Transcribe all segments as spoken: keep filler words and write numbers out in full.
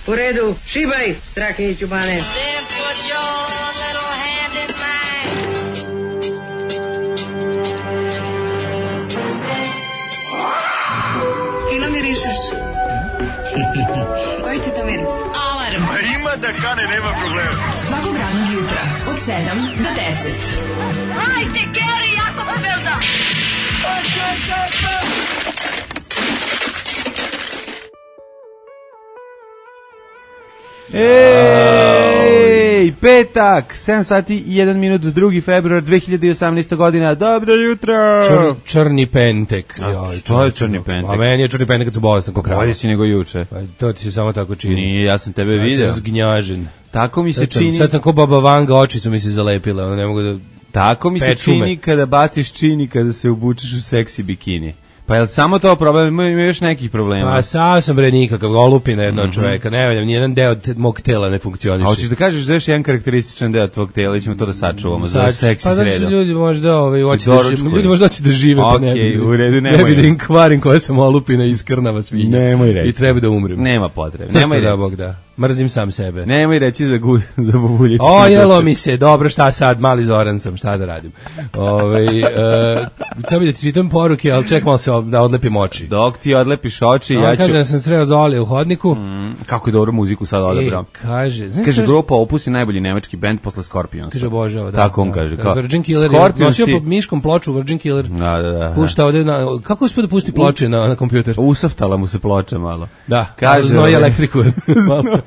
U redu, šibaj, Strahinjiću Bane. Fino mirišeš. Koji ti to miris? Alarm. A ima da kane, nema problema. Svakog radnog jutra, od sedam do deset. Hajde, Geri, jako se velda. Ej, petak, sedam sati i jedan minut, drugi februar dve hiljade osamnaeste. godina. Dobro jutro. Čr, črni pentek. Joj, što je črni pentek? A meni je črni pentek kad su bolestan ko krava. Bolje si nego juče. Pa to ti se samo tako čini. Nije, ja sam tebe Znači, video. zgnjažen. Tako mi se Sad sam, čini. sad sam ko Baba Vanga, oči su mi se zalepile, ono ne mogu da... Tako mi se Pečume. čini kada baciš čini, kada se obučeš u seksi bikini. Pa je li samo to problem? Ima, ima još nekih problema. Pa sam sam bre nikakav, olupina jedna od čoveka, ne valjam, nijedan deo te, mog tela ne funkcioniše. A hoćeš da kažeš da još jedan karakterističan deo tvog tela, ćemo to da sačuvamo za Sad, seksi pa znači sredom. ljudi možda, ovaj, hoće da, doručkuju. ži- ljudi možda hoće da žive, pa ne Okej, bi, u redu, ne nemoj. bi da im kvarim koja sam olupina i iskrnava svinja. Nemoj reći. I treba da umrem. Nema potrebe. Crkva Nemoj da reći. Bog da. Mrzim sam sebe. Nemoj reći za, gu, za bubuljicu. O, jelo mi se, dobro, šta sad, mali Zoran sam, šta da radim. Ove, uh, sad bi da ti čitam poruke, ali ček malo se o- da odlepim oči. Dok ti odlepiš oči, On ja ću... kaže da sam sreo Zoli u hodniku. Mm, kako je dobro muziku sad odabrao. E, kaže, znaš, Kaže, kaže, grupa Opus je najbolji nemački bend posle Scorpionsa. kaže obožava, da. Tako on da, kaže. da. Kao, Virgin Killer je Scorpionsi- nosio pod miškom ploču Virgin Killer. Da, da, da. Pušta ovde na, kako uspio da pusti ploče na, na kompjuter? Usaftala mu se ploča malo. Da, Kaže, znoji ovaj- elektriku. Malo.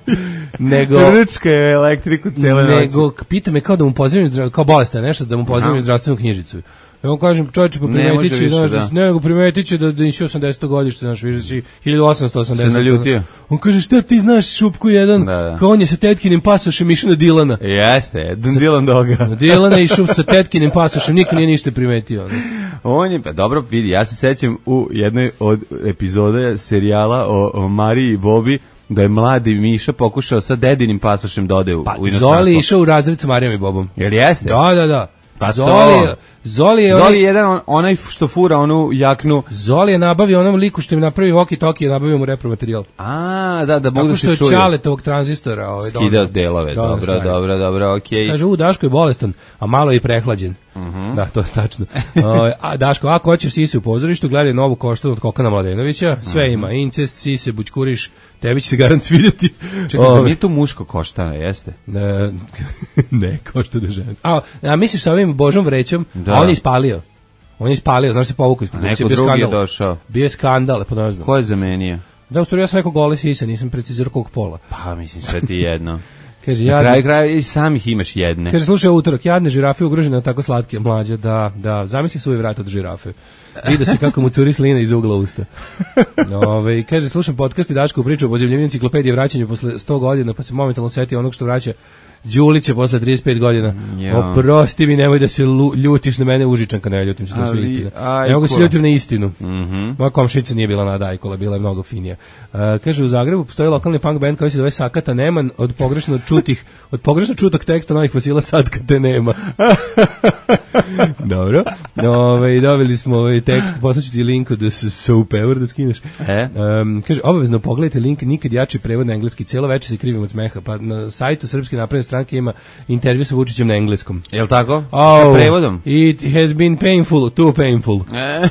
nego, Rčka je elektriku cele noći. nego, pita me kao da mu pozdravim, zdra- kao bolestan nešto, da mu pozdravim zdravstvenu knjižicu. Ja mu kažem, čovječe, pa Ne primetit može će, više, znaš, da. ne, nego primetit će da, da nisi osamdeseto godište, znaš, više si hiljadu osamsto osamdeset. Se naljutio. On kaže, šta ti znaš, Šupku jedan, Da, da. kao on je sa tetkinim pasošem išao na Dilana. Jeste, jedan Dylan Doga. Na Dilana je išao sa tetkinim pasošem, niko nije ništa primetio. ono. On je, pa dobro, vidi, ja se sećam u jednoj od epizoda serijala o, o Mariji i Bobi, da je mladi Miša pokušao sa dedinim pasošem da ode u, Pa u inostranstvo. Zoli je išao u razred sa Marijom i Bobom. Jel jeste? Da, da, da. Pa Zoli, to. Zoli je... Zoli onaj- je jedan on, onaj što fura onu jaknu. Zoli je nabavio onom liku što im napravi walkie talkie, je nabavio mu repromaterijal. A, da, da mogu Tako da što se je čuju. Čaletovog tranzistora. Ovaj, Skidao doneo. delove, Doneo dobro, stvari. dobro, dobro, okej. Kaže, u, Daško je bolestan, a malo je i prehlađen. Da, to je tačno. O, a Daško, ako hoćeš sise u pozorištu, gledaj novu koštu od Kokana Mladenovića, sve ima, incest, sise, bućkuriš, tebi će se garant svidjeti. Čekaj, zar Ove, nije to muško koštana, jeste? ne, ne, košta da žena. A, a misliš sa ovim Božom vrećom, Da. a on je ispalio. On je ispalio, znaš se povukao iz produkcije, Neko bio drugi je skandal. došao. Bio je skandal, pa ne znam. Ko je zamenio? Da, u stvari ja sam rekao gole sise, nisam precizirao kog pola. Pa, mislim, sve ti jedno. Kaže, Na ja... kraju kraja i samih imaš jedne. Kaže, slušaj, utorak, jadne žirafe ugrožene od tako slatke mlađe, da, da, zamisli svoj vrat od žirafe. Vide se kako mu curi slina iz ugla usta. Ove, kaže, slušam podcast i Daško priču o pozivljenju enciklopedije vraćanju posle sto godina, pa se momentalno setio onog što vraća Đulića posle trideset pet godina. Ja. Oprosti mi, nemoj da se lu- ljutiš na mene, Užičanka, ne ljutim se, to su Ali, istine. ajko. Ne mogu se ljutim na istinu. Mhm. Moja komšinica nije bila Nada Ajkola, bila je mnogo finija. Uh, kaže, u Zagrebu postoji lokalni punk band koji se zove Sakata Neman, od pogrešno čutih, od pogrešno čutog teksta novih fosila sad kad te nema. Dobro. Ove, dobili smo ovaj tekst, poslaću ti link od Soap Ever da skineš. E? Um, kaže, obavezno pogledajte link, nikad jači prevod na engleski, cijelo večer se krivim od smeha, pa na sajtu Srpske napredne stranke ima intervju sa Vučićem na engleskom. Jel tako? Oh, Sa prevodom? It has been painful, too painful. E? Uh,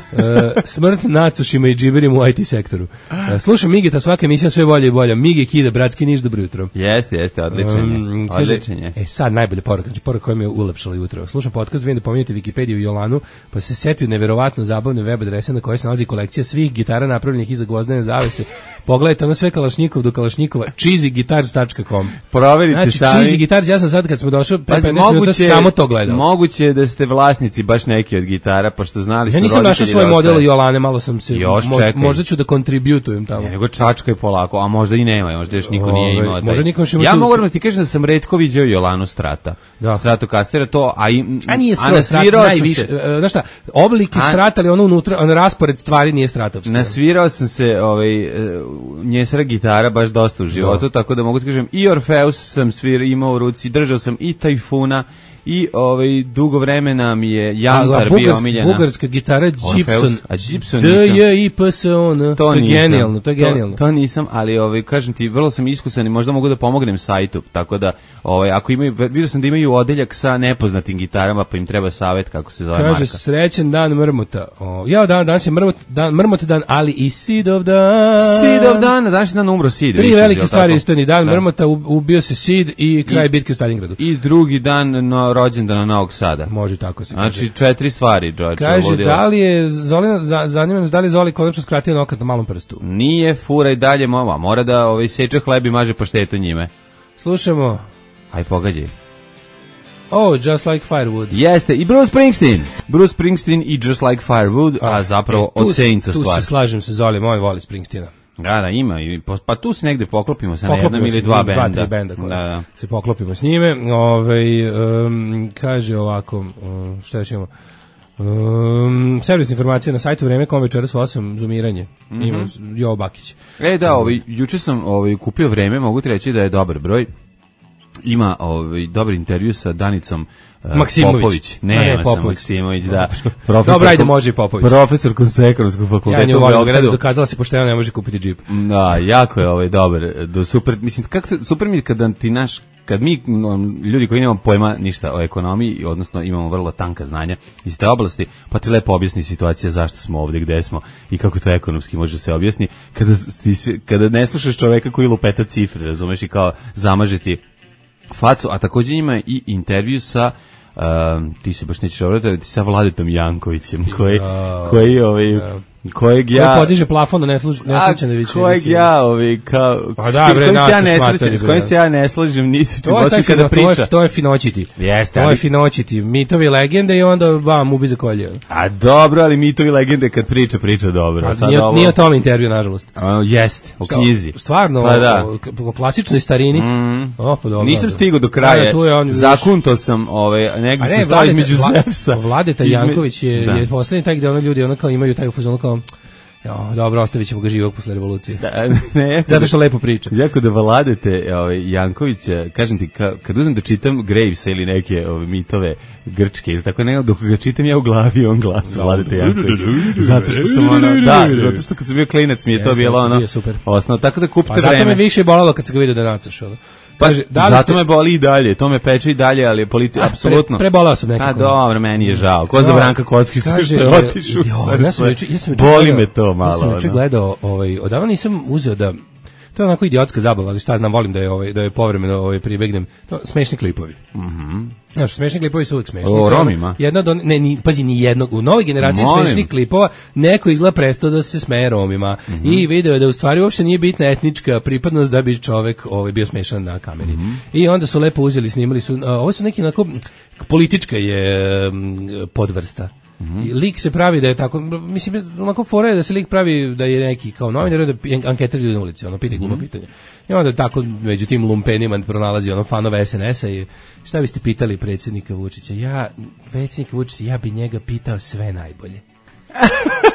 smrt nacušima i džiberima u I T sektoru. Uh, slušam Migeta, svaka emisija sve bolje i bolje. Mige Kida, bratski Niš, dobro jutro. Jeste, jeste, odličan je. Um, kaže, Odličan je. E sad najbolje poruka, znači poruka koja mi je ulepšala jutro. Slušam podcast, vidim da pominjete Wikipediju i Jolanu, pa se setio neverovatno zabavne web adrese na kojoj se nalazi kolekcija svih gitara napravljenih iza gvozdene zavese. Pogledajte ono sve Kalašnikov do Kalašnikova, cheesy guitars dot com. Proverite Znači, sami. cheesy guitars, ja sam sad kad smo došli pre Pazi, petnaest minuta samo to gledao. Moguće je da ste vlasnici baš neki od gitara, pošto znali su Ja nisam roditelji našao svoj da model ostaje. Jolane, malo sam se, Još mož- čekaj. možda ću da kontributujem tamo. Ne, nego čačka je polako, a možda i nema, možda još niko nije Ove, imao. taj. možda niko još ima Ja tu- mogu da ti kažem da sam retko viđao Jolanu Strata. Da. Stratokastera, to, a, i, A nije a skoro strat, nasvirao sam najviše. se, e, Znaš šta, oblike A- strata, ali ono unutra, on raspored stvari nije stratovski. nasvirao sam se ovaj, e, njesra gitara baš dosta u životu, tako da mogu ti kažem, i Orfeus sam svir, imao u ruci, držao sam i Tajfuna, i ovaj, dugo vremena mi je Jantar bio omiljena. Bugarska gitara Gibson. A Gibson D nisam. J I P S O N. To je genijalno, to je genijalno. To, to nisam, ali ovaj, kažem ti, vrlo sam iskusan i možda mogu da pomognem sajtu, tako da ovaj, ako imaju, vidio sam da imaju odeljak sa nepoznatim gitarama, pa im treba savet kako se zove Kaže, marka. srećen dan Mrmota. O, ja, dan, danas je Mrmot dan, Mrmot dan, ali i Sidov dan. Sidov dan, danas je dan umro Sid. Tri više, velike jel stvari tako? istani. Dan Da. Mrmota, ubio se Sid i kraj I- bitke u Stalingradu. I drugi dan no, rođendana Novog Sada. Može tako se kaže. Znači, četiri stvari, George. Kaže, vodila. da li je Zolina, za, zanima nas da li Zoli konačno skratio nokat na malom prstu? Nije, fura i dalje, mama, mora da ovaj, seče hleb i maže paštetu njime. Slušamo. Aj, pogađaj. Oh, Just Like Firewood. Jeste, i Bruce Springsteen. Bruce Springsteen i Just Like Firewood, a zapravo E, tu od se- Saintsa Tu stvar. se slažem se, Zoli, moj voli Springsteena. Da, da, ima. i po- Pa tu se negde poklopimo sa na Poklopimo jednom se, ili dva dva, benda. tri benda koje Da, da. se poklopimo s njime. Ove, um, kaže ovako, um, šta još imamo? Um, servis informacije na sajtu vreme kom večeras u osam zoomiranje. Mhm. Ima Jovo Bakić. E, da, ovaj, juče sam ovaj, kupio vreme, mogu ti reći da je dobar broj. Ima ovaj, dobar intervju sa Danicom uh, Maksimović. Popović. A ne, Ne, Popović. Maksimović, da. Dobro, ajde, može i Popović. Profesorkom sa ekonomskog fakulteta Ja nju u volim, Beogradu. dokazala se pošteno ne može kupiti džip. Da, jako je ovaj dobar, do super, mislim kako to- super mi je kada ti naš kad mi no, ljudi koji nemamo pojma ništa o ekonomiji, odnosno imamo vrlo tanka znanja iz te oblasti, pa ti lepo objasni situacija zašto smo ovdje, gde smo i kako to ekonomski može se objasni, kada ti se, kada ne slušaš čoveka koji lupeta cifre, razumeš, i kao zamažeti facu, a također ima i intervju sa um, ti se baš nećeš obratiti, sa Vladetom Jankovićem, koji, koji ovaj, kojeg ja... Koji podiže plafon da ne služi, ne A slučajno više. kojeg ja, ovi, kao... Pa da, s bre, kojim se ja naciš ne materi, slažem, s bre. kojim se ja ne slažem, nisi čuo, To je taj osim kada fino, to je, priča. to je finoćiti. Jeste, To je ali- finoćiti. Mitovi legende i onda bam, ubi za kolje. A dobro, ali mitovi legende kad priča, priča dobro. A Sad nije, ovo... nije o tom intervju, nažalost. A, jeste, o knjizi. Stvarno, Pa da. o, o klasičnoj starini. Mm. O, pa dobro. Nisam dobro. stigao do Da, kraja, da, tu je on, zakunto sam, ovaj, negdje A sam ne, stao Vladeta, između Vla- Zevsa. Vladeta Izme- Janković je, Da. je poslednji taj gde ono ljudi ono kao imaju taj u fazonu kao jo, dobro, ostavit ćemo ga živog posle revolucije. Da, ne, jako Zato da- što lepo priča. Jako da Vladete ovaj, Jankovića, kažem ti, ka, kad uzmem da čitam Gravesa ili neke ove, mitove grčke, ili tako ne, dok ga čitam ja u glavi, on glasa Vladete Janković. Zato što sam ono, da, zato što kad sam bio klinac mi je to Jeste, bilo jeste, ono, bio super. osnovno, tako da kupite Pa zato vreme. me više bolalo kad se ga vidio da nacaš. Ono. Pa, Kaže, da li zato ste- me boli i dalje, to me peče i dalje, ali je politi, apsolutno. Pre, prebolao sam nekako. A dobro, meni je žao. Ko za Da. Branka Kockicu Kaže, što je otišao u jo, ja sam srce. juče- ja sam juče Boli gledao- me to malo. Ja sam juče ono. gledao, ovaj, odavno nisam uzeo da, to je onako idiotska zabava, ali šta znam, volim da je, ovaj, da je povremeno ovaj, pribegnem. To, smešni klipovi. Mhm. Znaš, smešni klipovi su uvijek smešni. O, To je ono- Romima? Jedna od, on- ne, ni, pazi, ni jednog. U novoj generaciji Molim. smešnih klipova neko izgleda prestao da se smeje Romima. I video je da u stvari uopšte nije bitna etnička pripadnost da bi čovek ovaj, bio smešan na kameri. I onda su lepo uzeli, snimali su, a, ovo su neki onako, politička je mm, podvrsta. I lik se pravi da je tako, mislim, onako fora je da se lik pravi da je neki kao novinar, da anketira ljudi na ulici, ono, pita glupo pitanje. I onda tako među tim lumpenima pronalazi ono fanove S N S-a i šta biste pitali predsjednika Vučića? Ja, predsjednika Vučića, ja bi njega pitao sve najbolje.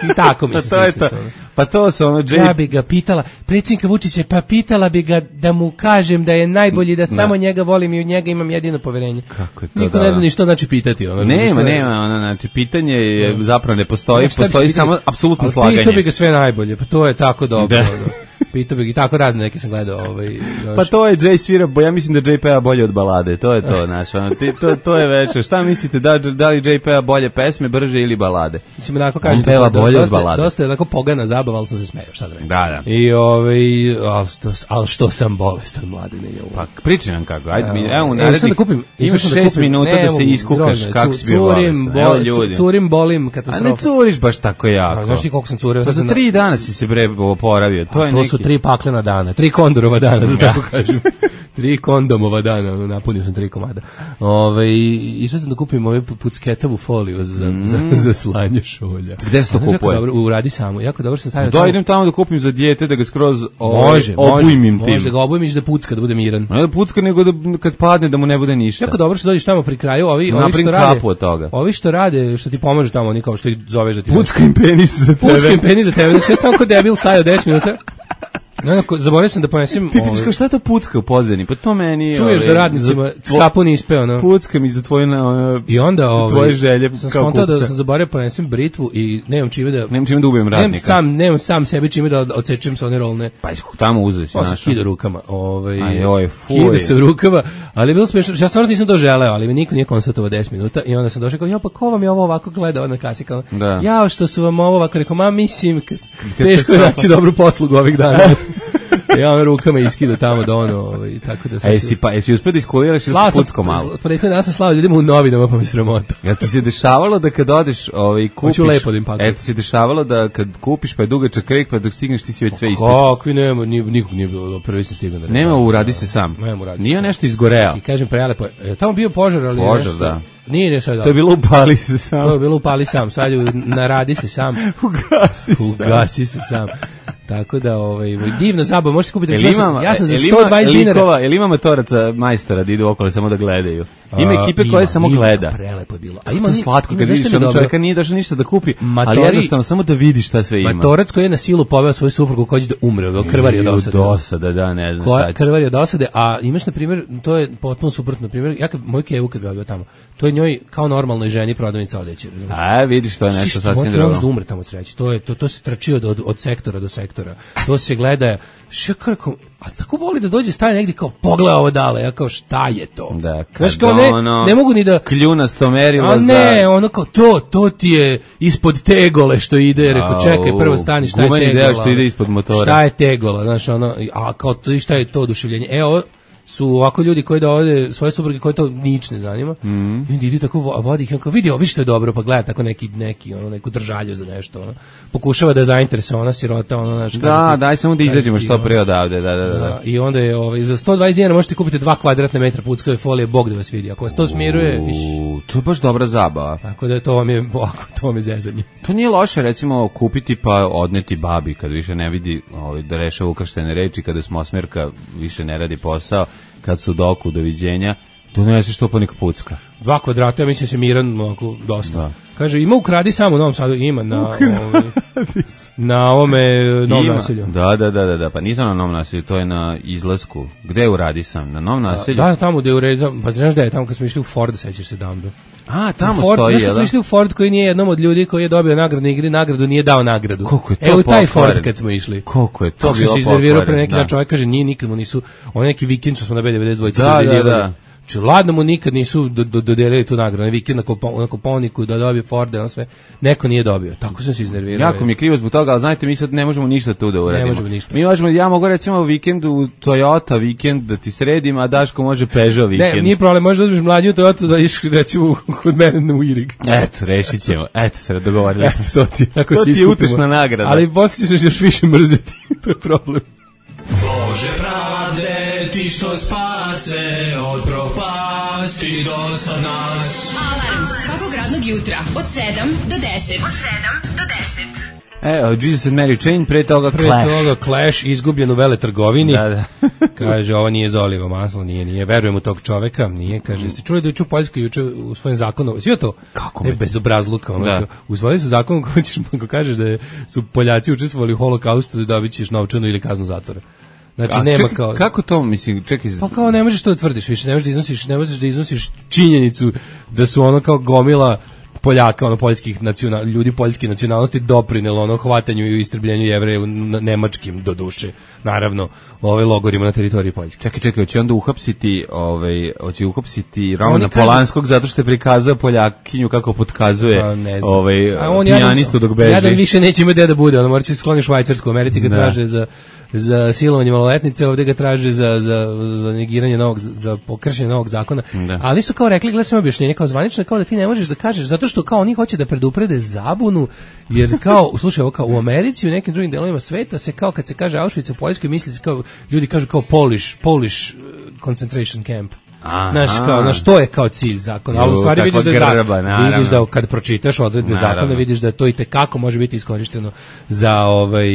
I tako mi Pa se to je slično to. su ono. Pa to su ono, J... Ja bi ga pitala, predsjednika Vučića, pa pitala bi ga da mu kažem da je najbolji, da samo njega volim i u njega imam jedino poverenje. Kako je to, Niko da. ne zna ni što znači pitati. Ono, Nema, što je- nema, ono, znači, pitanje je, zapravo ne postoji, Šta bi postoji se pitali? samo apsolutno Ali slaganje. pitao bi ga sve najbolje, pa to je tako dobro. Da. ono. Pitao bi ga i tako razne neke sam gledao. Ovaj, još. Pa to je Jay svira, bo ja mislim da J peva bolje od balade, to je to, znaš, ono, ti, to, to je već, šta mislite, da, da li J peva bolje pesme, brže ili balade? Mislim, onako On kažete, peva do- bolje od dosta, balade. dosta je onako pogana zabava, ali sam se smejao, šta da rekao. Da, da. I ovaj, al što, al što sam bolestan, mladine, je ovo. Pa pričaj nam kako, ajde, mi, evo, E, išao sam narednih, da kupim, išao imaš sam da šest kupim, minuta ne, da se mogu, iskukaš grozno, kako cu- si bio curim, bolestan, evo bo- ljudi. cu- Curim, bolim, A katastrofa. ne curiš baš tako jako. A, znaš ti koliko sam curio? Pa Sad za sam na- tri dana si se bre oporavio, to je To neki... su tri paklena dana, tri kondorova dana, da tako kažem. Tri kondomova dana, ono, napunio sam tri komada. Ove, išao sam da kupim ove pucketavu foliju za, Mm. za, za slanje šolja. Gde se to A znaš, jako kupuje? Dobro, uradi samo, jako dobro se stavio. Da, idem tamo da kupim za dijete, da ga skroz ovaj, Može, obujmim može, tim. može da ga obujmiš da pucka, da bude miran. Ne da pucka, nego da kad padne da mu ne bude ništa. Jako dobro što dođeš tamo pri kraju, ovi, ovi Napravim što rade, kapu od toga. ovi što rade, što ti pomažu tamo, oni kao što ih zoveš da ti... Pucka im penis za tebe. Pucka im penis za tebe, znači ja sam tamo kod debil stajao deset minuta. No, zaboravio sam da ponesem... Ti vidiš kao šta to pucka u pozadini, pa to meni... Čuješ ove, da radnicima skapu ne ispeo, no? Pucka mi za tvoje, na, I onda ove, tvoje želje sam kao skontao kupca. da sam zaboravio ponesem britvu i nemam čime da... Nemam čime da ubijem radnika. Nemam sam, nemam sam sebi čime da odsečem sa one rolne. Pa tamo uzeo si Pa se našao. kida rukama. Ovaj, Ajoj, fuj. Kida se u rukama, ali je bilo smiješno. Ja stvarno nisam to želeo, ali mi niko nije konstatovao deset minuta i onda sam došao kao, ja pa ko vam je ovo ovako gledao na kasi, kao, Da. ja što su vam ovo ovako, rekao, ma mislim, kad, teško je naći dobru poslugu ovih dana. Ja vam rukama iskida tamo do ono, ovaj, tako da sam... A jesi, pa, jesi uspio da iskuliraš ili si pucko malo? Prethodno danas sam slao ljudima u novinama, pa mi sramota. Jel ti se dešavalo da kad odeš, ovaj, kupiš... Hoću lepo da im pakujem. Jel ti se dešavalo da kad kupiš pa je dugačak krek, pa dok stigneš ti si već sve ispećen? Kakvi nema, ni, nikog nije bilo, prvi sam stigao na red. Nema, uradi se sam. Nema, uradi se Nije sam. nešto izgoreo. I kažem prelepo, je tamo bio požar, ali Požar, nešto, da. Nije, nije sve dobro. To je bilo upali se sam. To je bilo upali sam, sad je naradi se sam. Ugasi se. Ugasi se sam. Tako da, ovaj, divna zabava, možete kupiti. Jel Ja ima, sam, ja sam za jel sto dvadeset ima dinara. likova, jel ima matoraca majstora da idu okolo samo da gledaju? Ima A, ekipe koje samo ima, gleda. Prelepo je bilo. A Ima ima to ni- slatko ima kad nešto vidiš mi ono dobro. čovjeka nije došao ništa da kupi, ali Matori- jednostavno samo da vidiš šta sve ima. Matorac koji je na silu poveo svoju suprugu koji će da umre, od krvari od I dosade. dosada, da, ne znam šta Koja će. krvari od dosade, a imaš na primjer, to je potpuno suprotno, na primjer, ja kad moj Kevu kad bi bio tamo, to je njoj kao normalnoj ženi prodavnica odeće, razumiješ? A, vidiš, to je nešto sasvim Ne možeš da drugo. umre tamo od sreće. To je to to se trči od, od od sektora do sektora. To se gleda. Što kako, a tako voli da dođe staje negdje kao pogleda ovo dale, ja kao šta je to? Da, Znaš, kad kao ne, ono ne mogu ni da kljunasto merilo a ne, za... ono kao to, to ti je ispod tegole što ide, rekao čekaj, prvo stani, šta je Gumeni tegola? deo što ide ispod motora. Šta je tegola, znaš, ono, a kao to, šta je to oduševljenje? E, ovo su ovako ljudi koji dovode svoje supruge koje to nič ne zanima. Mm. I onda ide tako vo- vodi ih, on kao vidi, ovi što je dobro, pa gleda tako neki, neki, ono, neku držalju za nešto, ono. Pokušava da je zainteresovana ona sirota, ono, znaš. Da, kaže ti- daj samo da kaže izađemo ti, što ono, pre odavde, da, da, da. da, i onda je ovaj, za sto dvadeset dinara možete kupiti dva kvadratna metra puckave folije, Bog da vas vidi. Ako vas to smiruje, viš, U, to je baš dobra zabava. tako da to vam je, ovako, to vam je zezanje. To nije loše, recimo, kupiti pa odneti babi kad više ne vidi ovaj, da rešava ukrštene reči, kada smo osmerka više ne radi posao, kad su doku, doviđenja, doneseš to pa neka pucka. Dva kvadrata, ja mislim se miran onako dosta. Da. Kaže, ima ukradi samo u Novom Sadu, ima na, ovaj, na ovome Novom Ima. naselju. Da, da, da, da, da, pa nisam na novom naselju, to je na izlasku. Gde uradi sam? Na novom naselju? Da, tamo gde je uredio, pa znaš da je tamo kad smo išli u Ford, sećaš se dambe. A, tamo Ford, stoji, znaš kad jel smo da? išli u Ford koji nije jednom od ljudi koji je dobio nagradnu igri, nagradu nije dao nagradu. Koliko je to Evo taj pokvaren. Ford kad smo išli. Koliko je to Kako sam bilo se iznervirao pre pokvaren, neki da. dan, čovjek kaže nije nikad mu nisu, on neki vikend što smo na B devedeset dva Da, da, dodeljivali. da. Znači, ladno mu nikad nisu do, do, dodelili tu nagradu, na vikend na, Kopo, na Koponiku da dobije Forde, on sve, neko nije dobio, tako sam se iznervirao. Jako mi je krivo zbog toga, ali znajte, mi sad ne možemo ništa tu da uradimo. možemo ništa. Mi možemo, ja mogu recimo vikend u Toyota vikend da ti sredim, a Daško može Peugeot vikend. Ne, nije problem, možeš da uzmeš mlađu Toyota da iš recimo kod mene u Irig. Eto, rešit ćemo. Eto, se dogovorili smo se. To ti, tako To se ti je iskupimo. utešna nagrada. Ali poslije ćeš još više mrzeti, to je problem. Bože pravde, ti što spase od propasti do sad nas. Alarm svakog radnog jutra od sedam do deset. Od sedam do deset. E, o, Jesus and Mary Chain, pre toga Pre Clash. toga Clash izgubljen u veletrgovini. Da, da. Kaže, ovo nije Zolivo maslo, nije, nije. Verujem u tog čoveka, nije. Kaže, ste čuli da juče u Poljskoj juče u svojim zakonu, svi to? Kako Ne, mi? bezobrazluka. Ono, Da. kao, usvojili su zakon koji ćeš, ako kažeš da je, su Poljaci učestvovali u holokaustu, da dobit ćeš novčanu ili kaznu zatvora. Znači, A, nema čekaj, kao... kako to, mislim, čekaj... Pa kao ne možeš to da tvrdiš više, ne možeš da iznosiš, ne možeš da iznosiš činjenicu da su ono kao gomila Poljaka, ono poljskih nacional, ljudi poljske nacionalnosti doprinelo ono hvatanju i istrebljenju Jevreja u n- nemačkim do duše. Naravno, ove logorima na teritoriji Poljske. Čekaj, čekaj, hoće onda uhapsiti, ovaj, hoće uhapsiti Romana Oni kažu- Polanskog zato što je prikazao Poljakinju kako potkazuje Pa, ne znam. ovaj, A on pijanistu dok beži. Jadan više neće imati gde da bude, ono mora će skloni Švajcarsku, u Americi ga Da. traže za za silovanje maloletnice, ovdje ga traže za, za, za negiranje novog, za pokršenje novog zakona. Da. Ali su kao rekli, gledaj sam objašnjenje, kao zvanično, kao da ti ne možeš da kažeš, zato što kao oni hoće da preduprede zabunu, jer kao, slušaj, ovo kao u Americi, u nekim drugim delovima sveta se kao kad se kaže Auschwitz u Poljskoj, misli se kao, ljudi kažu kao Polish, Polish uh, concentration camp. Znaš, kao, znaš, to je kao cilj zakona, ali u stvari vidiš da, je grba, zakon, vidiš da kad pročitaš odredbe naravno. zakona, vidiš da to i tekako može biti iskorišteno za ovaj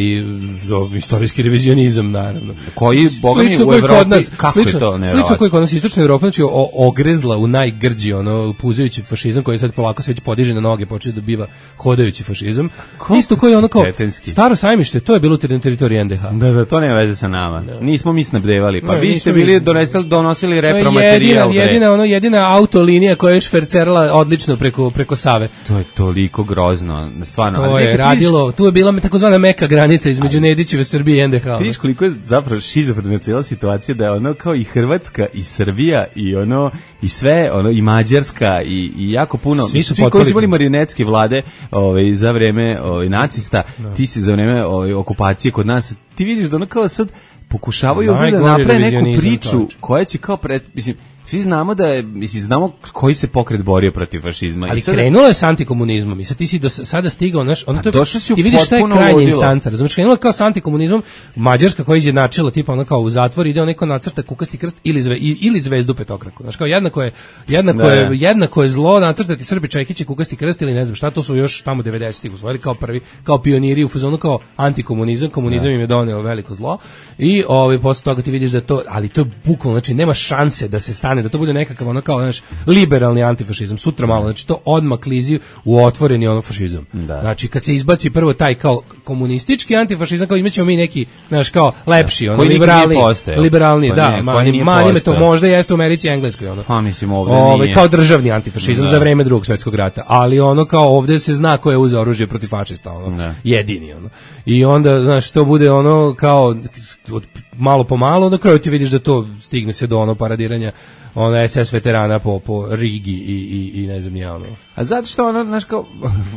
za istorijski revizionizam, naravno. Koji, boga mi, u Evropi, nas, kako slično, je to nevjerovatno? Slično koji kod nas istočna Evropa, znači o, ogrezla u najgrđi, ono, puzajući fašizam koji sad polako se već podiže na noge, počne da biva hodajući fašizam. Ko? Isto koji ono kao, Tetenski. Staro sajmište, to je bilo na teritoriji en de ha. Da, da, to nema veze sa nama. No. Nismo mi snabdevali, pa no, vi ste bili donesli, donosili repromaterijal. Jedina, jedina, ono, jedina autolinija koja je švercerala odlično preko, preko Save. To je toliko grozno, stvarno. To je radilo, tu je bila takozvana meka granica između Nedićeve Srbije i en de ha. Vidiš koliko je zapravo šizofrena cijela situacija, da je ono kao i Hrvatska i Srbija i ono i sve, ono i Mađarska i, i jako puno, svi, svi koji su bili marionetske vlade ovaj, za vreme ovaj, nacista, no. ti si za vreme ovaj, okupacije kod nas, ti vidiš da ono kao sad pokušavaju ovdje da naprave neku priču koja će kao pred, mislim, svi znamo da je, mislim, znamo koji se pokret borio protiv fašizma. Ali I sad, krenulo je s antikomunizmom i sad ti si do sada stigao, znaš, ono to, si ti vidiš šta je krajnja instanca, razumiješ, krenulo je kao s antikomunizmom, Mađarska koja je izjednačila, tipa ono kao u zatvor, ide neko nacrta kukasti krst ili, zve, ili zvezdu petokraku, znaš, kao jednako je, jednako da, je, jednako je zlo nacrtati Srbi Čekić i kukasti krst ili ne znam šta, to su još tamo devedesetih usvojili kao prvi, kao pioniri u fazonu kao antikomunizam, komunizam da. im je doneo veliko zlo i ovaj, posle toga ti vidiš da to, ali to je bukvalno, znači nema šanse da se stane, da to bude nekakav ono kao, znaš, liberalni antifašizam, sutra malo, znači to odmah klizi u otvoreni ono fašizam. Da. Znači kad se izbaci prvo taj kao komunistički antifašizam, kao imaćemo mi neki, znaš, kao lepši, ono, liberalni, liberalni, da, mani, mani to možda jeste u Americi i Engleskoj, ono. Pa mislim ovdje Ove, nije. Kao državni antifašizam da. za vreme Drugog svjetskog rata, ali ono kao ovdje se zna ko je uzeo oružje protiv fašista, ono, da. jedini, ono. I onda, znaš, to bude ono kao od malo po malo, na kraju ti vidiš da to stigne se do ono paradiranja ono es es veterana po, po Rigi i, i, i ne znam ja ono. A zato što ono, znaš kao,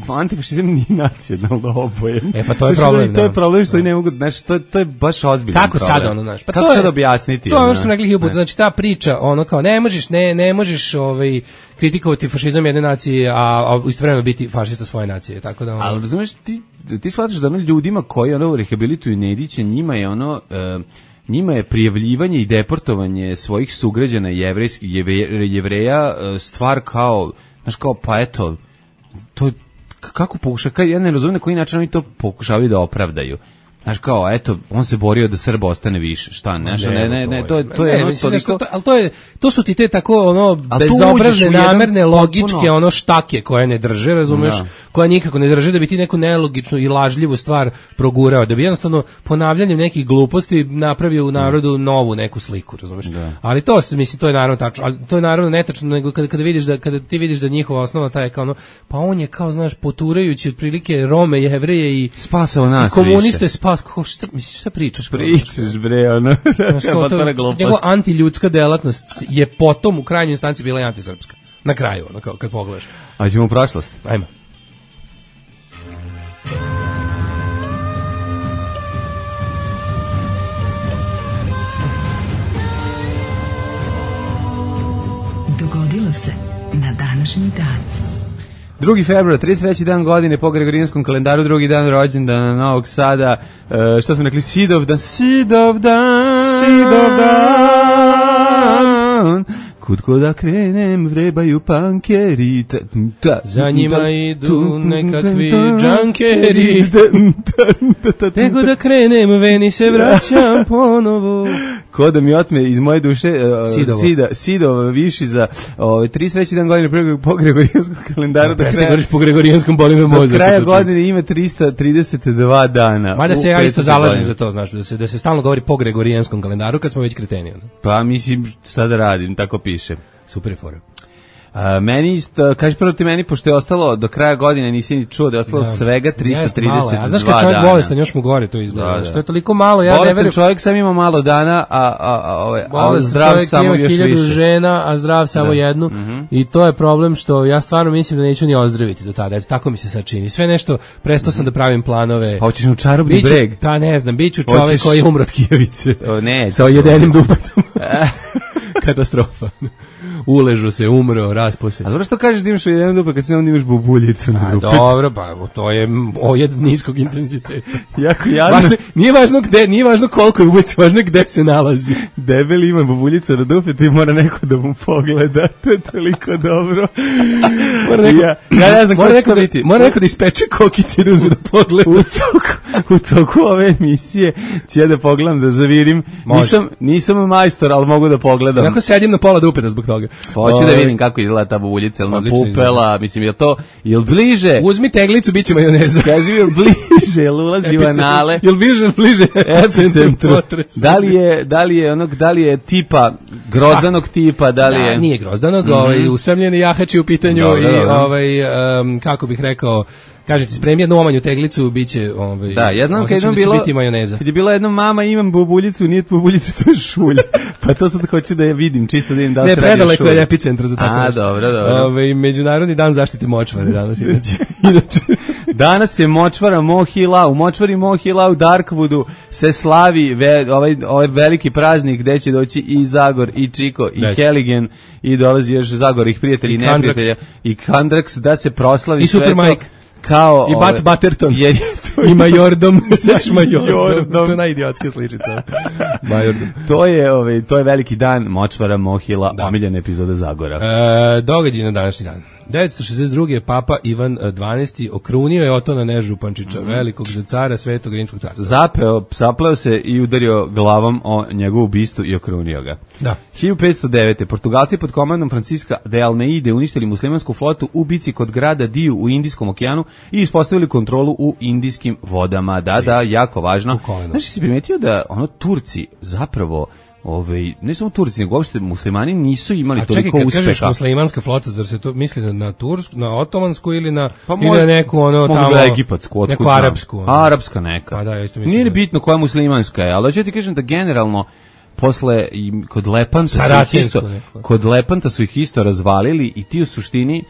antifašizam nije nacionalno obojen. E pa to je problem. To je problem što i ne mogu, znaš, to, to je baš ozbiljan Kako problem. sada ono, znaš? Pa kako to je, sad objasniti? To je ono što sam rekli hiljadu puta, znači ta priča, ono kao, ne možeš, ne, ne možeš ovaj, kritikovati fašizam jedne nacije, a, a istovremeno biti fašista svoje nacije, tako da ono. Ali znaš, ti, ti shvataš da ono ljudima koji ono rehabilituju Nedića, njima je ono... Uh, njima je prijavljivanje i deportovanje svojih sugrađana jevrejskih jevreja stvar kao, znaš, kao, pa eto, to kako pokuša, ja ne razumijem na koji način oni to pokušavaju da opravdaju. Znaš kao, eto, on se borio da Srba ostane više, šta, ne, ne, ne, ne, to je, to je, ono, toliko... ali to je, to su ti te tako, ono, bezobrazne, namerne, logičke, ono, štake koje ne drže, razumeš, koja nikako ne drže, da bi ti neku nelogičnu i lažljivu stvar progurao, da bi jednostavno ponavljanjem nekih gluposti napravio u narodu novu neku sliku, razumeš, ali to se, mislim, to je naravno tačno, ali to je naravno netačno, nego kada, kada vidiš da, kada ti vidiš da njihova osnova ta je kao ono, pa on je kao, znaš, poturajući otprilike Rome, Jevreje i spasao nas komuniste, spas, ko, šta, misliš, šta pričaš? Pričaš, bre, ono, njegova antiljudska delatnost je potom u krajnjoj instanci bila i antisrpska. Na kraju, ono, kao, kad pogledaš. A ćemo u prošlost. Ajmo. Dogodilo se na današnji dan. drugi februar, trideset treći dan godine po Gregorijanskom kalendaru, drugi dan rođendana Novog Sada. Uh, što smo rekli? Sidov dan, Sidov dan, Sidov dan. Kud ko da krenem, vrebaju pankeri. Za njima idu nekakvi džankeri. Nego da krenem, veni se vraćam ponovo. Ko da mi otme iz moje duše uh, Sida, Sidov viši za ovaj trideset treći dan godine po Gregorijanskom kalendaru. Da kraja, po Gregorijanskom boli me mozak. Do kraja godine ima trista trideset dva dana. Mada se ja isto zalažem za to, znaš, da se, da se stalno govori po Gregorijanskom kalendaru kad smo već kreteni. Ono. Pa mislim, šta da radim, tako piše. Super je fora. A, meni isto, kaži prvo ti meni, pošto je ostalo do kraja godine, nisi ni čuo da je ostalo da, svega trista trideset dva dana. A znaš kad čovjek bolestan, još mu gore to izgleda. Da, da. Što je toliko malo, ja bolestan ne verujem. Čovjek sam ima malo dana, a, a, a, a, a zdrav samo još više. Hiljadu žena, a zdrav samo da. jednu. Mm-hmm. I to je problem što ja stvarno mislim da neću ni ozdraviti do tada. Eto, tako mi se sad čini. Sve nešto, prestao sam da pravim planove. Pa hoćeš u čarobni biću, breg? Pa ne znam, biću čovjek hoćeš... koji je umro od kijavice. O, ne. Sa jedenim dupetom. Katastrofa. Uležu se, umro, raspo se. A dobro što kažeš da imaš u jednom dupe kad se onda imaš bubuljicu na dupetu? Dobro, pa to je ojed niskog intenziteta. Jako jadno. Važno, nije važno gde, nije važno koliko je ubica, važno je gde se nalazi. debeli ima bubuljicu na dupetu i mora neko da mu pogleda. To je toliko dobro. Mora neko, ja, ja ne znam mora kako neko, će da, biti. mora neko da ispeče kokice i da uzme da pogleda. U toku, u toku ove emisije ću ja da pogledam, da zavirim. Nisam, nisam majstor, ali mogu da pogledam. Onako sedim na pola dupeta zbog toga. Hoću da vidim kako izgleda ta bubuljica, ili Odlično napupela, izgleda. mislim, je to, jel bliže? Uzmi teglicu, bit će majoneza. Kaži mi, jel bliže, jel ulazi u anale? Jel bliže, bliže epicentru potresa. Da li je, da li je onog, da li je tipa, grozdanog tipa, da li je... Da, nije grozdanog, Mhm. ovaj, usamljeni jahači u pitanju Dobro, i, dobro. ovaj, um, kako bih rekao, kažete, spremi jednu omanju teglicu, bit će, ovaj, Da, ja znam kad osjećam jednom da će bilo, biti majoneza. kad je bila jedna mama, imam bubuljicu, nije bubuljicu, to je šulj. Pa to sad hoću da je vidim, čisto da vidim da li Ne, se radi o predaleko šulju. je epicentar za tako A, nešto. dobro, dobro. Ovaj, Međunarodni dan zaštite močvare danas, inače. inače. Danas se močvara Mohila, u močvari Mohila u Darkwoodu se slavi ve, ovaj, ovaj veliki praznik gde će doći i Zagor, i Čiko, i Neće. Heligen, i dolazi još Zagor, ih prijatelji i I Kandrax. neprijatelja, i Kandrax, da se proslavi I sve Super to Mike. kao... I Bat Butterton. Jer je to, I majordom, seš majordom. Majordom. To je najidiotska sličica. Majordom. to, je, ovaj, to je veliki dan močvara Mohila, Da. omiljena epizoda Zagora. E, događaj na današnji dan. devetsto šezdeset druge. Papa Ivan dvanaesti okrunio je Otona Nežupančića, velikog za cara Svetog Rimskog carstva. Zapeo, sapleo se i udario glavom o njegovu bistu i okrunio ga. Da. hiljadu petsto devete. Portugalci pod komandom Franciska de Almeide uništili muslimansku flotu u bici kod grada Diju u Indijskom okeanu i ispostavili kontrolu u indijskim vodama. Da, da, jako važno. U koleno. Znaš, si primetio da ono Turci zapravo, ovaj, ne samo Turci, nego uopšte muslimani nisu imali A čekaj, toliko kad uspeha. kažeš muslimanska flota, zar se to misli na, na tursku, na otomansku ili na, Pa ili možda- na neku ono mogu tamo, da je egipatsku, otkud neku znam. arapsku. Ono. Arapska neka. Pa da, ja isto mislim Nije ni da- bitno koja muslimanska je, ali hoću ti kažem da generalno posle i kod Lepanta su ih Saracensku isto, neku. kod Lepanta su ih isto razvalili i ti u suštini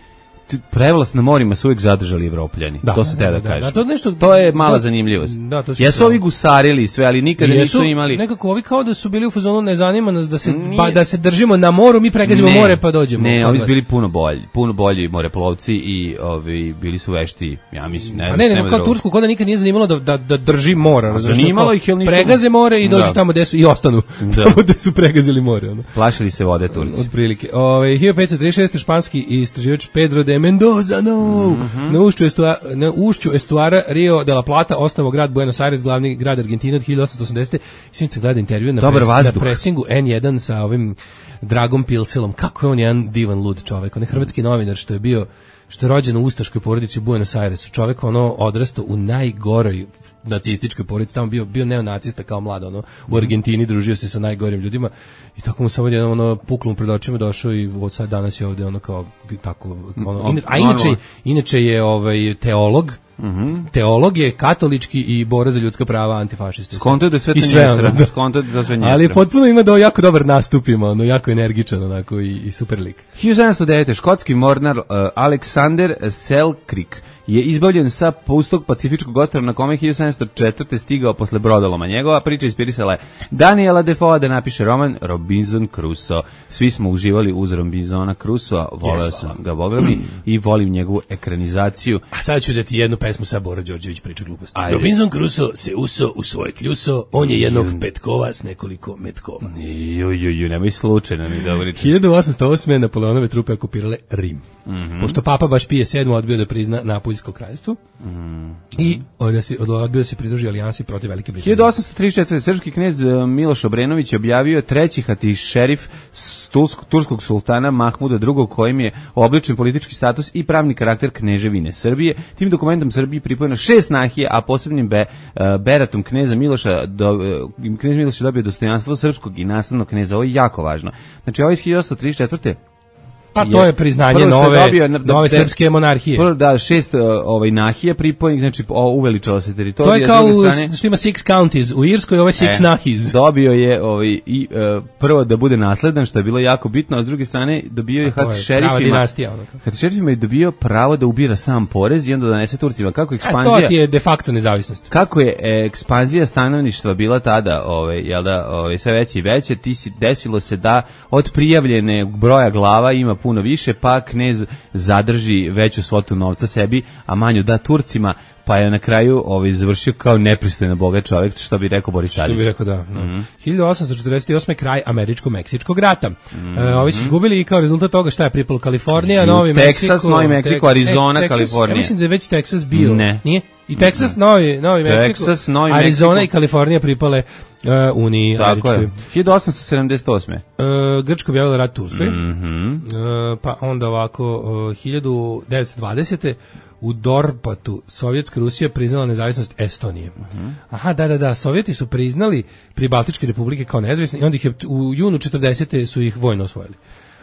ti- prevlast na morima su uvijek zadržali Evropljani. Da, to se te da, da, da, kaže. da, to nešto- to je mala da, zanimljivost. da, to si Jesu pravo. ovi gusarili i sve, ali nikada Jesu nisu imali... nekako ovi kao da su bili u fazonu ne zanima nas da se Nije- ba, da se držimo na moru, mi pregazimo Ne, more pa dođemo. Ne, kod ovi su vas. bili puno bolji, puno bolji moreplovci i ovi bili su vešti, ja mislim, ne. A ne, nema ne, kao drugog. Tursku kod da nikad nije zanimalo da da da drži mora, razumeš, zanimalo kao ih, jel nisu- pregaze more i dođu Da. tamo gde su i ostanu. Da. Tamo gde su pregazili more, ono. Plašili se vode Turci. Otprilike. Ovaj hiljadu petsto trideset šeste. španski istraživač Pedro de Mendoza no, Mhm. na ušću estua, na ušću estuara Rio de la Plata osnovao grad Buenos Aires, glavni grad Argentine od hiljadu osamsto osamdesete. Sinoć gleda intervju na, Dobar pres, na vazduh. presingu en jedan sa ovim Dragom Pilsilom. Kako je on jedan divan lud čovek, on je hrvatski novinar što je bio što je rođen u ustaškoj porodici u Buenos Airesu. Čovek ono odrastao u najgoroj nacističkoj porodici, tamo bio bio neonacista kao mlad, ono u Argentini družio se sa najgorim ljudima i tako mu samo jedno ono puklo mu pred očima, došao i od sad danas je ovde ono kao tako ono, ina- a inače inače je ovaj teolog. Teolog je katolički i bora za ljudska prava, antifašista. Skonto je da sve to I sve, njesra. ono, da. Skonto je da sve njesra. Ali potpuno ima da jako dobar nastup ima, ono jako energičan onako i, i super lik. hiljadu sedamsto devete. škotski mornar uh, Alexander Selkirk je izbavljen sa pustog pacifičkog ostrva na kome je hiljadu sedamsto četvrte stigao posle brodoloma. Njegova priča inspirisala je Daniela Defoe da napiše roman Robinson Crusoe. Svi smo uživali uz Robinsona Crusoe, voleo Yes, sam hvala. ga, boga mi, i volim njegovu ekranizaciju. A sad ću da ti jednu pesmu sa Bora Đorđević priča gluposti. Ajde. Robinson Crusoe se uso u svoje kljuso, on je jednog petkova s nekoliko metkova. Ju, ju, ju, nemoj slučajno mi dobro. hiljadu osamsto osme. Napoleonove trupe okupirale Rim. Mhm. Pošto papa baš Pije sedmi odbio da prizna Napoljsko kraljevstvo Mhm. i odbio se, odbio da se pridruži alijansi protiv Velike Britanije. hiljadu osamsto trideset četvrte. srpski knez e, Miloš Obrenović objavio je treći hati šerif s Tulsk- turskog sultana Mahmuda drugog kojim je obličen politički status i pravni karakter kneževine Srbije. Tim dokumentom Srbiji pripojeno šest nahije, a posebnim be, e, beratom kneza Miloša do, e, knez Miloš je dobio dostojanstvo srpskog i nastavnog kneza. Ovo je jako važno. Znači, ovo je iz hiljadu osamsto trideset četvrte. Pa to je priznanje prvo što je nove, dobio, na- nove de- srpske monarhije. Prvo, da, šest uh, ovaj nahija pripojenih, znači o, uveličala se teritorija. To je s kao druge u, strane- što ima six counties, u Irskoj ovo je six E, nahis. Dobio je ovaj i e, prvo da bude nasledan, što je bilo jako bitno, a s druge strane dobio je A to hat je šerifima. prava dinastija, ono kao. Hat šerifima je dobio pravo da ubira sam porez i onda da donese Turcima. Kako A ekspanzija to ti je de facto nezavisnost. kako je e, ekspanzija stanovništva bila tada, ovaj jel da, ovaj sve veće i veće, ti si desilo se da od prijavljene broja glava ima puno više, pa knez zadrži veću svotu novca sebi, a manju da Turcima. pa je na kraju ovaj, završio kao nepristojno bogat čovjek, što bi rekao Boris Tadić. Što bi rekao, da. No. Mm-hmm. hiljadu osamsto četrdeset osme kraj američko-meksičkog rata. Mm-hmm. E, ovi su izgubili i kao rezultat toga šta je pripalo Kalifornija, Novi Meksiko... Teksas, Novi Meksiko, tek, Arizona, e, Texas, Kalifornija. Ja mislim da je već Teksas bio. Ne. Nije? I Teksas, Novi, Novi Meksiko, Texas, Novi Arizona Meksiko. i Kalifornija pripale uh, Uniji Tako američkoj. je. hiljadu osamsto sedamdeset osme. Uh, Grčka objavila rat Turskoj. Mhm. Uh, pa onda ovako, uh, hiljadu devetsto dvadesete u Dorpatu Sovjetska Rusija priznala nezavisnost Estonije. Uh-huh. Aha, da, da, da, Sovjeti su priznali Pribaltičke republike kao nezavisne i onda ih je u junu četrdesete su ih vojno osvojili.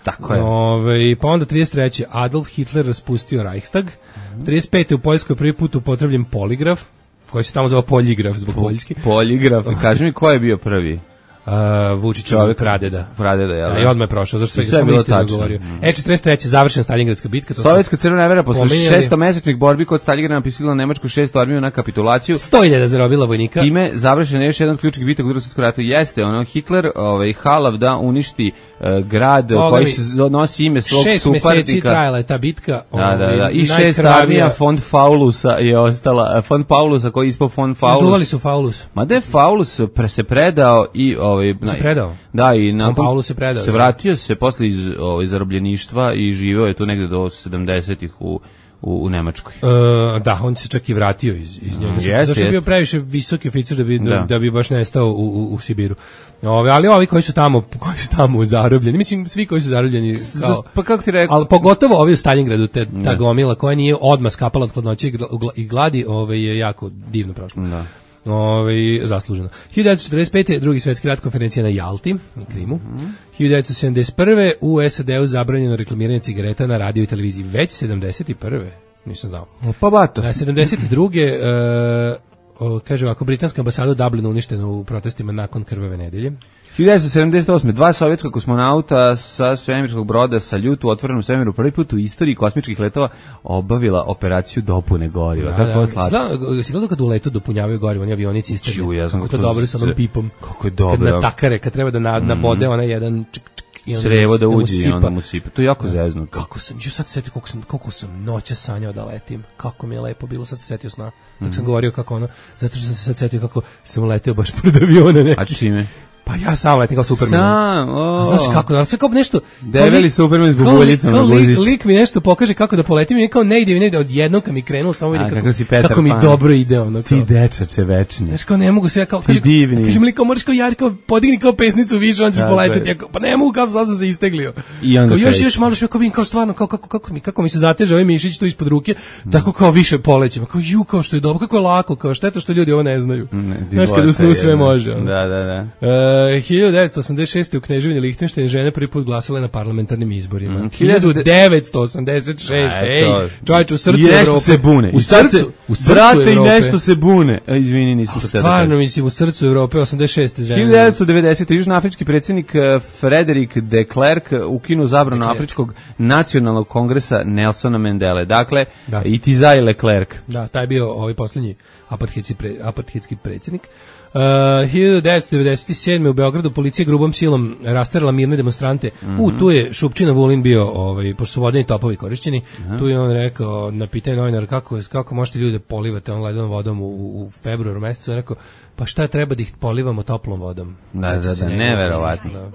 Tako je. Ove, pa onda trideset treće Adolf Hitler raspustio Reichstag. Uh-huh. trideset pete u Poljskoj prvi put upotrebljen poligraf, koji se tamo zvao poljigraf zbog poljski. Poligraf. Kaži mi ko je bio prvi? Uh, Vučićov pradeda. Pradeda, jel? Da, i odmah je prošao, zašto sve sve bilo istinu tačno. govorio. E, četrdeset treće završena Stalingradska bitka. To Sovjetska crvena vera posle pominjali. šestomesečnih borbi kod Stalingrada napisala Nemačku šestu armiju na kapitulaciju. sto hiljada zarobila vojnika. Time završen je još jedan od ključnih bitaka u Drugom svjetskom ratu. Jeste, ono, Hitler ovaj, halav da uništi uh, grad Oga koji mi, se nosi ime svog šest suparnika. Šest meseci trajala je ta bitka. Da, da, da. Ovaj, I šest najkrvavija- armija fond Faulusa je ostala. Fond Paulusa koji je ispao fond Faulus. Izduvali su Faulus. Ma da je Faulus pre se predao i ovaj Se predao? Da, i nakon Paulus se predao, se da. vratio se posle iz ovaj zarobljeništva i živeo je tu negde do sedamdesetih u u, u Nemačkoj. Uh, da, on se čak i vratio iz, iz njega. Mm, jeste, Zašto je bio jeste. previše visoki oficir da bi, da. Da. da bi baš nestao u, u, u Sibiru. Ove, ali ovi koji su tamo, koji su tamo zarobljeni, mislim svi koji su zarobljeni, kao, Pa kako ti rekao? ali pogotovo ovi u Stalingradu, te, ta Da. gomila koja nije odmah skapala od hladnoće i gla- i gladi, ove, je jako divno prošlo. Da. Ove, zasluženo. hiljadu devetsto četrdeset pete. drugi svetski rat, konferencija na Jalti, na Krimu. Mhm. hiljadu devetsto sedamdeset prve. u S A D-u zabranjeno reklamiranje cigareta na radio i televiziji. Već sedamdeset prve. Nisam znao. Pa bato. Na sedamdeset druge. E, o, kaže ovako, britanska ambasada u Dublinu uništena u protestima nakon krvave nedelje. hiljadu devetsto sedamdeset osme. Dva sovjetska kosmonauta sa svemirskog broda Saljut u otvorenom svemiru prvi put u istoriji kosmičkih letova obavila operaciju dopune goriva. Da, Kako je da. slatko. Gledao- Si gledao kad u letu dopunjavaju gorivo, oni avionici istrgne. Ču, ja sam Kako to to dobro sa onom se- pipom. kako je Kad dobro. natakare, kad treba da na, nabode onaj jedan čik, čik, i onda Crevo da mu uđe i sipa. onda mu sipa. To je jako zeznuto. Kako sam, ju sad se setio koliko sam, koliko sam noća sanjao da letim. Kako mi je lepo bilo, sad se setio sna. Dok Mhm. sam govorio kako ono, zato što sam se sad setio kako sam leteo baš pored aviona neki. A čime? Pa ja sam letim kao Superman. Sam, o. A znaš kako, ali sve kao nešto... Debeli kao lik- Superman s kao bubuljicom lik- na kao lik- guzici. Lik mi nešto pokaže kako da poletim i kao ne ide, ne ide, odjednom kad mi krenulo, samo vidim A, kako, kako si Petar kako mi Pan. dobro ide ono. Ti Kao. dečače večni. Znaš kao ne mogu se ja kao kaže divni. kaže mi lik kao možeš kao Jari kao podigni kao pesnicu više on će Tako poleteti je. ja kao, pa ne mogu kao sad sam se isteglio. I onda kao još kreće. još malo što kao vidim kao stvarno kao kako kako mi kako mi se zateže ovaj mišić tu ispod ruke tako kao više polećem kao ju kao što je dobro kako je lako kao šteta što ljudi ovo ne znaju. Znaš kad u snu sve može. ono. Da, da, da. E, hiljadu devetsto osamdeset šeste. u Kneževini Lihtenštajn žene prvi put glasale na parlamentarnim izborima. Mm, hiljadu devetsto osamdeset šeste. Ej, čovječ, u srcu I nešto Evrope. se bune. U I sad srcu, se, u srcu brate, i Evrope. nešto se bune. E, izvini, nisam to Stvarno, tebe. mislim, u srcu Evrope, osamdeset šeste žene. hiljadu devetsto devedesete. Južnoafrički predsjednik eh, Frederik de Klerk ukinu zabranu Klerk. Afričkog nacionalnog kongresa Nelsona Mandele. Dakle, Da. i ti zaj Leclerc. Da, taj je bio ovaj posljednji apartheidski, pre, apartheidski predsjednik. Uh, hiljadu devetsto devedeset sedme. u Beogradu policija grubom silom rasterala mirne demonstrante. Mhm. U, tu je Šupčina Vulin bio, ovaj, pošto su vodeni topovi korišćeni, tu je on rekao, na pitanje novinara kako, kako možete ljude polivati on ledenom vodom u, u februaru mesecu, on je rekao, pa šta treba da ih polivamo toplom vodom? Da, Seća da, se da, njega. neverovatno. Da.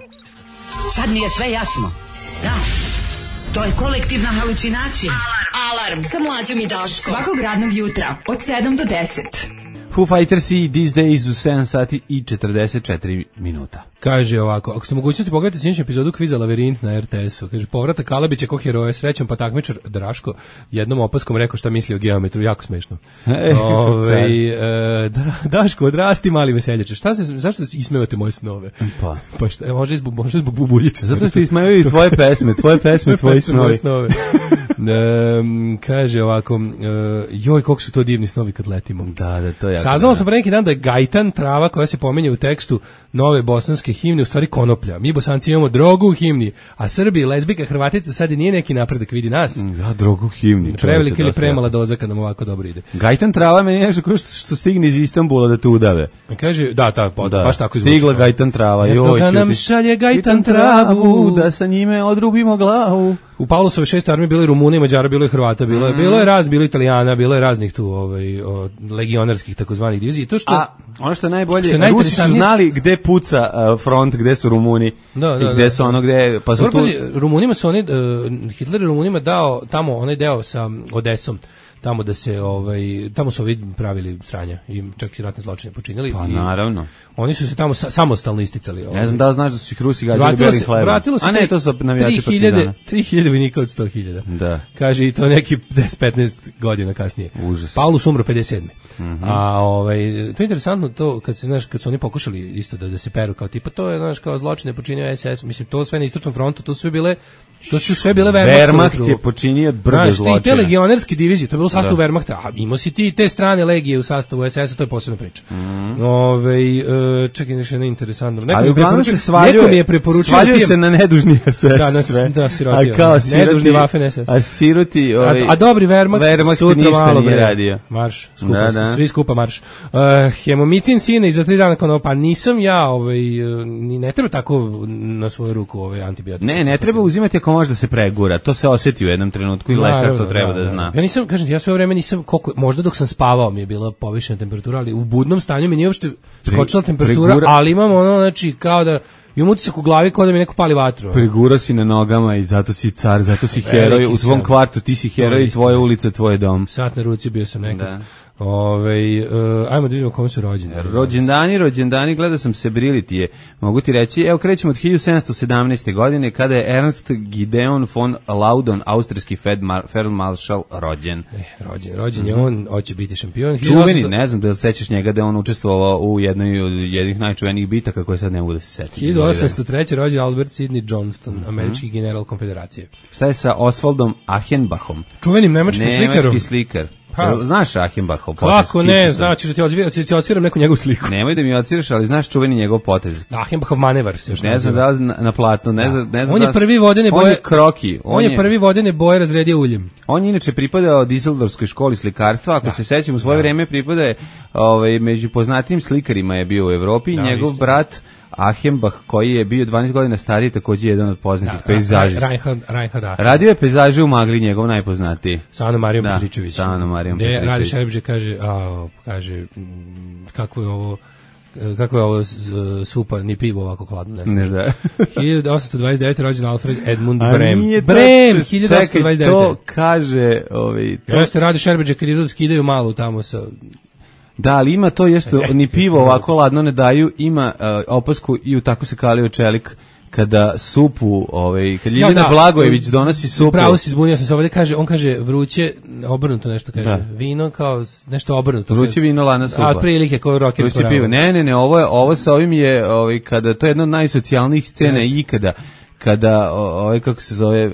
Sad mi je sve jasno. Da, to je kolektivna halucinacija. Alarm sa mlađom i Daškom. Svakog radnog jutra od sedam do deset. Foo Fighters i These Days u sedam sati i četrdeset četiri minuta. Kaže ovako, ako ste mogućnosti pogledati sljedeću epizodu kviza Lavirint na R T S-u, kaže, povratak Kalabića ko heroje, srećom pa takmičar Draško jednom opaskom rekao šta misli o geometru, jako smešno. E, Ove, e, da, Daško, odrasti mali veseljače, šta se, zašto se ismevate moje snove? Pa. Pa šta, e, može zbog, može zbog bubuljice. Zato što ismaju i tvoje pesme, tvoje pesme, tvoji snovi. snove. e, kaže ovako, e, joj, koliko su to divni snovi kad letimo. Da, da, to je jako. Saznalo dobro. sam pre neki dan da je gajtan trava koja se pominje u tekstu nove bosanske himne u stvari konoplja. Mi Bosanci imamo drogu u himni, a Srbi, lezbika, Hrvatica sad i nije neki napredak, vidi nas. Da, drogu himni. Prevelika ili dosta premala jako. doza kad nam ovako dobro ide. Gajtan trava meni je nešto kao što, što stigne iz Istanbula da te udave. Kaže, da, ta, pa, Da, baš tako zvuči. stigla gajtan trava. Eto Joj, ga nam čuti. šalje gajtan Gajtan travu. da sa njime odrubimo glavu. u Paulusove šestoj armiji bilo je Rumuna i Mađara, bilo je Hrvata, bilo je, mm. bilo je raz, bilo je Italijana, bilo je raznih tu ovaj, o, legionarskih takozvanih divizija. To što, A ono što je najbolje, što je Rusi su znali gde puca uh, front, gde su Rumuni da, da, i gde da, su ono gde... Pa su Dobro, tu... pazi, Rumunima su oni, uh, Hitler je Rumunima dao tamo, onaj deo sa Odesom, tamo da se ovaj tamo su ovi pravili sranja i čak i ratne zločine počinili. Pa i naravno. Oni su se tamo sa, samostalno isticali. Ovaj. Ne znam da li znaš da su ih Rusi gađali belim hlebom. A ne, to su navijači Partizana. tri hiljade vojnika od sto hiljada. Da. Kaže i to neki deset petnaest godina kasnije. Užas. Paulus umro pedeset sedme. Mm-hmm. A ovaj to je interesantno to kad se znaš kad su oni pokušali isto da da se peru kao tipa to je znaš kao zločine počinio es es, mislim to sve na istočnom frontu, to sve bile to su sve bile Wehrmacht. Wehrmacht je počinio brdo zločina. Te legionerske divizije, to je bilo u sastavu da. Wehrmachta, a imao si ti te strane legije u sastavu es es, to je posebna priča. Mm. Ove, uh, čekaj, nešto je interesantno. Neko ali uglavnom se svaljuje, neko mi je preporučio svaljuje se na nedužni es es. Da, na, sve. Da, siroti. A kao siroti, nedužni Waffen es es. A siroti... Ovaj, a, a dobri Wehrmacht, Wehrmacht sutra ništa malo nije radio. Marš, skupa, da, da. svi skupa marš. Uh, hemomicin sine i za tri dana kao pa nisam ja, ovaj, ni ne treba tako na svoju ruku ovaj antibiotik. Ne, ne treba uzimati ako može da se pregura. To se osjeti u jednom trenutku i lekar to treba da, da zna. Ja nisam, kažem, ja sve vreme nisam, koliko, možda dok sam spavao mi je bila povišena temperatura, ali u budnom stanju mi nije uopšte skočila temperatura, pregura, ali imam ono, znači, kao da imam utisak u glavi kao da mi neko pali vatru. Pregura si na nogama i zato si car, zato si heroj, u svom kvartu ti si heroj, tvoja ulica, tvoj dom. Sat na ruci bio sam nekad. Da. Ove, uh, ajmo da vidimo kome su rođeni. Rođendani, rođendani, gledao sam Sebrili je, mogu ti reći, evo krećemo od hiljadu sedamsto sedamnaeste. godine kada je Ernst Gideon von Laudon, austrijski feldmaršal, rođen. Eh, rođen, rođen je on, hoće biti šampion. Čuveni, ne znam da li sećaš njega da je on učestvovao u jednoj od jednih najčuvenijih bitaka koje sad ne mogu da se setim. hiljadu osamsto treće. rođen Albert Sidney Johnston, mm-hmm. američki general konfederacije. Šta je sa Oswaldom Achenbachom? Čuvenim nemačkim slikarom. Nemački slikar. Pa, znaš Achenbachov potez? Kako ne, znači da ti odsviram, ti odsviram neku njegovu sliku. Nemoj da mi odsviraš, ali znaš čuveni njegov potez. Achenbachov manevar se još ne znam da li na, na platnu, ne znam, ne znam. On je prvi vodene boje. On je kroki. On, on je prvi vodene boje razredio uljem. On je inače pripadao Dizeldorfskoj školi slikarstva, ako da. se sećam u svoje da. vreme pripadao ovaj među poznatijim slikarima je bio u Evropi, da, njegov isto. brat Achenbach, koji je bio dvanaest godina stariji, takođe jedan od poznatih da, pejzažista. Reinhard, Reinhard Achenbach. Radio je pejzaže u magli, njegov najpoznatiji. Sa Anom Marijom da, Petričević. Sa Anom Marijom Petričević. Radi Šerbeđe kaže, a, kaže, kako je ovo, kako je ovo supa, ni pivo ovako hladno, ne znam. Ne da. hiljadu osamsto dvadeset devete. rođen Alfred Edmund Brem. Brem, hiljadu osamsto dvadeset devete. To kaže, ovaj, to... Jeste Radi Šerbeđe kad idu da skidaju malo tamo sa... Da, ali ima to ješto ni pivo ovako ladno ne daju, ima uh, opasku i u tako se kalio čelik kada supu, ovaj, kad Ljiljana ja, da, Blagojević donosi supu. Pravo si zbunio sam se ovdje, kaže, on kaže vruće, obrnuto nešto kaže, da. vino kao nešto obrnuto. Vruće vino, lana supa. A prilike kao rokersko vruće pivo. Ne, ne, ne, ovo je, ovo sa ovim je, ovaj, kada, to je jedna od najsocijalnijih scena Jeste. ikada. Kada ovaj kako se zove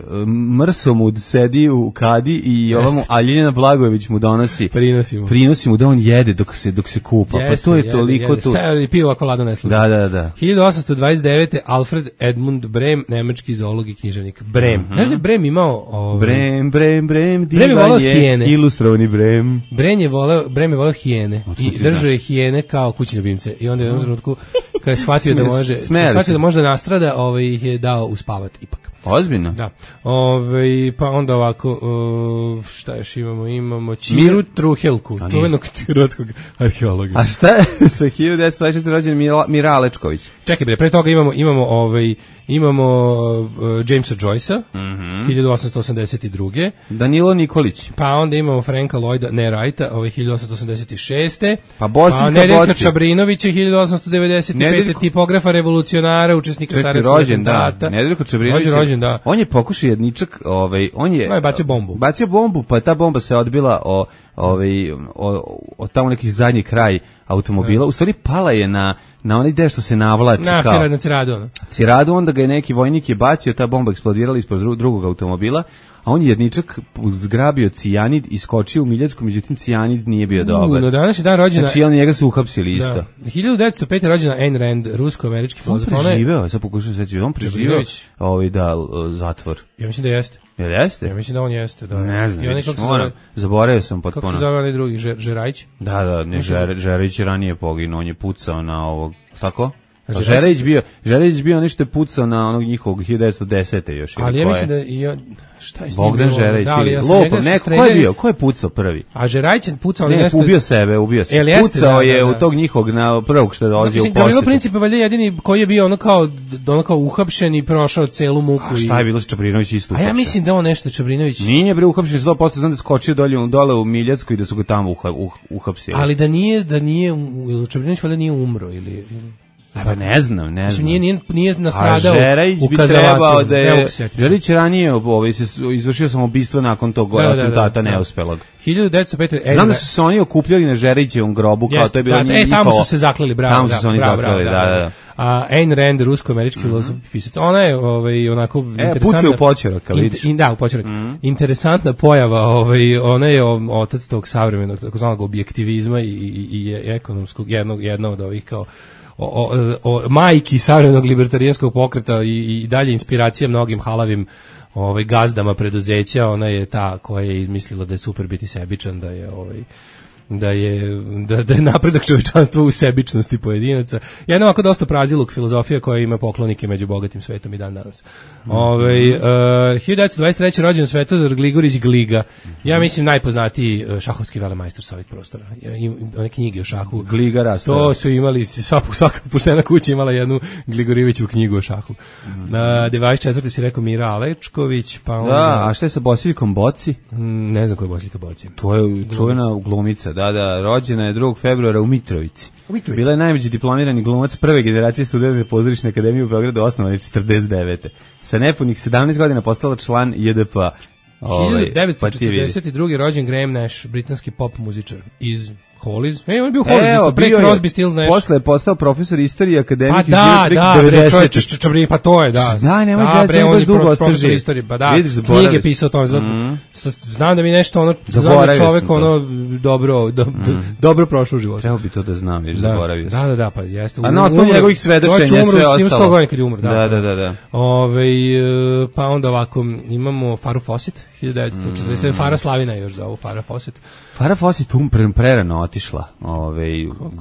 Mrsomud sedi u kadi i ovamo a Ljiljana Blagojević mu donosi prinosi mu prinosi mu da on jede dok se dok se kupa. Jeste, pa to je jede, toliko jede. tu. Šta je pivo ako lado ne služi. Da, da, da. hiljadu osamsto dvadeset devete. Alfred Edmund Brem, nemački zoolog i književnik. Brem. Uh-huh. Znaš da je Brem imao ovaj Brem, Brem, Brem, Brem je voleo hijene. Ilustrovani Brem. Brem je voleo, Brem je voleo hijene i držao je hijene kao kućne ljubimce. I onda je u jednom trenutku kad je shvatio da može, shvatio da može da nastrada, ovaj ih je dao uspavat ipak. Ozbiljno? Da. Ove, pa onda ovako, uh, šta još imamo? Imamo Ćiru Truhelku, čuvenog hrvatskog arheologa. A šta je sa hiljadu devetsto dvadeset četvrte. rođen Mira Alečković? Čekaj bre, pre toga imamo, imamo, ovaj, imamo uh, Jamesa Joycea, mm-hmm. hiljadu osamsto osamdeset druge. Danilo Nikolić. Pa onda imamo Franka Lloyda Ne Wrighta, ovaj, hiljadu osamsto osamdeset šeste. Pa Bosinka pa Nedeljka Čabrinovića, hiljadu osamsto devedeset pete. Nedeljko... tipografa, revolucionara, učesnika Sarajevskog atentata. Nedeljko Čabrinović. Rođen, da. On je pokušao jedničak, ovaj, on je... No, je bacio bombu. Bacio bombu, pa ta bomba se odbila o, ovaj, o, o tamo neki zadnji kraj automobila. U stvari pala je na, na onaj deo što se navlači. Na, kao, na Ciradu. Ciradu, onda ga je neki vojnik je bacio, ta bomba eksplodirala ispod dru, drugog automobila, a on je jedničak zgrabio cijanid i skočio u Miljansku, međutim cijanid nije bio dobar. No, danas je dan rođena... Znači, on njega su uhapsili isto. Da. hiljadu devetsto pete. rođena Ayn Rand, rusko-američki filozof. On preživeo, sad pokušam sveći, on preživeo ovaj, da, zatvor. Ja mislim da jeste. Jel jeste? Ja mislim da on jeste, da. Ne znam, vidiš, moram, zaboravio sam potpuno. Kako se zove onaj drugi, Žer, Žerajić? Da, da, ne, Žer, Žerajić je ranije poginuo, on je pucao na ovog, tako? Žerejić bio, Žerejić bio nešto je pucao na onog njihovog hiljadu devetsto desete još. Ali ja mislim da i on, šta je s njim Bogdan bilo? Žerejić, Da, ali ja sam Lopo, njega neko, streljali- ko je bio? Ko je pucao prvi? A Žerajić je pucao, ali Ne, nešto... ubio sebe, ubio se. Jel jeste, Pucao da, je da, da. u tog njihovog na prvog što je dolazio u Mislim, Gavrilo posjetu. Princip je valjda jedini koji je bio ono kao, ono kao uhapšen i prošao celu muku. A šta je bilo sa Čabrinović isto? A ja uhapšen? mislim da on nešto Čabrinović... Nije bre uhapšen sto posto, znam da je skočio dolje, dole u Miljacku i da su ga tamo uha, uh, uhapsili. Ali da nije, da nije, u- Čabrinović valjda nije umro ili... ili... A pa ne znam, ne Mislim, znam. nije, nije, nije A nastradao Žerajić u bi kazalatu. trebao da Ne je... mogu se sjetiti. Žerajić ranije ovaj, se izvršio samoubistvo nakon tog Da, da, da, atentata da. neuspelog. hiljadu devetsto pete... Znam da su se oni okupljali na Žerajićevom grobu, kao Jeste, to je bilo da, njihovo... E, tamo su se zaklali, bravo. Tamo su da, se oni bravo, zaklali, bravo, da, da, da. A Ayn Rand, rusko-američki filozof, pisac, ona je ovaj, onako E, interesantna... pucaju u počerak, kad vidiš. In, da, u počerak. Interesantna pojava, ovaj, ona je o- otac tog savremenog, takozvanog objektivizma i, i, i ekonomskog, jednog, jedna od ovih kao o, o, o majki savremenog libertarijanskog pokreta i, i dalje inspiracija mnogim halavim ovaj gazdama preduzeća. Ona je ta koja je izmislila da je super biti sebičan, da je ovaj da je da, da je napredak čovječanstva u sebičnosti pojedinaca. Jedna ovako dosta praziluk filozofija koja ima poklonike među bogatim svetom i dan danas. Ovaj uh, hiljadu devetsto dvadeset treće rođen Svetozar Gligorić Gliga. Ja mislim najpoznatiji uh, šahovski velemajstor sa ovih prostora. Ja, im, one knjige o šahu. Gliga Rasta. To su imali, svaka, svaka poštena kuća imala jednu Gligorijeviću knjigu o šahu. Na dvadeset četvrte si rekao Mira Alečković, pa onda... Da, a šta je sa Bosiljkom Boci? Mm, ne znam ko je Bosiljka Boci. To je čuvena glumica, da, da, rođena je drugog februara u Mitrovici. U Mitrovici. Bila je najmeđi diplomirani glumac prve generacije studenta Pozorišne akademije u Beogradu, osnovane četrdeset devete Sa nepunih sedamnaest godina postala član J D P-a. hiljadu devetsto četrdeset druge rođen Graham Nash, britanski pop muzičar iz Hollies. E, on je bio Hollies, isto pre Crosby, Stills, Nash. Posle je postao profesor istorije akademik Pa iz da, da, bre, devedesete čovječe, što čabri, pa to je, da. Da, nemoj da, želiti, bre, nemoj on baš je dugo pro- ostaži. profesor istorije, pa da, Vidiš, zaboraviš. knjige pisao o tome, zato, Mm. sa- znam da mi nešto ono, znam da Zaboravio čovek sam to. ono, dobro, do, do- dobro prošlo u životu. Trebao bi to da znam, viš, Da, zaboravio sam. da, da, da, pa jeste. A na osnovu Umro- njegovih svedočenja čovječ umro, sve s njim ostalo. sto godina kad je umro, da. Da, da, da, da. Ove, e, pa onda ovako, imamo Faru Fawcett, hiljadu devetsto četrdeset sedme Fara Slavina još za ovo, Fara Fawcett. Farah Fawcett um pre- prerano otišla. Ove,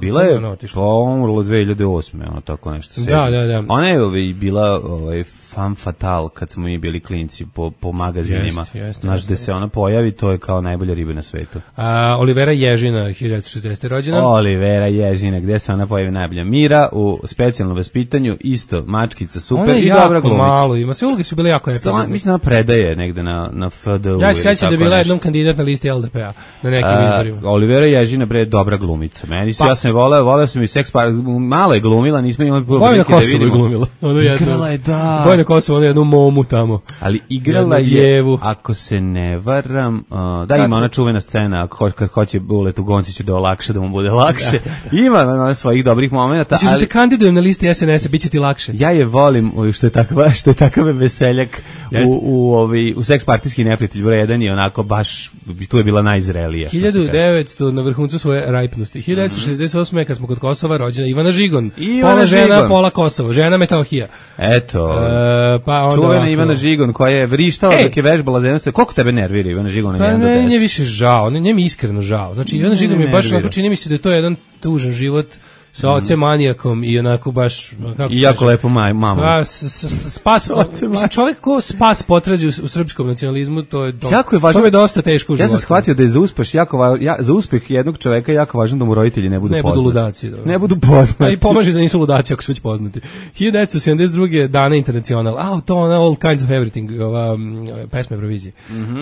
bila je, prerano otišla? pa umrla dve hiljade osme ono tako nešto. Da, da, da. Ona je ove, bila ovaj, femme fatale kad smo mi bili klinci po, po magazinima. Jest, jest, Znaš, jest, gde se ona pojavi, to je kao najbolja riba na svetu. A, Olivera Ježina, hiljadu devetsto šezdesete rođena. Olivera Ježina, gde se ona pojavi najbolja. Mira u specijalnom vaspitanju, isto, mačkica, super Ona je i dobra jako glumica. malo ima, sve uloge su bile jako Sama, epizodne. mislim da ona predaje negde na, na F D U. Ja se ili sjećam da je tako bila nešto. jednom kandidat na listi L D P-a na nekim A, izborima. Olivera Ježina bre dobra glumica. Meni se Pa- ja sam je voleo, voleo sam i seks par, malo je glumila, nismo imali puno Bojana prilike da Kosovo je vidimo. glumila. Ono jedno. Igrala je, da. Bojana Kosovo, ono jednu momu tamo. Ali igrala Jednu je, djevu. ako se ne varam, uh, da Kad ima smo- ona čuvena scena, ako ho- kad hoće Buletu Gonciću da olakša, da mu bude lakše. Ima ona svojih dobrih momenata, Znači, da ali te kandidujem na listi S N S-a, bit će ti lakše. ja je volim o, što je takva što je takav veseljak Jeste. u u ovi u seks partijski neprijatelj broj jedan i onako baš tu je bila najzrelija. što se hiljadu kaže. devetsto na vrhuncu svoje rajpnosti. hiljadu devetsto šezdeset osme kad smo kod Kosova rođena Ivana Žigon. Ivana pola žena, Žigon. pola Kosovo. Žena Metohija. Eto. E, pa onda čuvena ovako. Ivana Žigon koja je vrištala Ej! dok je vežbala zemlju. Koliko tebe nervira Ivana Žigon na Pa jedan do ne, deset? nje više žao, ne, nje mi iskreno žao. Znači, Ivana Žigon mi je baš nervira. onako, čini mi se da je to jedan tužan život sa ocem manijakom i onako baš... Kako I jako kažem, lepo maj, mama. Pa, s, s, s, spas, mislim, čovjek ko spas potrazi u, u srpskom nacionalizmu, to je, to, Jako je važno. to je dosta teško u Ja životu. sam shvatio da je za uspeh jako va, ja, za uspeh jednog čoveka jako važno da mu roditelji ne budu Ne budu poznati. ludaci. Dobro. Ne budu poznati. A i pomaže da nisu ludaci ako su već poznati. hiljadu devetsto sedamdeset druge Dana Internacional. A, to ona All Kinds of Everything, ova um, pesma Eurovizije. Mm -hmm.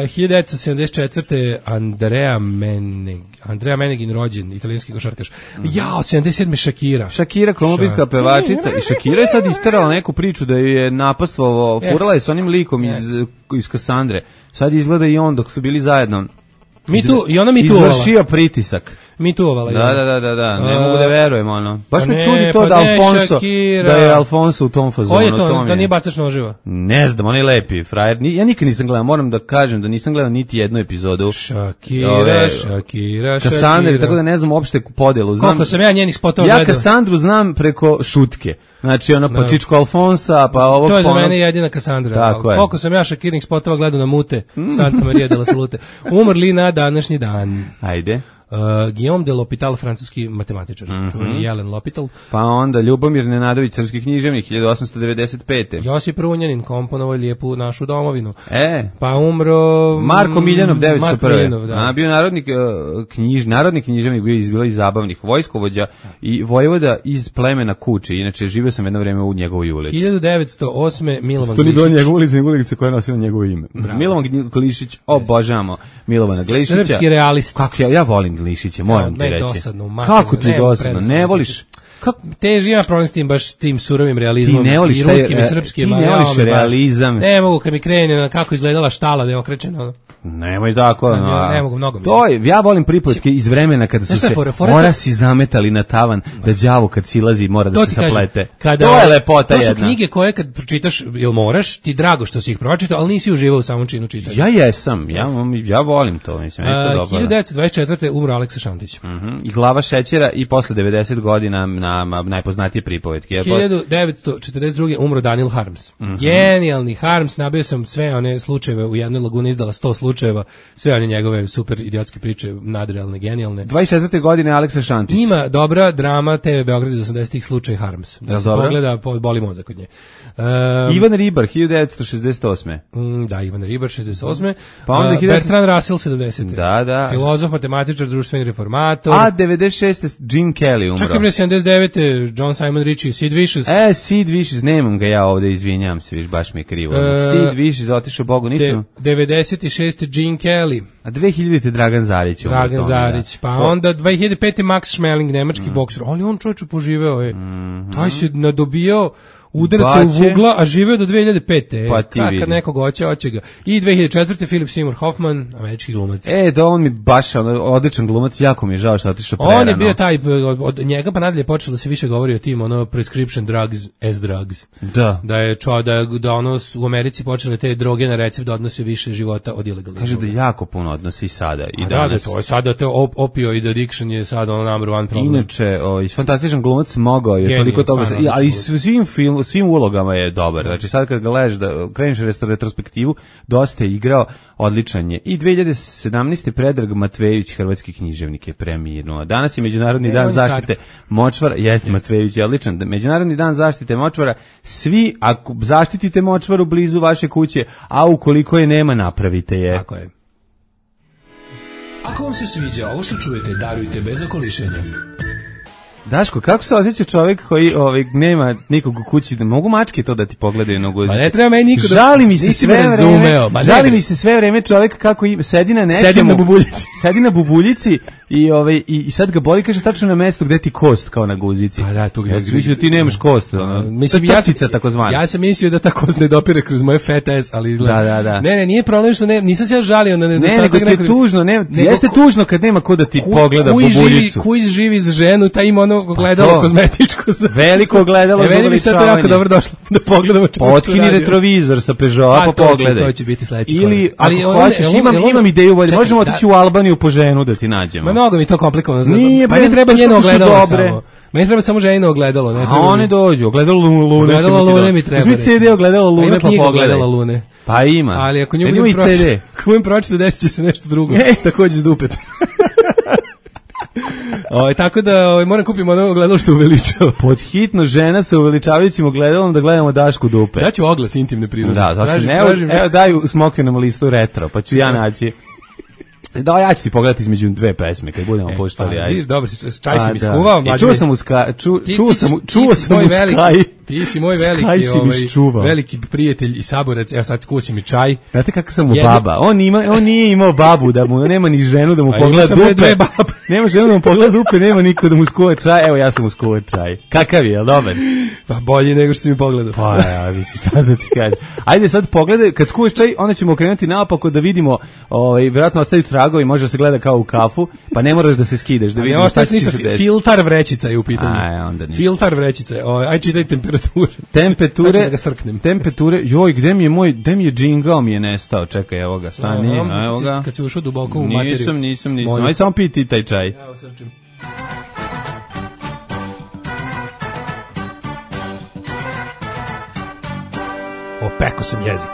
uh, hiljadu devetsto sedamdeset četvrte Andrea Meneg, Andrea Menegin rođen, italijanski košarkaš. Mm -hmm. Jao, sedamdeset sedme Shakira. Shakira, kolumbijska pevačica, i Shakira je sad isterala neku priču da ju je napastvovao, E. furala je s onim likom iz, iz Kassandre. Sad izgleda i on dok su bili zajedno. Mi tu, i ona mi tu Izvršio pritisak. Mi tu ovala. Da, da, da, da, da, ne A, mogu da verujem, ono. Baš pa me ne, čudi to pa da ne, Alfonso, Shakira. da je Alfonso u tom fazonu. Ko je to? mi Da nije bacač noživa? Ne znam, on je lepi, frajer. Ni- Ja nikad nisam gledao, moram da kažem da nisam gledao niti jednu epizodu. Shakira, Ove, Shakira, Kassandre, Shakira. tako da ne znam uopšte podelu. Znam, Koliko sam ja njenih spotova ja gledao. Kassandru znam preko šutke. Znači, ono, pa Da. Čičko Alfonsa, pa ovo... To je za pa ono- mene jedina Kassandra. Tako je. Koliko sam ja Shakirinih spotova gledao na mute, Santa Maria de la Salute. Umrli na današnji dan. Ajde. Uh, Guillaume de L'Hopital, francuski matematičar, mm-hmm. čuveni Jelen L'Hopital. Pa onda Ljubomir Nenadović, srpski književnik, hiljadu osamsto devedeset pete. Josip Runjanin, komponovao lijepu našu domovinu. E. Pa umro... Marko Miljanov, devetsto prve. Marko Miljanov, da. A, bio narodnik, knjiž, narodni književnik, bio iz, bilo iz zabavnih, vojskovođa i vojvoda iz plemena Kuči. Inače, živio sam jedno vreme u njegovoj ulici. hiljadu devetsto osme. Milovan Glišić. To nije bilo njegova ulica, njegova ulica koja je nosila njegovo ime. Bravo. Milovan Glišić, obožavamo Milovana Glišića. Srpski realist. Kako ja, ja volim Glišića, moram ti reći. Dosadno, kako ti dosadno, ne voliš? Kako teži ima problem s tim baš tim surovim realizmom, ti ne voliš i ruskim i srpskim, ti ne voliš realizam. Ne mogu kad mi krene na kako izgledala štala da je okrećena. Nemoj tako, no. Ne, ne mogu mnogo. To je, ja volim pripovetke iz vremena kada su se fore, fore, mora si zametali na tavan da đavo kad silazi mora da se saplete. Kada, to je lepota jedna. To su knjige koje kad pročitaš, jel moraš, ti drago što si ih pročitao, ali nisi uživao u samom činu čitanja. Ja jesam, ja, ja volim to, mislim, isto dobro. hiljadu devetsto dvadeset četvrte. umro Aleksa Šantić. Uh -huh. I Glava šećera i posle devedeset godina na, na najpoznatije pripovetke. hiljadu devetsto četrdeset druge. umro Daniel Harms. Uh -huh. Genijalni Harms, nabio sam sve one slučajeve, u jednoj laguni izdala sto slučajeva, sve one njegove super idiotske priče, nadrealne, genijalne. dvadeset četvrte godine Aleksa Šantić. Ima dobra drama te ve Beograd iz osamdesetih slučaj Harms. Da, da se dobro? Pogleda, boli mozak od nje. Um, Ivan Ribar, hiljadu devetsto šezdeset osme. Mm, da, Ivan Ribar, šezdeset osme. Pa onda uh, Bertrand Russell, sedamdesete. Da, da. Filozof, matematičar, društveni reformator. A, devedeset šeste. Gene Kelly umro. Čak je sedamdeset devete. John Simon Ritchie, Sid Vicious. E, Sid Vicious, nemam ga ja ovde, izvinjam se, viš, baš mi je krivo. Uh, Sid Vicious, otišao Bogu, nisam. devedeset šeste. Gene Kelly. A dve hiljadite. Dragan Zarić. Dragan Zarić, pa po... onda dve hiljade pete. Max Schmeling, nemački mm. bokser. Ali on čovječe poživeo je. Mm -hmm. Taj se nadobijao udaraca u vugla, a živeo do dve hiljade pete. Pa ti kad nekog hoće, hoće ga. I dve hiljade četvrte. Philip Seymour Hoffman, američki glumac. E, da on mi baš odličan glumac, jako mi je žao što je otišao prerano. On je bio taj, od, od njega pa nadalje počelo da se više govori o tim, ono, prescription drugs as drugs. Da. Da je čo, da, da ono u Americi počele te droge na recept da odnose više života od ilegalnih. Kaže da jako puno odnosi i sada i a danas. Da, da, to je sada, te op, opioid addiction je sada ono number one problem. Inače, ovaj, fantastičan glumac mogao je Genijal, toliko toga, ali i svim, film, svim ulogama je dobar. Znači sad kad ga gledaš da kreneš retrospektivu, dosta je igrao, odličan je. I dve hiljade sedamnaeste. Predrag Matvejević, hrvatski književnik, je preminuo. Danas je Međunarodni ne, dan zaštite močvara. Jeste, Matvejević je odličan. Međunarodni dan zaštite močvara. Svi, ako zaštitite močvaru blizu vaše kuće, a ukoliko je nema, napravite je. Tako je. Ako vam se sviđa ovo što čujete, darujte bez okolišenja. Daško, kako se osjeća čovjek koji ovaj, nema nikog u kući, da mogu mačke to da ti pogledaju na guzicu? Ma ne treba meni niko da... Žali mi se sve vreme, žali mi se sve vreme čovjek kako im, sedi na nečemu. Sedi na bubuljici. Sedi na bubuljici i, ovaj, i, i sad ga boli, kaže tačno na mestu gde ti kost kao na guzici. Pa da, tu ga... Ja mislim da ti nemaš kost. Ono. Mislim, to je trcica takozvana. Ja sam mislio da ta kost ne dopire kroz moje fat ass, ali... Da, da, da. Ne, ne, nije problem što ne, nisam se ja žalio na nedostatak. Ne, nego ti je tužno, ne, jeste tužno kad nema ko da ti ku, pogleda bubuljicu. Kuj živi z ženu, taj ima ono gledalo kozmetičko. Veliko gledalo za uveličavanje. Meni bi sad to jako dobro došlo da pogledamo čemu što Potkini retrovizor sa Peugeota pa pogledaj. To će biti sledeći. Ili, ali ako hoćeš, imam, imam ideju bolje, možemo otići u Albaniju po ženu da ti nađemo. Ma mnogo mi to komplikovano. Nije, pa ne treba njeno ogledalo samo. Meni treba samo ženino ogledalo, ne treba. A one dođu, ogledalo Lune. Ogledalo Lune mi treba. Uzmi C D ogledalo Lune pa pogledaj. Lune. Pa ima. Ali ako nju budem pročitati, ako budem pročitati, desit će se nešto drugo. Takođe s dupet. O, tako da o, moram kupiti ono ogledalo što uveličava. Podhitno žena sa uveličavajućim ogledalom da gledamo Dašku dupe. Daću oglas intimne prirode. Da, zašto ne? Evo, evo daju Smokvinom listu retro, pa ću ja naći. Da, ja ću ti pogledati između dve pesme kad budemo e, puštali. Pa, vidiš, dobro, čaj si mi skuvao. E, čuo sam u ska, ču, ti, čuo ti, sam, ti, čuo sam u Sky. Ti si moj veliki, ovaj, veliki prijatelj i saborac. Evo sad skusi mi čaj. Znate kako sam mu baba? On ima, on nije imao babu da mu nema ni ženu da mu pogleda dupe. Nema ženu da mu pogleda dupe, nema niko da mu skuva čaj. Evo ja sam mu skuva čaj. Kakav je, dobar? Pa bolje nego što si mi pogledao. Pa ja, visi šta da ti kažem. Ajde sad pogledaj, kad skuvaš čaj, onda ćemo okrenuti naopako da vidimo, ovaj vjerovatno ostaju tragovi, može se gleda kao u kafu, pa ne moraš da se skideš da vidimo šta će se desiti. Filtar vrećica je u pitanju. Aj, onda ništa. Filtar vrećica. Aj čitaj temperature. Temperature. Da ga srknem. Temperature. Joj, gde mi je moj, gde mi je džingao mi je nestao. Čekaj, evo ga, stani, no, evo ga. Kad si ušao duboko u materiju. Nisam, nisam, nisam. Aj samo piti taj čaj. Evo srčim. Opeko sam jezik.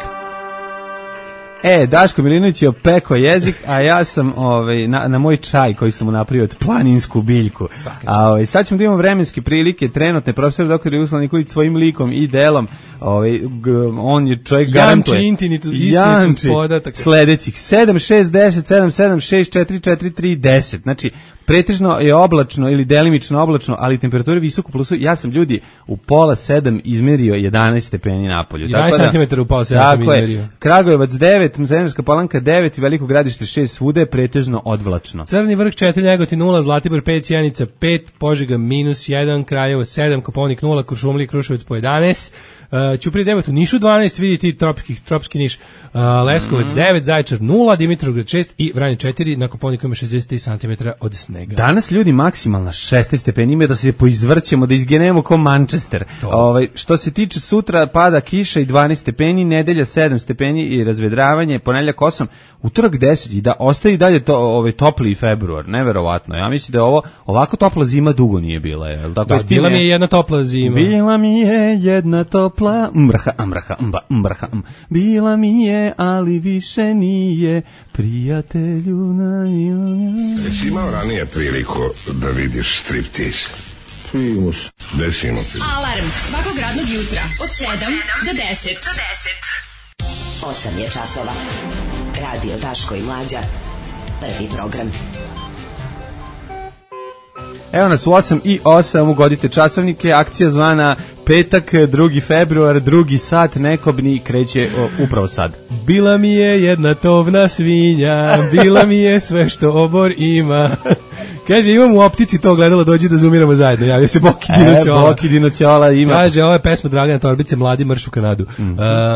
E, Daško Milinović je opekao jezik, a ja sam ovaj, na, na moj čaj koji sam mu napravio od planinsku biljku. A ovaj, sad ćemo da imamo vremenske prilike, trenutne, profesor doktor Jugoslav Nikolić svojim likom i delom, ovaj, g, on je čovjek garantuje. Janči intinitus, istinitus podatak. Sledećih sedam šest deset sedam sedam šest četiri četiri tri deset. Znači, pretežno je oblačno ili delimično oblačno, ali temperatura visoko plusu. Ja sam ljudi u pola sedam izmerio jedanaest stepeni napolju. jedanaest centimetara u pola sedam sam izmerio. Kragujevac devet, Zemljanska Palanka devet i Veliko Gradište šest, svuda je pretežno odvlačno. Crni vrh četiri, Negotin nula, Zlatibor pet, Sjenica pet, Požega minus jedan, Kraljevo sedam, Kopaonik nula, Kuršumlija i Kruševac po jedanaest, uh, Ćuprija devet, u Nišu dvanaest, vidite tropski, tropski Niš, uh, Leskovac devet, Zaječar nula, Dimitrovgrad šest i Vranje četiri, na Kopaoniku ima šezdeset tri centimetra od snega. Danas ljudi maksimalna šesnaest stepeni, ima da se poizvrćemo, da izgenemo ko Manchester. Ovaj, što se tiče sutra pada kiša i dvanaest stepeni, nedelja sedam stepeni i razvedravanje, ponedeljak osam, utorak deset i da ostaje i dalje to, ovaj topli februar, neverovatno. Ja mislim da je ovo ovako topla zima dugo nije bila, je l' tako? Da, bila mi je jedna topla zima. Bila mi je jedna topla mrha, mrha, mba, mrha, m. Bila mi je, ali više nije, prijatelju na... Jesi imao ranije priliku da vidiš striptease? Primus. Desimo ti. Alarm svakog radnog jutra od sedam do deset. osam je časova. Radio Daško i Mlađa. Prvi program. Evo nas u osam i osam, ugodite časovnike, akcija zvana petak, drugi februar, drugi sat, nekobni, kreće o, upravo sad. Bila mi je jedna tovna svinja, bila mi je sve što obor ima. Kaže, imam u optici to gledalo, dođi da zoomiramo zajedno. Javio se Boki Dino Ćola. E, Boki Dino Ćola ima. Kaže, ovo je pesma Dragana Torbice, Mladi marš u Kanadu. Mm -hmm.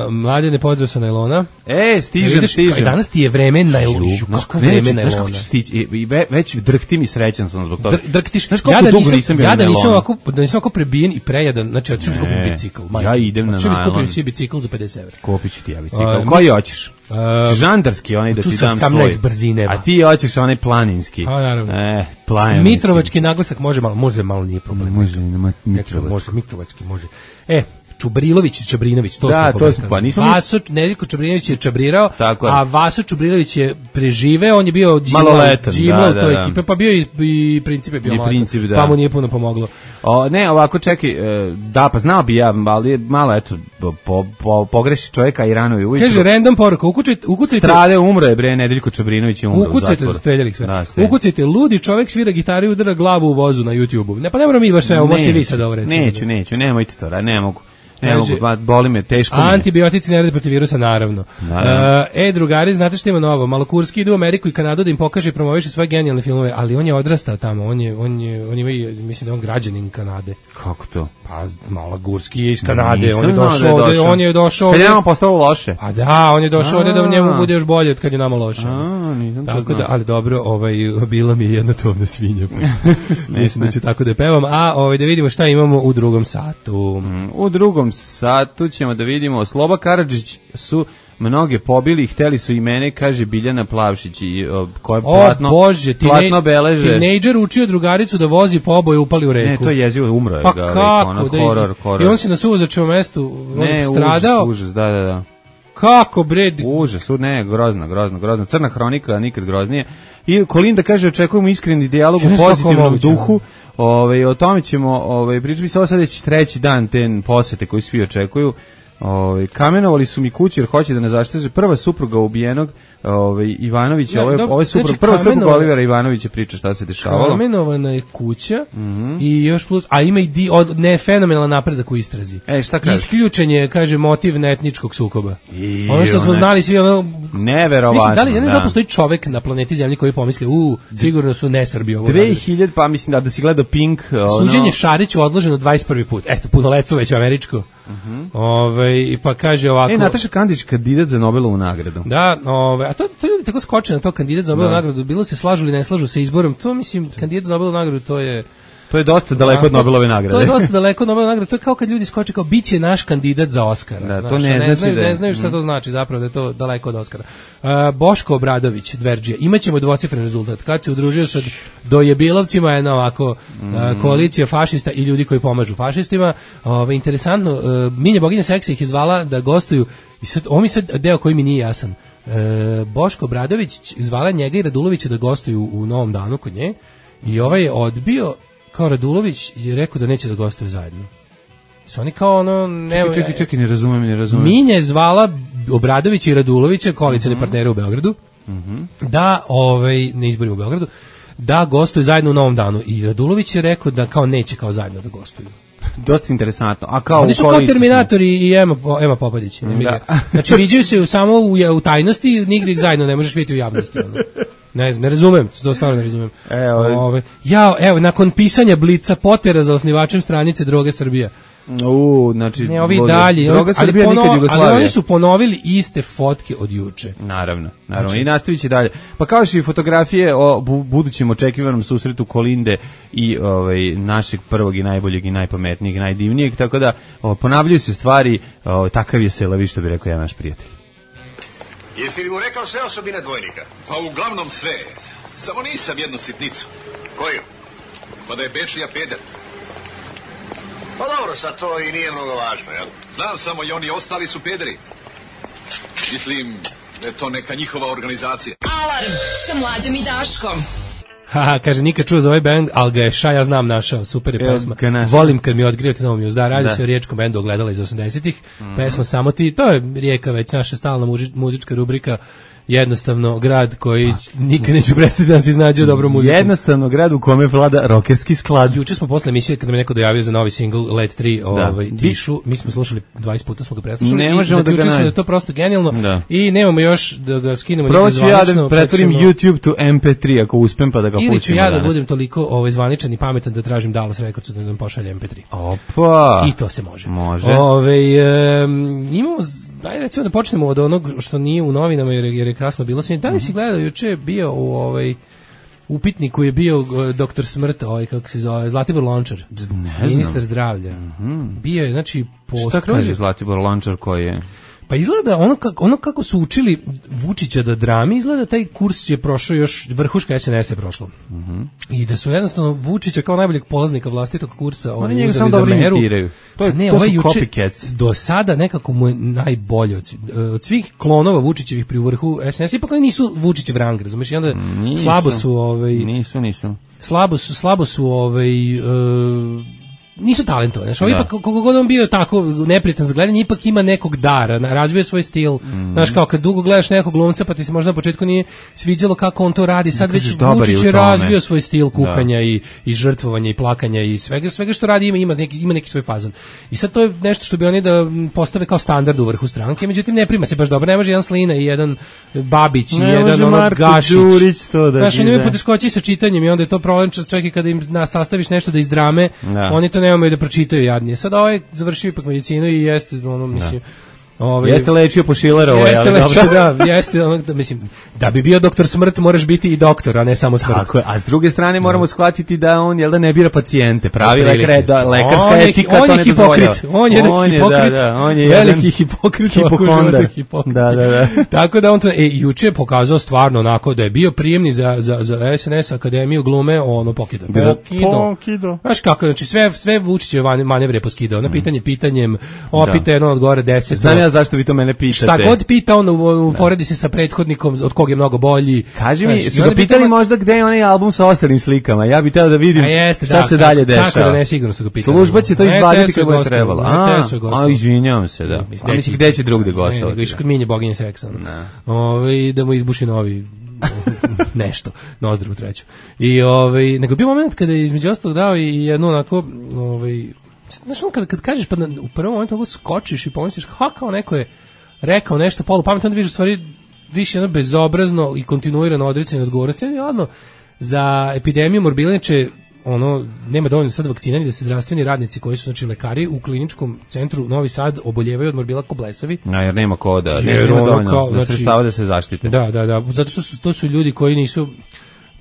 uh, Mladi ne pozdrav sa najlona. E, stižem, vidiš, stižem. Danas ti je vreme najlona. Kako vreme najlona. Znaš kako ću stići? I ve, već drhtim i srećan sam zbog toga. Dr, drhtiš. Znaš koliko ja dugo nisam, nisam bio ja na najlona. Ja da nisam ovako, da nisam ovako prebijen i prejadan. Znači, ja ću mi kupim bicikl. Ja idem na najlon. Ja ću mi kupim si bicikl za pedeset evra. Kupit ću ti ja bicikl. Koji hoćeš? Uh, žandarski, onaj da ti dam svoj. Brzine, a ti hoćeš onaj planinski. A, naravno. E, planinski. Mitrovački naglasak može malo, može malo, nije problem. Može, nema Mitrovački. Može, Mitrovački, može. E, Čubrilović i Čabrinović, to da, smo to smo, pa nisam... Vaso, Nedeljko Čabrinović je čabrirao, tako a Vaso Čubrilović je preživeo, on je bio džimla u toj ekipe, pa bio i, i princip je bio mladan, da. Pa mu nije puno pomoglo. O, ne, ovako, čekaj, da, pa znao bi ja, ali malo, eto, po, po, pogreši čovjeka i rano je ujutru. Kaže, random poruka, ukucajte... ukucajte Strade, umro je, bre, Nedeljko Čabrinović je umro ukucajte, u zatvoru. Streljali sve. Da, ukucajte, ludi čovjek svira gitaru i udara glavu u vozu na YouTubeu. Ne, pa ne moramo mi baš sve, ovo možete vi sad ovo recimo. Neću, neću, nemojte to, ne mogu. Ne mogu, boli me, teško mi je. Antibiotici ne rade protiv virusa, naravno. naravno. Uh, e, drugari, znate što ima novo? Malokurski ide u Ameriku i Kanadu da im pokaže i promoviše svoje genijalne filmove, ali on je odrastao tamo, on je, on je, on je, mislim da je on građanin Kanade. Kako to? Pa, Malogurski je iz Kanade, no, on je došao ovde, on je došao ovde. Kad je nama postalo loše? Pa da, on je došao ovde da u njemu bude još bolje od kad je nama loše. A, nisam to tako da, ali dobro, ovaj, bila mi je jedna tovna svinja. Mislim da ću tako da pevam, a ovaj, da vidimo šta imamo u drugom satu. Mm, u drugom satu ćemo da vidimo Sloba Karadžić su mnoge pobili i hteli su i mene, kaže Biljana Plavšić i koje platno, o Bože, platno beleže. Tinejdžer učio drugaricu da vozi po oboje, upali u reku. Ne, to je jezivo, umro je. Pa ga, kako? Ono, Da horor, horor. I on se na suvozačevom mestu ne, stradao. Užas, užas, da, da, da. Kako bre? Užas, ne, grozno, grozno, grozno. Crna hronika, nikad groznije. I Kolinda kaže, očekujemo iskreni dijalog u pozitivnom duhu. Ove, o tome ćemo ove, pričati. Sada sad već treći dan te posete koji svi očekuju. Ove, kamenovali su mi kuću jer hoće da ne zaštite. Prva supruga ubijenog ove, Ivanovića, ja, ovo je, ovo je suprug, znači, prva supruga Olivera Ivanovića priča šta se dešavalo. Kamenovana je kuća mm -hmm. i još plus, a ima i di, od, ne fenomenalan napredak u istrazi. E, šta kaže? Isključen je, kaže, motiv netničkog sukoba. I, ono što smo znali svi, ono... Neverovatno, mislim, da li, ja ne znam da. da postoji čovek na planeti Zemlji koji pomisli, u, sigurno su ne Srbi ovo. dve hiljade, pa mislim da, da si gledao Pink. Ono... Suđenje Šariću odloženo dvadeset prvi put. Eto, punoletstvo već američko. Uh -huh. Ove, pa kaže ovako... E, Nataša Kandić, kandidat za Nobelovu nagradu. Da, ove, a to, to ljudi tako skoče na to, kandidat za Nobelovu nagradu. Bilo se slažu ili ne slažu sa izborom. To, mislim, kandidat za Nobelovu nagradu, to je... To je dosta daleko od Nobelove nagrade. To je dosta daleko od Nobelove nagrade. To je kao kad ljudi skoče kao biće naš kandidat za Oskara. Da, znaš, to ne, ne, znači znaju, da je. ne znaju šta to znači zapravo, da je to daleko od Oskara. Uh, Boško Obradović, Dverđija. Imaćemo dvocifren rezultat. Kad se udružio sa dojebilovcima, jedna ovako mm. uh, koalicija fašista i ljudi koji pomažu fašistima. Uh, interesantno, uh, Minja Boginja Seksa ih izvala da gostuju. I sad, ovo mi sad deo koji mi nije jasan. E, Boško Obradović zvala njega i Radulovića da gostuju u Novom danu kod nje i ovaj je odbio, kao Radulović je rekao da neće da gostuju zajedno. Su oni kao ono... Ne, čekaj, čekaj, čekaj, ne razumem, ne razumem. Minja je zvala Obradovića i Radulovića, koalicione mm-hmm. partnere u Beogradu, mm-hmm. da, ovaj, ne izborimo u Beogradu, da gostuju zajedno u Novom danu. I Radulović je rekao da kao neće kao zajedno da gostuju. Dosta interesantno. A kao oni su kao Terminatori i Ema, Ema Popadić. Da. Znači, viđaju se samo u, u tajnosti, nigdje ih zajedno ne možeš vidjeti u javnosti. Ono. Ne znam, ne razumem, to stvarno ne razumem. Evo, Ove, ja, evo, nakon pisanja Blica Potera za osnivačem stranice Droge Srbija. U, znači, ne, ovi dalje, Droga ali, Srbija pono, nikad Jugoslavija. ali oni su ponovili iste fotke od juče. Naravno, naravno. Znači, i nastavit će dalje. Pa kao što i fotografije o bu, budućem očekivanom susretu Kolinde i ovaj, našeg prvog i najboljeg i najpametnijeg i najdivnijeg, tako da o, ponavljaju se stvari, o, takav je Selavi, što bi rekao ja naš prijatelj. Jesi li mu rekao sve osobine dvojnika? Pa uglavnom sve. Samo nisam jednu sitnicu. Koju? Pa da je Bečija peder. Pa dobro, sad to i nije mnogo važno, jel? Znam samo i oni ostali su pederi. Mislim da je to neka njihova organizacija. Alarm sa Mlađom i Daškom. Haha, kaže, nikad čuo za ovaj band, ali ga je Ša, ja znam, našao, super je pesma. Volim kad mi otkrijete novu muz. Da, radi da. se o riječkom bendu Ogledala iz osamdesetih. Mm-hmm. Pesma Samo ti, to je Rijeka već, naša stalna muži, muzička rubrika. Jednostavno grad koji nikad neće prestati da se iznađe dobro muziku. Jednostavno grad u kome vlada rokerski sklad. Juče smo posle emisije kad nam je neko dojavio za novi singl Let tri, ovaj Tišu, mi smo slušali dvadeset puta, smo ga preslušali. Ne možemo da ga da je to prosto genijalno da. I nemamo još da ga skinemo nigde zvanično. Proći ja da pretvorim ćemo... YouTube to em pe tri ako uspem pa da ga pustimo. Ili ću ja da danas. budem toliko ovaj zvaničan i pametan da tražim Dallas Records da nam pošalje em pe tri. Opa. I to se može. Može. Ovaj um, imamo daj recimo da počnemo od onog što nije u novinama jer, jer je kasno bilo. Da li si gledao, juče je bio u ovaj upitniku je bio uh, doktor Smrt, ovaj kako se zove, Zlatibor Lončar, ministar zdravlja. Mm-hmm. Bio je, znači, po šta kaže Zlatibor Lončar koji je? Pa izgleda ono kako, ono kako su učili Vučića da drami, izgleda taj kurs je prošao još, vrhuška es en es je prošlo. Mm-hmm. I da su jednostavno Vučića kao najboljeg polaznika vlastitog kursa oni njega samo dobro imitiraju. To, je, ne, to ovaj su juče, copycats. Do sada nekako mu je najbolje od, od svih klonova Vučićevih pri vrhu es en es, ipak oni nisu Vučićev rang, razumiješ? I onda nisu, slabo su... Ovaj, nisu, nisu. Slabo su, slabo su ovaj... Uh, nisu talentovani. Znači, ipak, koliko god on bio tako neprijatan za gledanje, ipak ima nekog dara, razvio svoj stil. Mm. Znaš, kao kad dugo gledaš nekog glumca, pa ti se možda na početku nije sviđalo kako on to radi, sad već Vučić je razvio svoj stil kukanja da. i, i žrtvovanja i plakanja i svega, svega što radi ima, ima, neki, ima neki svoj fazon. I sad to je nešto što bi oni da postave kao standard u vrhu stranke, međutim ne prima se baš dobro, ne može jedan Slina i jedan Babić i ne jedan ono Gašić. To da znači, oni imaju poteškoće sa čitanjem i onda je to problem čak i kada im na, sastaviš nešto da iz drame, da. oni to nemaju da pročitaju jadnije. Sad ovaj završio ipak medicinu i jeste ono, mislim, Ovaj, jeste lečio po Šilerovo, jeste lečio, da, jeste ono, da, mislim, da bi bio doktor Smrt moraš biti i doktor, a ne samo Smrt. Tako je, a s druge strane moramo shvatiti da on jel da ne bira pacijente, pravi lekar, da, lekarska on etika je, on to ne dozvoljava. On je on je hipokrit, da, da, on je veliki hipokrit, hipohondar. Da, da, da. Tako da on to, e, juče je pokazao stvarno onako da je bio prijemni za, za, za es en es Akademiju glume, ono pokido. Pokido. Znaš kako, znači sve, sve Vučićeve manevre je poskidao, na pitanje pitanjem, opita jedno odgovore deset. Znam ja zašto vi to mene pitate. Šta god pita, on uporedi se sa prethodnikom od kog je mnogo bolji. Kaži mi, su ga pitali možda gde je onaj album sa ostalim slikama? Ja bih teo da vidim jeste, šta da, se dalje dešava. Tako da ne, sigurno su ga pitali. Služba će to izvaditi kako je trebalo. A, a izvinjavam se, da. A mislim, gde će drugde gostovati? Ne, nego išao kod Minje Boginje seksa. Ove, da mu izbuši novi nešto, nozdru treću. I ovaj, nego bio moment kada je između ostalog dao i jednu onako, ovaj, znaš ono kad, kad kažeš pa na, u prvom momentu ovo skočiš i pomisliš ha kao neko je rekao nešto polu pametno, onda vidiš u stvari više jedno bezobrazno i kontinuirano odricanje odgovornosti. Jedno, za epidemiju morbilniče ono, nema dovoljno sad vakcina da se zdravstveni radnici koji su znači lekari u kliničkom centru Novi Sad oboljevaju od morbila ko blesavi. No, jer nema ko da, nema dovoljno kao, da znači, da se zaštite. Da, da, da, zato što su, to su ljudi koji nisu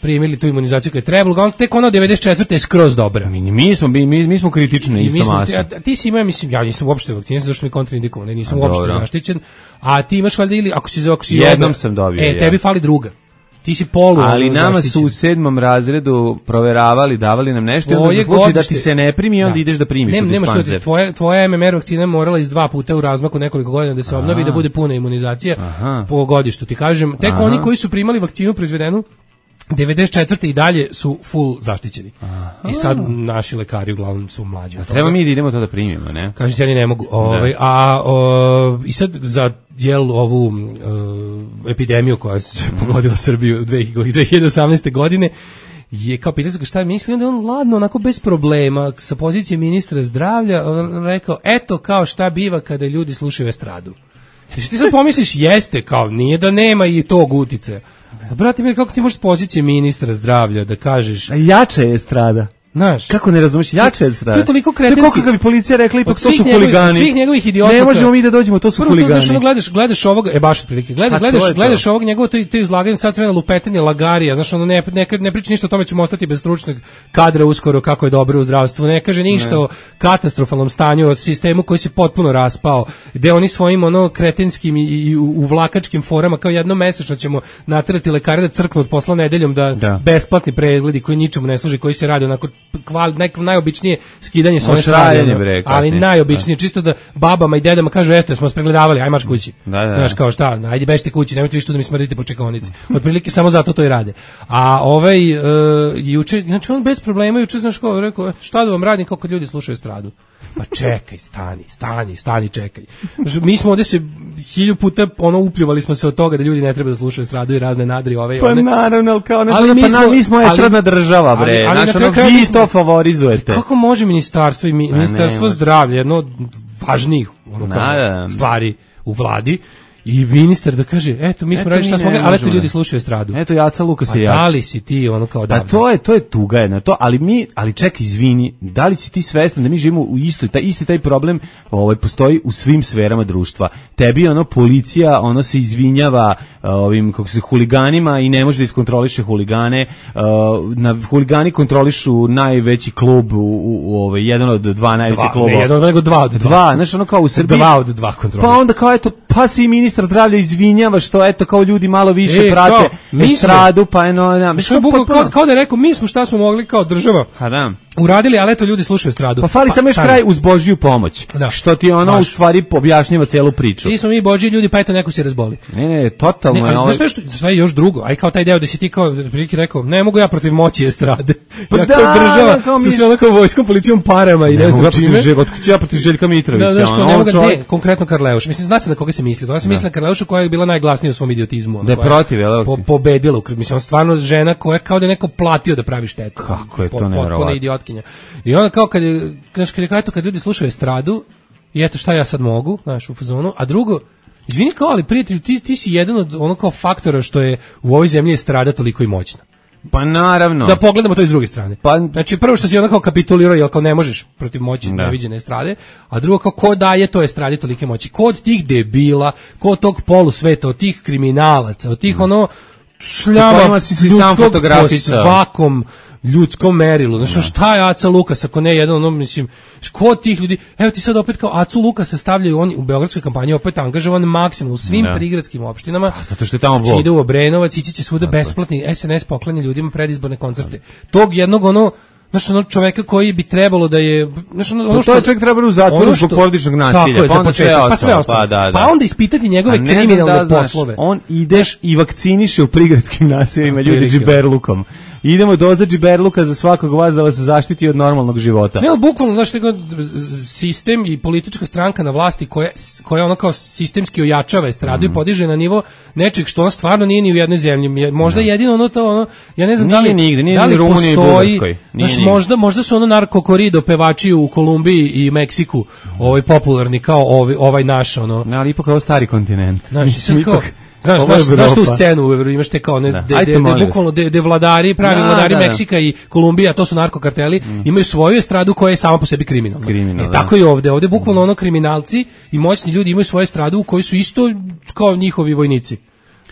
primili tu imunizaciju koja je trebalo, on tek ono devedeset četvrte je skroz dobra. Mi, mi smo mi, mi smo kritični isto masa. A ti si ima, mislim, ja nisam uopšte vakcinisan zato što mi kontraindikovan, ne nisam uopšte zaštićen, a ti imaš valjda ili ako si ako si jednom sam dobio. E, tebi fali druga. Ti ti si polu. Ali nama su u sedmom razredu proveravali, davali nam nešto i onda za slučaj da ti se ne primi, onda da. ideš da primiš ne, u dispanzer. Nema tvoja, tvoja M M R vakcina morala iz dva puta u razmaku nekoliko godina da se obnovi i da bude puna imunizacija Aha. po godištu. Ti kažem, tek Aha. oni koji su primali vakcinu proizvedenu devedeset četvrte i dalje su full zaštićeni. Aha. I sad naši lekari uglavnom su mlađi. A treba mi da idemo to da primimo, ne? Kažete, ja ne mogu. Ovaj, a o, i sad za jel ovu uh, epidemiju koja je pogodila Srbiju dve hiljade osamnaeste. godine je kao pitao se šta misli, onda on ladno, onako bez problema, sa pozicije ministra zdravlja, on rekao, eto kao šta biva kada ljudi slušaju estradu. Znači ti sad pomisliš, jeste, kao nije da nema i tog utice. Brate mi, kako ti možeš s pozicije ministra zdravlja da kažeš... A jača je estrada. Znaš, kako ne razumeš, jače je strada. To je toliko kretenski. To kako bi policija rekla, ipak to su huligani. Svih njegovih idiota. Ne možemo mi da dođemo, to su huligani. Prvo, gledaš, gledaš ovog, e baš otprilike, gledaš, gledaš, gledaš ovog njegovo to, to izlaganje sad vremena lupetanje lagarija, znaš, ono ne, ne, ne priča ništa o tome, ćemo ostati bez stručnog kadra uskoro, kako je dobro u zdravstvu, ne kaže ništa ne. o katastrofalnom stanju, o sistemu koji se potpuno raspao, gde oni svojim ono kretenskim i, i uvlakačkim forama, kao jednom mesečno ćemo naterati lekare da crknu od posla nedeljom, da, da. besplatni pregledi koji ničemu ne služe, koji se rade onako kval, najobičnije skidanje sa one strane, ali najobičnije, da. čisto da babama i dedama kažu, jeste, smo vas pregledavali, aj marš kući. Da, da. Znaš, kao šta, ajde bežite kući, nemojte više tu da mi smrdite po čekaonici. Otprilike samo zato to i rade. A ovaj, uh, juče, znači on bez problema, juče, znaš kao, rekao, šta da vam radim kao kad ljudi slušaju estradu? Pa čekaj, stani, stani, stani, čekaj. Mi smo ovde se hilju puta ono upljuvali smo se od toga da ljudi ne treba da slušaju estradu i razne nadri ove i one. Pa naravno, ali kao nešto, pa smo, mi smo estradna država, bre. Ali, ali znaš, ono, vi smo, to favorizujete. Kako može ministarstvo i mi, ministarstvo ne, zdravlja, jedno od važnijih ono, kao, stvari u vladi, i ministar da kaže, eto, mi smo radili šta smo mogli, ali eto ljudi slušaju estradu. Eto, Jaca Lukas je jač. Pa da li si ti ono kao davno? Pa to je, to je tuga jedna, to, ali mi, ali čekaj, izvini, da li si ti svestan da mi živimo u istoj, taj isti taj problem ovaj, postoji u svim sferama društva. Tebi ono, policija, ono se izvinjava ovim, kako se, huliganima i ne može da iskontroliše huligane. Na huligani kontrolišu najveći klub, u, u, u ovaj, jedan od dva najveći kluba. Ne, jedan od nego dva od dva. Dva, znaš, ono kao u Srbiji. Dva od dva kontrolišu. Pa onda kao, eto, pa si ministar zdravlja izvinjava što eto kao ljudi malo više e, prate estradu, pa eno, ja, mislim, kao, kao, kao da je rekao, mi smo šta smo mogli kao država ha, da. uradili, ali eto ljudi slušaju estradu. Pa fali pa, samo još kraj uz Božju pomoć, da. što ti ono Baš. u stvari objašnjava celu priču. Mi smo mi Božji ljudi, pa eto neko se razboli. Ne, ne, totalno. Ne, ali, znaš što, sve još drugo, aj kao taj deo da si ti kao prilike rekao, ne mogu ja protiv moći estrade. Pa ja da, kao država kao sa sve onako vojskom, policijom, parama i ne, ne znam čime. Ja protiv Željka Mitrovića. Da, ono, ne mogu, ne, konkretno Karleuš. Mislim, zna se na koga se misli. Ja se mislim na Karleušu koja je bila najglasnija u svom idiotizmu. Da je protiv, jel? Po, pobedila u krvi. Mislim, on stvarno žena koja kao da je neko platio da pravi štetu. Kako je to po, nevjerovatno. Potpuna idiotkinja. I onda kao kad je, znaš, kad je, kad, kad ljudi slušaju estradu, i eto šta ja sad mogu, znaš, u fazonu, a drugo, izvini kao, ali prijatelju, ti, ti si jedan od ono kao faktora što je u ovoj zemlji estrada toliko i moćna. Pa naravno. Da pogledamo to iz druge strane. Pa, znači prvo što si onda kao kapitulirao, jel kao ne možeš protiv moći neviđene estrade, a drugo kao ko daje to estradi tolike moći? Ko od tih debila, ko od tog polusveta, od tih kriminalaca, od tih mm. ono šljama ljudskog po svakom ljudskom merilu. Znači no. šta je Aca Lukas ako ne jedan ono, mislim, ko tih ljudi, evo ti sad opet kao Acu Lukasa stavljaju oni u beogradskoj kampanji opet angažovan maksimum u svim no. prigradskim opštinama. A zato što je tamo Bog. Ide u Obrenovac, ići će svuda besplatni S N S poklanja ljudima predizborne koncerte. Tog jednog ono znaš, ono čoveka koji bi trebalo da je, znaš, ono, ono što to čovjek treba u zatvoru zbog porodičnog nasilja, je, pa onda sve ostalo, pa sve ostalo. Pa, da, da. Pa onda ispitati njegove kriminalne da, poslove. Znaš, on ideš i vakciniše u prigradskim naseljima ljudi džiberlukom. Idemo doza džiberluka za svakog vas da vas zaštiti od normalnog života. Ne, ali bukvalno, znaš, nego sistem i politička stranka na vlasti koja, koja ono kao sistemski ojačava estradu mm. i podiže na nivo nečeg što ono stvarno nije ni u jednoj zemlji. Možda no. jedino ono to, ono, ja ne znam nije da li, nigde, nije da li postoji, Bugarskoj, znaš, možda, možda su ono narkokorido pevači u Kolumbiji i Meksiku ovaj popularni kao ovaj, ovaj naš, ono. Ne, ali ipak kao stari kontinent. Znaš, sam kao, Znaš, znaš, znaš tu scenu, imaš te kao ne, da. de, de, de, bukvalno de, de vladari, pravi da, vladari da, da. Meksika i Kolumbija, to su narkokarteli, mm. imaju svoju estradu koja je sama po sebi kriminalna. Kriminal, e, tako i ovde, ovde bukvalno ono kriminalci i moćni ljudi imaju svoju estradu u kojoj su isto kao njihovi vojnici.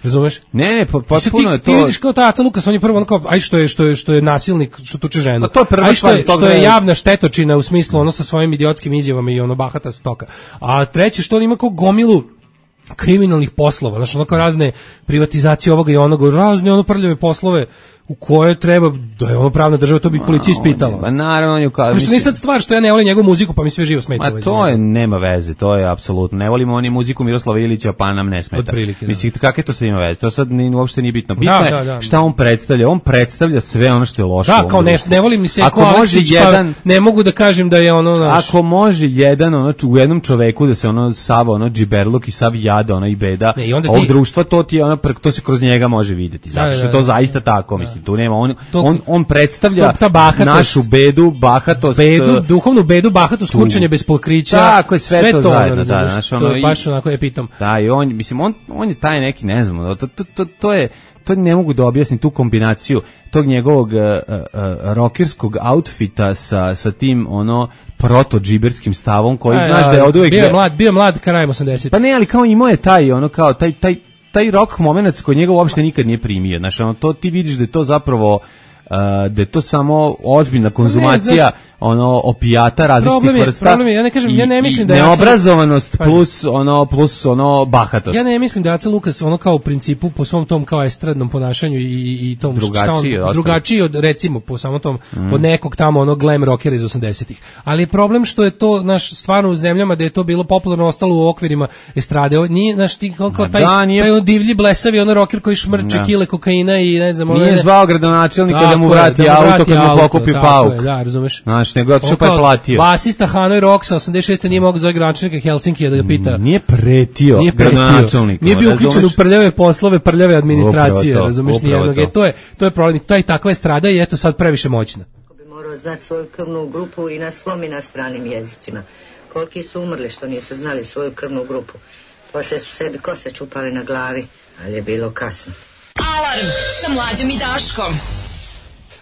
Razumeš? Ne, ne, potpuno je to. Ti vidiš kao ta Aca Lukas, on je prvo ono kao, aj što je, što je, što je nasilnik, što tuče ženu. A to je prva aj što je, što je javna štetočina u smislu ono sa svojim idiotskim izjavama i ono bahata stoka. A treće što on ima kao gomilu kriminalnih poslova, znači ono kao razne privatizacije ovoga i onoga, razne ono prljave poslove u koje treba, da je ono pravna država, to bi policija ispitala. Pa naravno, on je kao... Pošto nije sad stvar što ja ne volim njegovu muziku, pa mi sve živo smeta. Ma to je, nema veze, to je apsolutno. Ne volimo oni muziku Miroslava Ilića, pa nam ne smeta. Otprilike, da. Mislim, kakve to sad ima veze? To sad ni, uopšte nije bitno. Bitno Da, je da, da. šta on predstavlja. On predstavlja sve ono što je loše. u Da, ovom kao ne, društvu. ne volim ni se Ako može jedan, pa ne mogu da kažem da je ono naš... Ako može jedan ono u jednom čoveku da se ono sav ono džiberluk i sav jada ono i beda Ne, i onda ovog ti- društva, to ti je ono pre- to se kroz njega može videti. Zato Da, što da, je to da. zaista tako, mislim, tu nema on To- on on predstavlja to- ta bahatost. našu bedu, bahatost. bedu, duhovnu bedu, bahatost, tu. kurčenje bez pokrića. Tako je, sve to ono, zajedno, da, razumeš, znaš, to ono, je i- baš onako epitom. Da, i on, mislim, on, on je taj neki, ne znam, to, to, to, to je, to ne mogu da objasnim tu kombinaciju tog njegovog uh, uh, rokerskog outfita sa, sa tim, ono, proto-džiberskim stavom koji Aj, znaš da je od uvek... bio je mlad, bio je mlad krajem osamdesetih. Pa ne, ali kao imao je taj, ono, kao, taj, taj, taj rock momenac koji njega uopšte nikad nije primio, znaš, ono, to ti vidiš da je to zapravo, uh, da je to samo ozbiljna konzumacija, znaš, ono, opijata različitih problem je- vrsta. problem je, ja ne kažem, i- ja ne mislim i da je Aca- neobrazovanost Pazi. plus, ono, plus, ono, bahatost. Ja ne mislim da Aca Lukas ono kao u principu po svom tom kao estradnom ponašanju i, i tom Drugačiji šta od on, drugačiji od recimo po samom tom Mm. od nekog tamo onog glam rockera iz osamdesetih. Ali je problem što je to naš stvarno u zemljama da je to bilo popularno ostalo u okvirima estrade. Ovo nije naš ti kao, kao Ma taj, da, nije- taj on divlji blesavi ono rocker koji šmrče Da. kile kokaina i ne znam ono Nije ne- zvao gradonačelnika da mu Tako je, vrati da mu auto vrati kad mu auto, pokupi tako pauk. je, da, razumeš. Znaš, nego je otišao On pa je kao platio. Basista Hanoi Rocksa osamdeset šeste nije mogao zove gradonačelnika Helsinkija da ga pita. Nije pretio Nije pretio. gradonačelniku. Nije bio uključen u razumeš? prljave poslove, prljave administracije, Upravo to, razumeš, upravo nijednog. to. E, to je, to je problem, to je takva estrada i eto sad previše moćna. Bi morao znati svoju krvnu grupu i na svom i na stranim jezicima. Koliki su umrli što nisu znali svoju krvnu grupu. Poslije su sebi kose čupali na glavi, ali je bilo kasno. Alarm sa Mlađom i Daškom.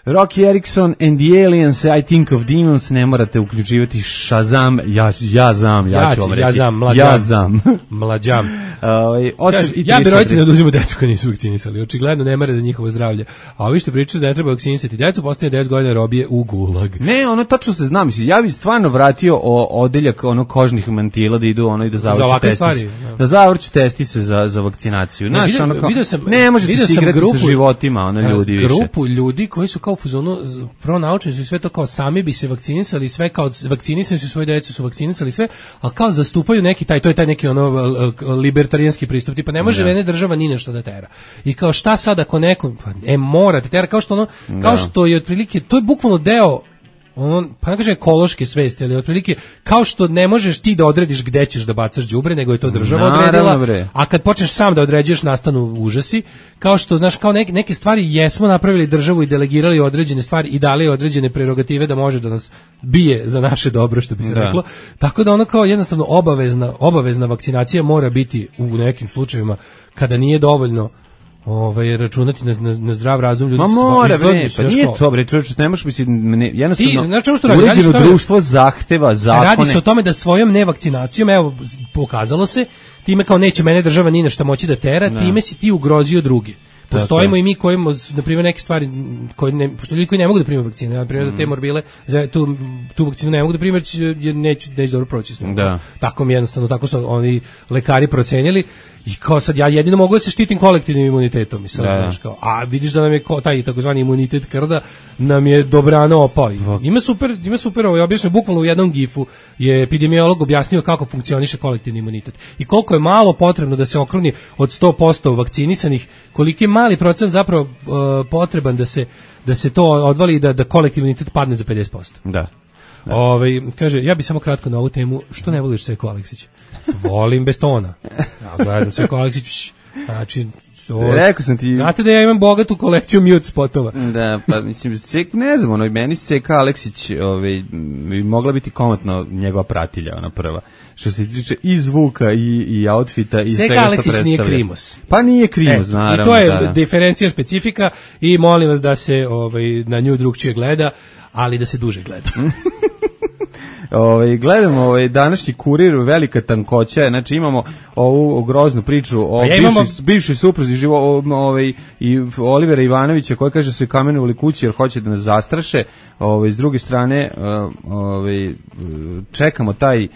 Rocky Erickson and the Aliens, I Think of Demons, ne morate uključivati Shazam, ja, ja znam, ja, Ja ću vam ću, reći. ja znam, mlađam. Ja znam. Mlađam. Ovaj, osam Kaže, i ja bi trideset roditelji da uzimaju decu koji nisu vakcinisali. Očigledno ne mare za njihovo zdravlje. A ovi što pričaju da ne treba vakcinisati decu, postavljaju deset godina robije u gulag. Ne, ono tačno se zna, mislim, ja bih stvarno vratio o odeljak ono kožnih mantila da idu ono i da zavrću ovakve testise. stvari, Da. da. zavrću testise za za vakcinaciju. Ne, Znaš, vidio- ono kao, vidio sam- ne možete vidio se sam igrati grupu- sa životima, ono ljudi više. Grupu ljudi koji su kao u fazonu pronaučeni su i sve to kao sami bi se vakcinisali, sve kao vakcinisani su, svoje decu su vakcinisali sve, ali kao zastupaju neki taj, to je taj neki ono libertarijanski pristup, tipa ne može Da. mene država ni nešto da tera. I kao šta sad ako neko, pa, e morate tera, kao što ono, kao Da. što je otprilike, to je bukvalno deo ono, pa ne kažem ekološke svesti, ali otprilike kao što ne možeš ti da odrediš gde ćeš da bacaš đubre, nego je to država Naravno, odredila, bre. a kad počneš sam da određuješ nastanu užasi, kao što, znaš, kao neke, neke stvari jesmo napravili državu i delegirali određene stvari i dali određene prerogative da može da nas bije za naše dobro, što bi se Da. reklo. Tako da ono kao jednostavno obavezna, obavezna vakcinacija mora biti u nekim slučajevima kada nije dovoljno ovaj računati na, na, na zdrav razum ljudi. Ma stva- mora, izgleda bre, mi se, pa znaš nije kao- to, bre, čovječe, ne možeš, mislim, ne, jednostavno, Ti, znaš čemu se to radi? Radi se uređeno o tome- društvo zahteva zakone. Radi se o tome da svojom nevakcinacijom, evo, pokazalo se, time kao neće mene država ni na šta moći da tera, Da. time si ti ugrozio drugi. Postojimo je. i mi koji, na primjer, neke stvari, koji ne, pošto ljudi koji ne mogu da prime vakcine, na primjer, Mm. da te morbile, za tu, tu vakcinu ne mogu da prime, jer neću, neću dobro proći s njom. Da. Tako mi jednostavno, tako su oni lekari procenjeli i kao sad ja jedino mogu da se štitim kolektivnim imunitetom i sad, Da, da. znaš, kao, a vidiš da nam je ko, taj takozvani imunitet krda nam je dobrano opao. I Ima super, ima super, ovo je objašnjeno bukvalno u jednom gifu je epidemiolog objasnio kako funkcioniše kolektivni imunitet i koliko je malo potrebno da se okruni od sto posto vakcinisanih, koliki je mali procent zapravo uh, potreban da se da se to odvali i da da kolektivni imunitet padne za pedeset posto. Da. Ovaj kaže ja bih samo kratko na ovu temu, što ne voliš Seko Aleksić? Volim bez tona. Ja gledam Seko Aleksić, znači to- Rekao sam ti- Znate da ja imam bogatu kolekciju mute spotova. Da, pa mislim, sek, ne znam, ono, meni Seka Aleksić ovaj, bi mogla biti komotno njegova pratilja, ona prva. Što se tiče i zvuka i, i outfita i Seka svega što Aleksić predstavlja. nije Krimos. Pa nije Krimos, E, naravno. I to je da, da. diferencija specifika i molim vas da se ovaj, na nju drugčije gleda, ali da se duže gleda. Ovaj gledamo ovaj današnji kurir, velika tankoća, znači imamo ovu groznu priču o A ja bivšoj, imamo- bivšoj supruzi živo o- ovaj i Olivera Ivanovića koji kaže da su je kamenovali kući jer hoće da nas zastraše. Ovaj s druge strane ovaj čekamo taj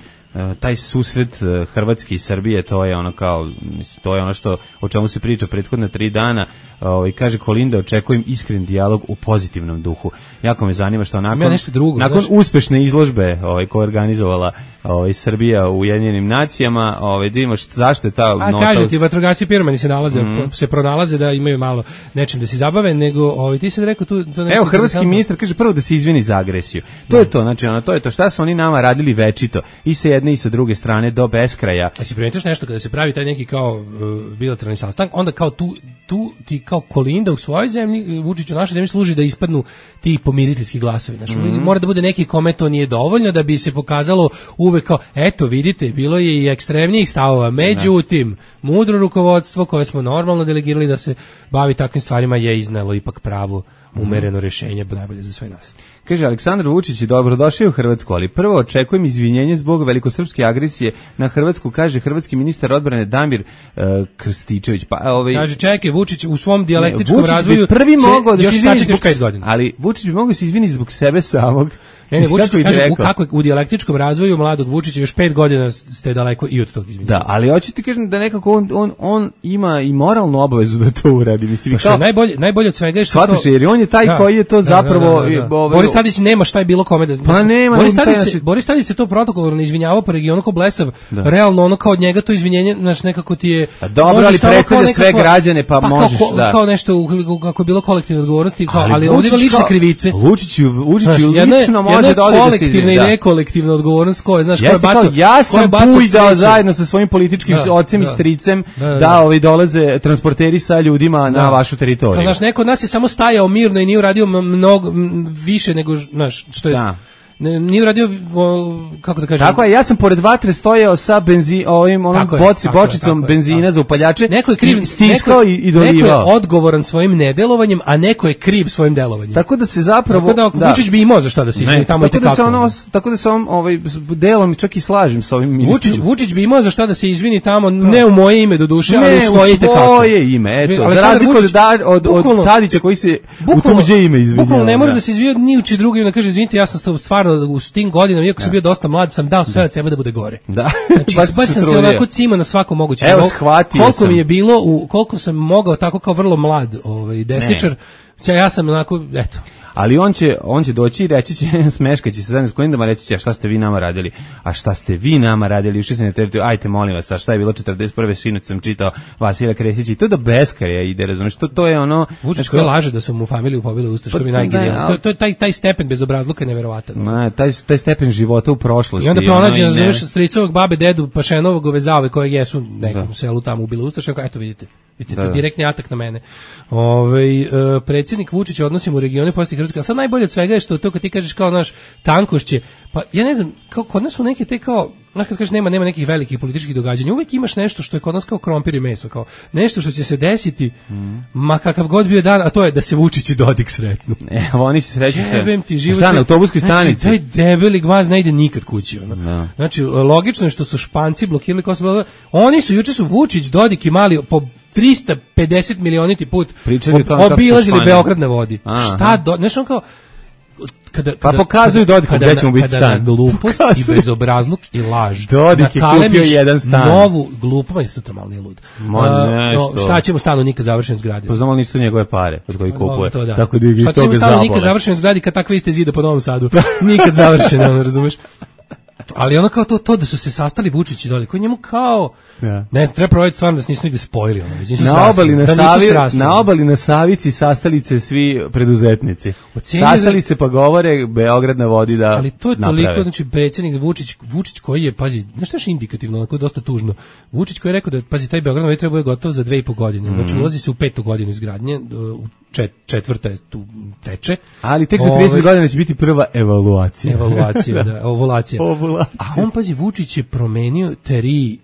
taj susret Hrvatske i Srbije, to je ono kao, mislim, to je ono što o čemu se priča prethodne tri dana. Ovaj kaže Kolinda, očekujem iskren dijalog u pozitivnom duhu. Jako me zanima što nakon drugo, nakon znaš? uspešne izložbe, ovaj koja je organizovala ovaj Srbija u Ujedinjenim nacijama, ovaj da vidimo zašto je ta A nota. kaže ti, vatrogasci piromani se nalaze, mm. se pronalaze da imaju malo nečim da se zabave, nego ovaj ti se rekao tu to nešto. Evo hrvatski ministar kaže prvo da se izvini za agresiju. To je to, znači ono to je to šta su oni nama radili večito i sa jedne i sa druge strane do beskraja. A si primetiš nešto kada se pravi taj neki kao uh, bilateralni sastanak, onda kao tu tu ti kao Kolinda u svojoj zemlji, Vučić u našoj zemlji služi da ispadnu ti pomiriteljski glasovi. Znači mm-hmm. mora da bude neki kome to nije dovoljno da bi se pokazalo uvek kao eto vidite, bilo je i ekstremnijih stavova, međutim mudro rukovodstvo koje smo normalno delegirali da se bavi takvim stvarima je iznelo ipak pravo umereno rješenje, najbolje za sve nas. Kaže Aleksandar Vučić je dobrodošao u Hrvatsku, ali prvo očekujem izvinjenje zbog velikosrpske agresije na Hrvatsku, kaže hrvatski ministar odbrane Damir uh, Krstičević. Pa ovaj kaže čekaj, Vučić u svom dijalektičkom ne, razvoju prvi mogao da se izvini zbog pet godina. Ali Vučić bi mogao da se izvini zbog sebe samog. Ne, ne, Vučić kaže u, kako u dijalektičkom razvoju mladog Vučića još pet godina ste daleko i od tog izvinjenja. Da, ali hoću ti kažem da nekako on, on, on ima i moralnu obavezu da to uradi. Mislim, pa što najbolje, najbolje od svega je što shvatiš, jer on je taj da, koji je to zapravo... Da, da, da, da. Ovaj, Boris Tadić nema šta je bilo kome da... Pa nema. Boris Tadić, znači... Boris Tadić se to protokolarno izvinjavao po regionu kao blesav. Da. Realno ono kao od njega to izvinjenje, znači nekako ti je... A dobro, ali predstavlja sve građane, pa, pa možeš, kao, da. Kao nešto, kako je bilo kolektivne odgovornosti, kao, ali, ali ovdje ima lične krivice. Vučić lično može da ode da se i nekolektivna odgovornost koja, znaš, koja baca, ja sam pujdao zajedno sa svojim političkim da, ocem da, i stricem da, da, da. da ovi dolaze transporteri sa ljudima da. na vašu teritoriju. Kao, znaš, neko od nas je samo stajao mirno i nije uradio mnogo više nego, znaš, što je... Da. Nije uradio, kako da kažem... Tako je, ja sam pored vatre stojao sa benzin, ovim, onom boci, je, bočicom je, benzina je, za upaljače, neko je kriv, stiskao neko, i, i dolivao. Neko je odgovoran svojim nedelovanjem, a neko je kriv svojim delovanjem. Tako da se zapravo... Tako da, da. Vučić bi imao za šta da se izmeni tamo i tako da se ono, tako da se on, ovaj, delom čak i slažem sa ovim ministrom. Vučić, Vučić bi imao za šta da se izvini tamo, ne u moje ime do duše, ne, ali u svoje ite kako. Ne, u svoje ime, eto. Za razliku od, od, od Tadića koji se u tuđe ime izvinjava. Bukvalno ne mora da se izvinjava ni u čiji drugi, da kaže, izvinite, ja sam stvarno u tim godinama, iako sam bio dosta mlad, sam dao sve od sebe da bude gore. Da. Znači, baš, baš sam se onako cima na svako moguće. Evo, shvatio koliko sam. mi je bilo, u, koliko sam mogao tako kao vrlo mlad ovaj, desničar, ne. Ja sam onako, eto. Ali on će, on će doći i reći će, smeškaći se zajedno s Kolindama, reći će, a šta ste vi nama radili? A šta ste vi nama radili? Ušli se na teritoriju, ajte molim vas, a šta je bilo četrdeset prve sinoć sam čitao Vasilija Kresića i to do beskraja ide, razumiješ, to, to je ono... Vučić koji laže da su mu familiju pobili usta, što pa, mi najgenijalno. To, to je taj, taj stepen bezobrazluka je neverovatan. Ma, taj, taj stepen života u prošlosti. I onda pronađe, razumiješ, stricovog babe, dedu, Pašenovog ovezave kojeg jesu nekom da. selu tamo ubili ustaša, eto vidite. Vidite, to direktni atak na mene. Ovaj uh, predsjednik Vučić odnosimo u regionu posti Hrvatske. A sad najbolje od svega je što to kad ti kažeš kao naš tankošće, pa ja ne znam, kao kod nas su neke te kao, znaš kad kažeš nema nema nekih velikih političkih događanja, uvijek imaš nešto što je kod nas kao krompir i meso, kao nešto što će se desiti, mm. ma kakav god bio dan, a to je da se Vučić i Dodik sretnu. E, oni se sreću sve. Jebem ti život. Šta na autobuskoj stanici? Znači, taj debeli gvaz ne ide nikad kući. Ono. No. Znači, logično je što su Španci blokirali Kosovo. Oni su, juče su Vučić, Dodik i Mali po trista pedeset milioniti put ob, obilazili Beograd na vodi. Aha. Šta do, znaš on kao kada, kada, pa pokazuju Dodiku gdje ćemo biti stan. Kada na glupost pokazuju. I bezobrazluk i laž. Dodik je kupio jedan stan. Novu glupu, isto to malo nije lud. Ma nešto. No, šta ćemo stanu nikad završen zgradi? Pa znamo li nisu njegove pare od kojih kupuje. To, da. Tako da i šta toga ćemo stanu nikad završen zgradi kad takve iste zida po Novom Sadu. Nikad završen, ono, razumeš? Ali ono kao to, to da su se sastali Vučić i Dodik, koji njemu kao ja. Ne, treba provjeriti stvarno da se nisu nigde spojili. Ono, nisu na, obali na, Savi, na obali na Savici sastali se svi preduzetnici. Sastali da, se pa govore Beograd na vodi da ali to je naprave. Toliko, znači predsjednik Vučić, Vučić koji je, pazi, znaš što je indikativno, onako dosta tužno. Vučić koji je rekao da, pazi, taj Beograd na vodi treba je gotov za dve i po godine. Mm. Znači ulazi se u petu godinu izgradnje, u čet, četvrta je tu teče. Ali tek za trideset godina će biti prva evaluacija. Evaluacija, da, ovulacija. Ovulacija. A on, pazi, Vučić je promenio tri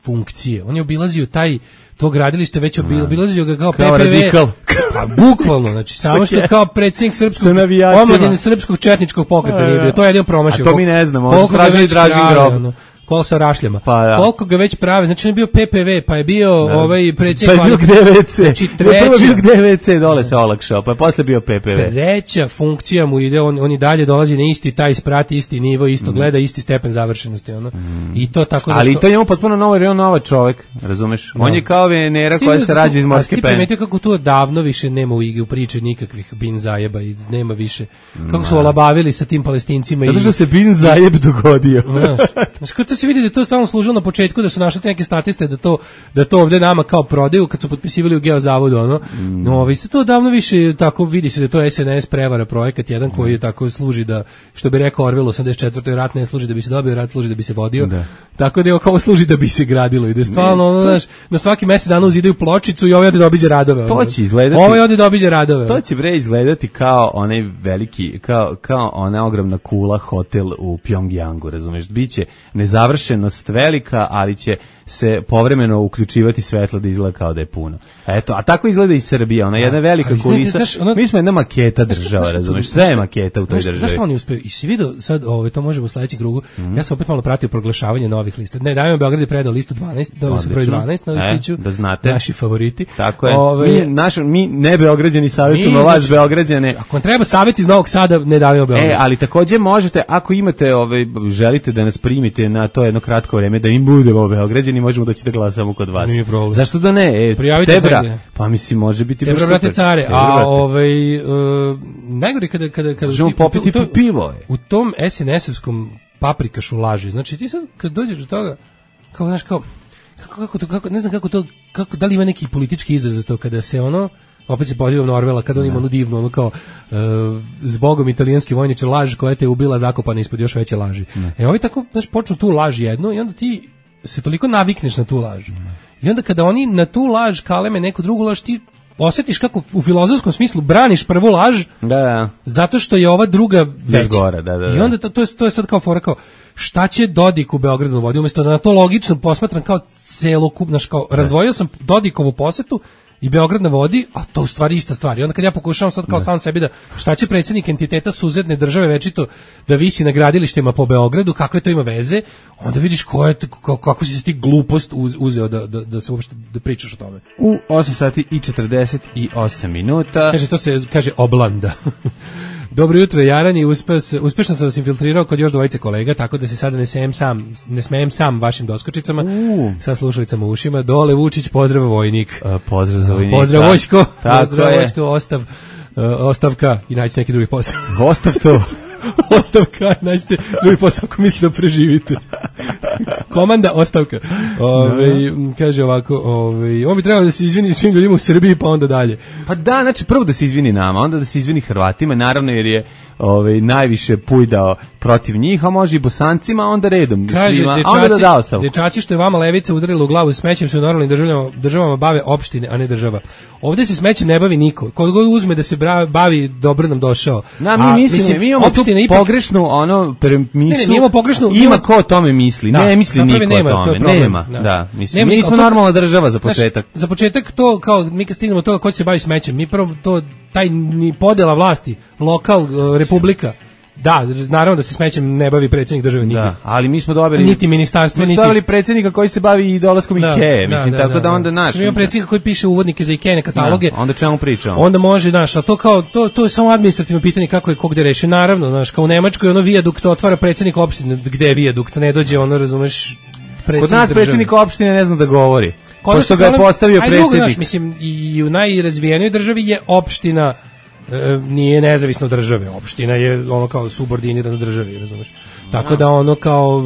funkcije. On je obilazio taj to gradilište, već obil, obilazio ga kao, kao P P V. Radikal. Pa bukvalno, znači samo što kao predsjednik srpskog omladine srpskog četničkog pokreta nije bio. To je jedino promašio. A to mi ne znamo. On stražili Dražin grob. Kol sa rašljama. Pa, da. Koliko ga već prave, znači on je bio P P V, pa je bio da. ovaj predsjednik. Pa je bio gde ve ce. Znači treća. Prvo bio gde ve ce, dole se olakšao, pa je posle bio P P V. Treća funkcija mu ide, on, on i dalje dolazi na isti taj sprat, isti nivo, isto mm. gleda, isti stepen završenosti. Ono. Mm. I to tako da ali što... to je njemu potpuno novo, jer je on nova čovek, razumeš? No. On je kao Venera koja se rađa iz morske pene. A ti primetio kako tu davno više nema u igri, u priči nikakvih bin zajeba i nema više. Kako su olabavili sa tim Palestincima. Zato što se bin zajeb dogodio. Znaš, kako to se vidi da to stalno služilo na početku, da su našli neke statiste da to, da to ovde nama kao prodaju kad su potpisivali u Geozavodu, ono. Mm. No, vi se to davno više tako vidi se da to es en es prevara projekat jedan koji je tako služi da, što bi rekao Orwell osamdeset četvrtoj rat ne služi da bi se dobio, rat služi da bi se vodio. Da. Tako da je kao služi da bi se gradilo i da je stvarno, ono, znaš, na svaki mesec dana uzidaju pločicu i ovaj ode da obiđe radove. To će izgledati. Ovaj ode da obiđe radove. To će bre izgledati kao onaj veliki, kao, kao ona ogromna kula hotel u Pjongjangu, razumeš? Biće nezavršenost velika, ali će se povremeno uključivati svetlo da izgleda kao da je puno. Eto, a tako izgleda i Srbija, ona je jedna velika kulisa. Ono, mi smo jedna maketa država, razumeš? Sve je maketa u toj državi. Znaš što oni uspeju? I si vidio, sad ovaj, to možemo u sledećem krugu, mm. ja sam opet malo pratio proglašavanje novih lista. Ne, Davimo Beograd je predao listu dvanaest, dao se broj dvanaest na listiću, e, da znate. Naši favoriti. Tako je. Ove, mi, naš, mi ne Beograđani savjetujemo vas znači, Beograđane. Ako vam treba savjet iz Novog Sada, ne Davimo Beograd. E, ali takođe možete, ako imate, ovaj, želite da nas primite na to jedno kratko vreme, da im budemo Beograđani, možemo doći da glasamo samo kod vas. Zašto da ne? E, Tebra, pa mislim može biti Tebra, brate care, Tebra, a ovaj uh, najgore kada kada kada možemo popiti to, pivo je. U tom es en esovskom paprikašu laži. Znači ti sad kad dođeš do toga kao znaš kao kako kako to kako ne znam kako to kako da li ima neki politički izraz za to kada se ono opet se pozivam na Orwella kad on ima onu divnu ono kao uh, zbogom italijanski vojniče laž koja te ubila zakopana ispod još veće laži. Ne. E ovi tako znaš počnu tu laž jednu i onda ti se toliko navikneš na tu laž. I onda kada oni na tu laž kaleme neku drugu laž, ti osjetiš kako u filozofskom smislu braniš prvu laž, da, da. Zato što je ova druga veća. Gore, da, da, da. I onda to, to, je, to je sad kao fora kao, šta će Dodik u Beogradu vodi, umjesto da na to logično posmatram kao celokupno, kao razdvojio sam Dodikovu posetu i Beograd na vodi, a to u stvari ista stvar. I onda kad ja pokušavam sad kao ne. sam sebi da šta će predsjednik entiteta suzetne države večito da visi na gradilištima po Beogradu, kakve to ima veze, onda vidiš ko je, kako, kako si se ti glupost uzeo da, da, da se uopšte da pričaš o tome. U osam sati i četrdeset osam minuta. Kaže, to se kaže oblanda. Dobro jutro, Jarani, uspeš, uspešno sam vas infiltrirao kod još dvojice kolega, tako da se sada ne smejem sam, ne smejem sam vašim doskočicama, uh. sa slušalicama u ušima. Dole Vučić, pozdrav vojnik. Uh, pozdrav za vojnika. Pozdrav vojsko, pozdrav vojsko, ostav, uh, ostavka i naći neki drugi posao. Ostav to. Ostavka, naćete drugi posao ako mislite da preživite. Komanda, ostavka. Ove, kaže ovako, ove, on bi trebao da se izvini svim ljudima u Srbiji, pa onda dalje. Pa da, znači prvo da se izvini nama, onda da se izvini Hrvatima, naravno jer je ove, najviše pujdao protiv njih, a može i Bosancima, onda redom. Kaže, svima, dečaci, onda da da ostavku. Dečaci što je vama levica udarila u glavu smećem se u normalnim državama, državama bave opštine, a ne država. Ovde se smećem ne bavi niko. Kod god uzme da se bavi, dobro nam došao. Na, mi, a, mislim, mislim, mi imamo tu ipak... pogrešnu ono premisu, ne, ne, pogrešnu, ima ima ko o tome misli, da, ne misli niko nema, o tome, to nema, da, da mislim, nema, mi smo to, normalna država za početak. Znaš, za početak to, kao, mi kad stignemo toga ko će se bavi smećem, mi prvo to, taj ni podela vlasti, lokal, republika, da, naravno da se smećem ne bavi predsjednik države niti. Da, ali mi smo dobili niti ministarstvo, niti. Mi smo dobili predsjednika koji se bavi i dolaskom da, Ikea, mislim, da, tako da, da onda naš. Mi imamo predsjednika koji piše uvodnike za Ikea kataloge. Da, onda čemu pričamo? Onda može, znaš, a to kao to to je samo administrativno pitanje kako je ko gde reši. Naravno, znaš, kao u Nemačkoj ono vijadukt otvara predsjednik opštine, gde je vijadukt, ne dođe ono, razumeš, predsjednik. Kod nas predsjednik opštine ne zna da govori. Pošto ga je postavio predsjednik. Znaš, mislim, i u najrazvijenijoj državi je opština E, nije nezavisna od države, opština je ono kao subordinirana državi, razumeš? Tako da ono kao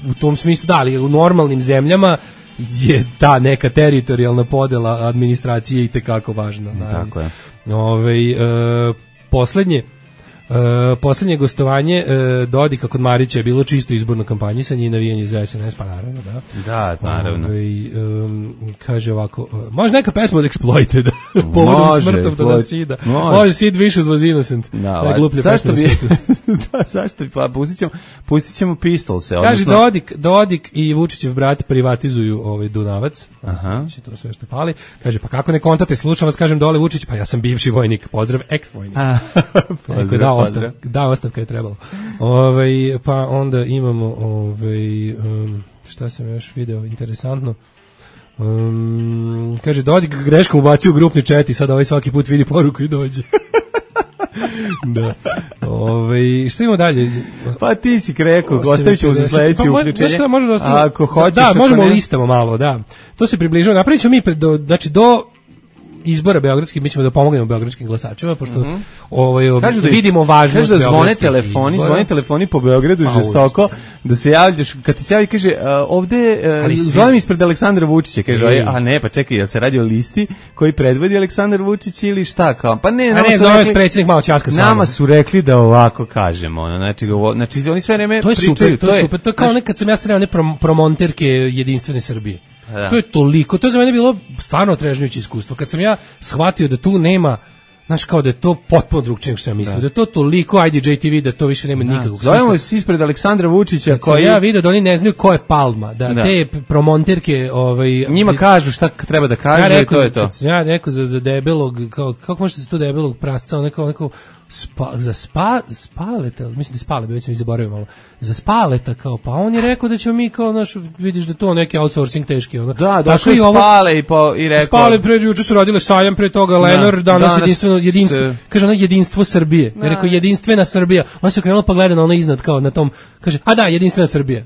u tom smislu, da, ali u normalnim zemljama je ta neka teritorijalna podela administracije itekako važna. Tako je. Ove, e, poslednje Uh, poslednje gostovanje uh, Dodika kod Marića je bilo čisto izborno kampanjisanje i navijanje za es en es, pa naravno, da. Da, naravno. Ove, um, kaže ovako, uh, može neka pesma od Exploited, povodom smrtov do nas Sida. Može. Može, Sid Vicious was innocent. Da, najgluplja zašto bi, da, zašto bi, pa pustit ćemo, pustit ćemo Pistolse. Kaže, odnosno... Dodik, Dodik i Vučićev brat privatizuju ovaj Dunavac. Aha. Znači, to sve što fali. Kaže, pa kako ne kontate, slušam vas, kažem dole Vučić, pa ja sam bivši vojnik, pozdrav, ex-vojnik. Pozdrav. Da, pozdrav. Da, ostavka je trebalo. Ovaj pa onda imamo ovaj um, šta sam još video interesantno. Um, kaže Dodik greškom ubacio u grupni chat i sad ovaj svaki put vidi poruku i dođe. Da. Ove, šta imamo dalje? Pa ti si rekao, ostavit ćemo za sledeće pa, uključenje. Šta, možemo da ostavimo? Ako hoćeš, da, možemo ne... listamo malo, da. To se približava. Napravit ćemo mi, pred, do, znači do izbora beogradskih, mi ćemo da pomognemo beogradskim glasačima, pošto mm-hmm. ovaj, kažu da vidimo važnost beogradskih. Kažu da zvone telefoni, izbora. Zvone telefoni po Beogradu pa, žestoko, uči. Da se javljaš, kad ti se javi, kaže, uh, ovde, uh, zovem ispred Aleksandra Vučića, kaže, Ej. a ne, pa čekaj, ja se radi o listi koji predvodi Aleksandar Vučić ili šta, kao, pa ne, a ne, zovem s predsjednik malo časka s vama. Nama su rekli da ovako kažemo, ono, znači, znači oni sve vreme to je pričaju. Super, to, to je super, to je kao znaš, nekad sam ja sreo one prom, promonterke Jedinstvene Srbije. Da. To je toliko, to je za mene bilo stvarno otrežnjujuće iskustvo. Kad sam ja shvatio da tu nema, znaš, kao da je to potpuno drugčije nego što sam mislio, da. da je to toliko I D J T V da to više nema da. nikakvog smisla. Zovemo se ispred Aleksandra Vučića koji... Kad sam ja vidio da oni ne znaju ko je Palma, da, da. te promonterke... Ovaj, njima kažu šta treba da kažu ja rekao, i to je to. Kad sam ja rekao za, za debelog, kao, kako možete se to debelog prasca, neko, neko spa, za spa, spaleta, mislim da spale, već sam ih zaboravio malo, za spaleta kao, pa on je rekao da ćemo mi kao, naš, vidiš da to neki outsourcing teški. Ono. Da, došli i spale i, po, i rekao... Spale, pre, juče su radile sajam, pre toga Lenor, da, danas, danas jedinstveno, jedinstvo, se... kaže ono jedinstvo Srbije, da. Je rekao jedinstvena Srbija, on se okrenulo pa gleda na ono iznad kao na tom, kaže, a da, jedinstvena Srbija.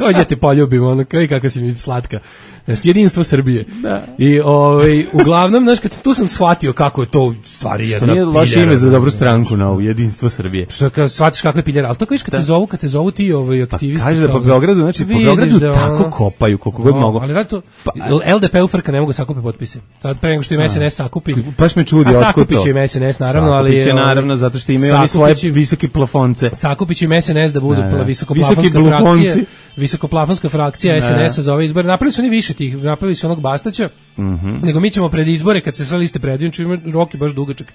Dođe te poljubimo, ono, kao i kako si mi slatka. Znači, jedinstvo Srbije. Da. I ovaj uglavnom, znači kad tu sam shvatio kako je to stvari jedna piljera. Loše ime za dobru stranku na ovu jedinstvo Srbije. Što kad shvatiš kako je piljera, al to kažeš kad da. te zovu, kad te zovu ti ovaj aktivisti. Pa kaže da po Beogradu, znači po Beogradu da tako ono, kopaju koliko god mogu. Ali to pa, L D P u frka ne mogu sakupiti potpise. Sad pre nego što im S N S sakupi. Baš me čudi otkud to. Sakupiće im S N S naravno, ali je naravno zato što imaju oni svoje visoke plafonce. Sakupiće im S N S da budu visokoplafonska frakcija. Visokoplafonska frakcija S N S-a za ove izbore. Napravili su oni više tih, napravili su onog Bastaća, mm-hmm. nego mi ćemo pred izbore, kad se sve liste predaju, čime rok je baš dugačak,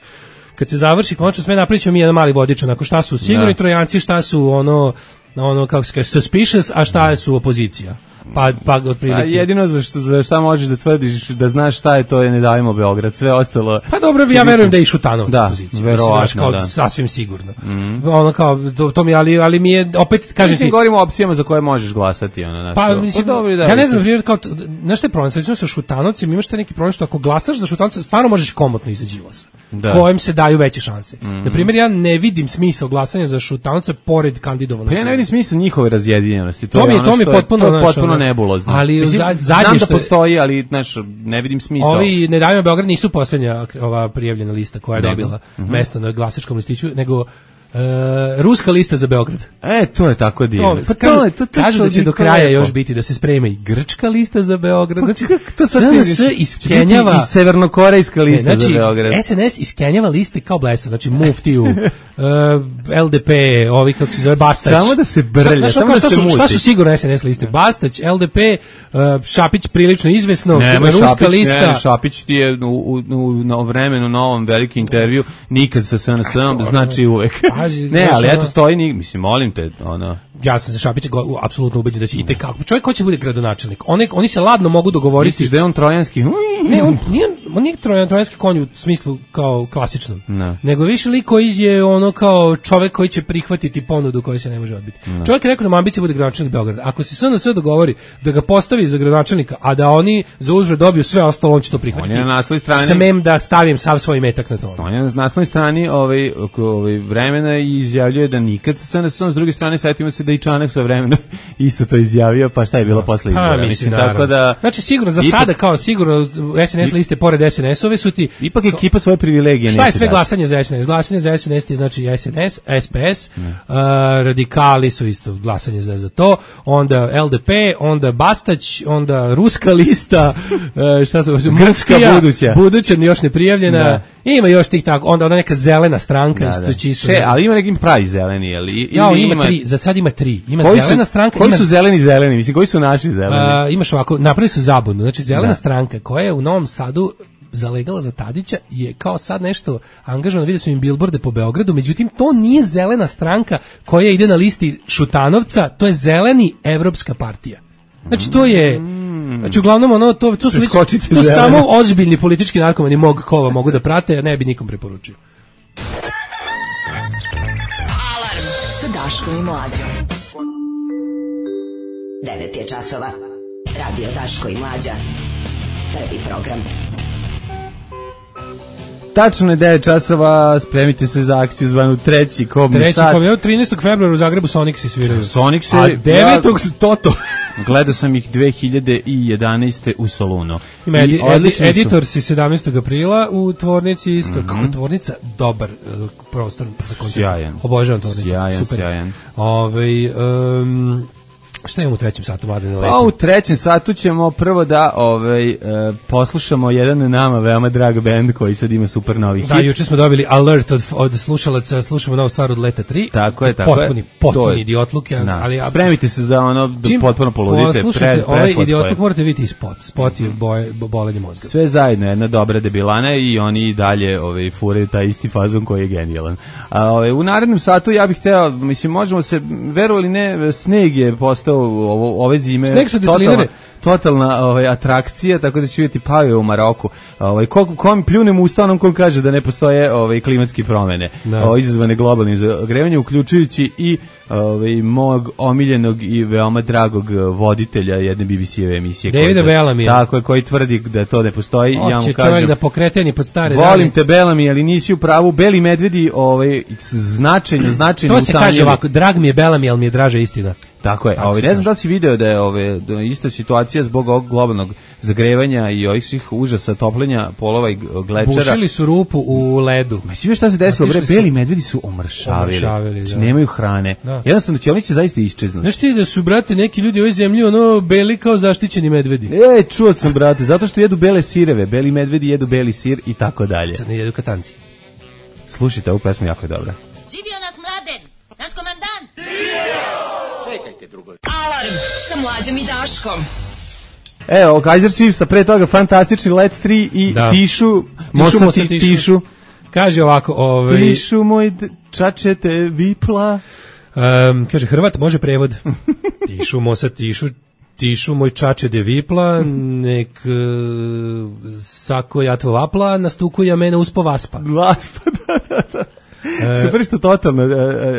kad se završi, konačno sve napravit ćemo mi jedan mali vodič, onako šta su sigurni da. Trojanci, šta su ono, ono kako se kaže, suspicious, a šta su opozicija. Pa, pa otprilike. A jedino za, što, za šta možeš da tvrdiš da znaš šta je to je Ne davimo Beograd, sve ostalo. Pa dobro, ja verujem da je i Šutanovac da, pozicija. Verovatno, kao, da. Sasvim sigurno. Mm. Ono kao, to, to mi, ali, ali mi je, opet, kažem mislim, ti... govorimo o opcijama za koje možeš glasati. Ono, naš, pa, mislim, dobro, da, ja ne znam, primjer, kao, znaš što je problem, sad sa Šutanovcem, imaš te neki problem što ako glasaš za Šutanovca, stvarno možeš komotno izaći Đilasa. Da. Kojem se daju veće šanse. Mm. Na primjer, ja ne vidim smisao glasanja za Šutanovca pored kandidovanog. Pa ja ne vidim smisao njihove razjedinjenosti. To, to mi je, ono to mi je potpuno, je, potpuno nebulozno. Ali mislim, zadnje znam što da postoji, ali znaš, ne vidim smisao. Ovi Ne davimo Beograd nisu posljednja ova prijavljena lista koja je nego. dobila mm-hmm. mesto na glasačkom listiću, nego Uh, ruska lista za Beograd. E, to je tako divno. Pa kažu, to, to, kažu da će do kraja lepo. Još biti da se sprema i grčka lista za Beograd. Znači, to sad S N S iskenjava i severnokorejska lista ne, znači, za Beograd. S N S iskenjava liste kao blesa, znači Muftiju, uh, L D P, ovi kako se zove Bastać. Samo da se brlja, samo da se muti. Šta su sigurno S N S liste? Bastać, L D P, uh, Šapić prilično izvesno, ne, ruska Šapić, lista. Ne, Šapić ti je u, u, u, na vremenu novom veliki intervju, nikad sa S N S-om, znači uvek. Ne, ali eto stoji, ni, mislim, molim te, ono... Ja sam za Šapića go, apsolutno ubeđen da će i tekako. Čovjek ko će bude gradonačelnik? Oni, oni se ladno mogu dogovoriti... Misliš da je on trojanski? Ne, on nije, on nije trojan, trojanski konj u smislu kao klasičnom. No. Nego više lik koji je ono kao čovjek koji će prihvatiti ponudu koju se ne može odbiti. No. Čovjek je rekao da mu ambicija bude gradonačelnik Beograda. Ako se S N S dogovori da ga postavi za gradonačelnika, a da oni za uzvrat dobiju sve ostalo, on će to prihvatiti. On je na naslovnoj strani... Smem da stavim sav svoj metak na to. On je na naslovnoj strani ovaj, ovaj vremena i izjavljuje da nikad sa S N S-om, s druge strane setimo se da i Čanak sve vremena isto to izjavio, pa šta je bilo posle izbora? Pa, mislim, tako da... Znači, sigurno, za ipak, sada kao sigurno S N S liste pored S N S-ove su ti... Ipak ekipa svoje privilegije šta je sve glasanje za S N S? Glasanje za S N S ti znači S N S, S P S, uh, radikali su isto glasanje za, za to, onda L D P, onda Bastać, onda ruska lista, uh, šta su... Grčka buduća. Buduća, još ne prijavljena. Da. Ima još tih tako, onda ona neka zelena stranka. Da, da. Čisto, Še, ali ima nekim pravi zeleni, ali... Ja, ima, ima tri, za sad ima tri. Ima koji zelena su, stranka... Koji ima, su zeleni zeleni? Mislim, koji su naši zeleni? Uh, imaš ovako, napravili su zabunu. Znači, zelena da. stranka koja je u Novom Sadu zalegala za Tadića je kao sad nešto angažovano, vidio sam im bilborde po Beogradu, međutim, to nije zelena stranka koja ide na listi Šutanovca, to je zeleni Evropska partija. Znači, to je... Znači, uglavnom, ono, to, to su već, to samo ozbiljni politički narkomani mog kova mogu da prate, a ne bi nikom preporučio. Daškom i Mlađom. devet je časova. Radio Daško i Mlađa. Prvi program. Tačno je devet časova, spremite se za akciju zvanu treći kobni treći sat. Treći kobni, trinaestog februara u Zagrebu Sonixi sviraju. Sonixi, a devetog Ja, Toto. Gledao sam ih dve hiljade jedanaeste u Solunu. Ima edi, edi, editor si sedamnaestog aprila u tvornici isto. Mm-hmm. Kako tvornica? Dobar uh, prostor za koncert. Sjajan. Obožavam tvornicu. Sjajan, super. sjajan. Ove, um, šta imamo u trećem satu, Mladene? A u trećem satu ćemo prvo da ovaj, uh, poslušamo jedan nama veoma drag band koji sad ima super novi hit. Da, juče smo dobili alert od, od slušalaca, slušamo novu stvar od Leta tri. Tako je, tako potpuni, je. Potpuni idiotluk. Ali, spremite se za ono da potpuno poludite. Poslušajte, ovaj idiotluk morate vidjeti spot. Spot je boje, bolenje mozga. Sve zajedno, jedna dobra debilana i oni dalje ovaj, furaju taj isti fazon koji je genijalan. A, ovaj, u narednom satu ja bih hteo, mislim, možemo se, verovali ne, sneg je postao ovo, ove zime totalna, totalna ovaj, atrakcija, tako da će vidjeti pave u Maroku. Ovaj, ko, ko mi pljunem ustanom ko kaže da ne postoje ovaj, klimatske promene ovaj, izazvane globalnim zagrevanjem, uključujući i ovaj, mog omiljenog i veoma dragog voditelja jedne B B C-eve emisije. Davida Bellamy. Tako je, koji tvrdi da to ne postoji. Oće ja mu čovjek kažem, da pokreteni pod stare volim dane. te Bellamy, ali nisi u pravu. Beli medvedi ovaj, značajno, značajno to se utanjili. Kaže ovako, drag mi je Bellamy, ali mi je draža istina. Tako je, a ovaj, ne znam da li si video da je ove, da je ista situacija zbog ovog globalnog zagrevanja i ovih svih užasa topljenja polova i glečera. Bušili su rupu u ledu. Ma si vidio šta se desilo, bre, beli medvedi su omršavili, znači nemaju hrane. Da. Jednostavno će oni će zaista iščeznuti. Znaš ti da su, brate, neki ljudi u ovoj zemlji ono beli kao zaštićeni medvedi? E, čuo sam, brate, zato što jedu bele sireve, beli medvedi jedu beli sir i tako dalje. Sad ne jedu katanci. Slušajte, ovu pesmu jako je dobra. Živio nas Mladen, naš komandant. Čekajte drugo. Alarm sa Mlađom i Daškom. Evo, Kaiser Chiefs, a pre toga fantastični Let tri i da. Tišu, Mosa ti, tišu. tišu. Kaže ovako, ovaj... Tišu moj čačete vipla. Um, kaže, Hrvat može prevod. Tišu, Mosa tišu, tišu moj čače de vipla, nek uh, sako jatvo vapla, nastukuja mene uspo vaspa. Vaspa, da, da, da. Super što totalno uh,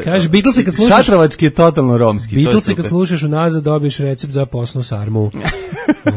kaže Beatlesi kad slušaš šatrovački je totalno romski. Beatlesi kad slušaš unazad dobiješ recept za posnu sarmu.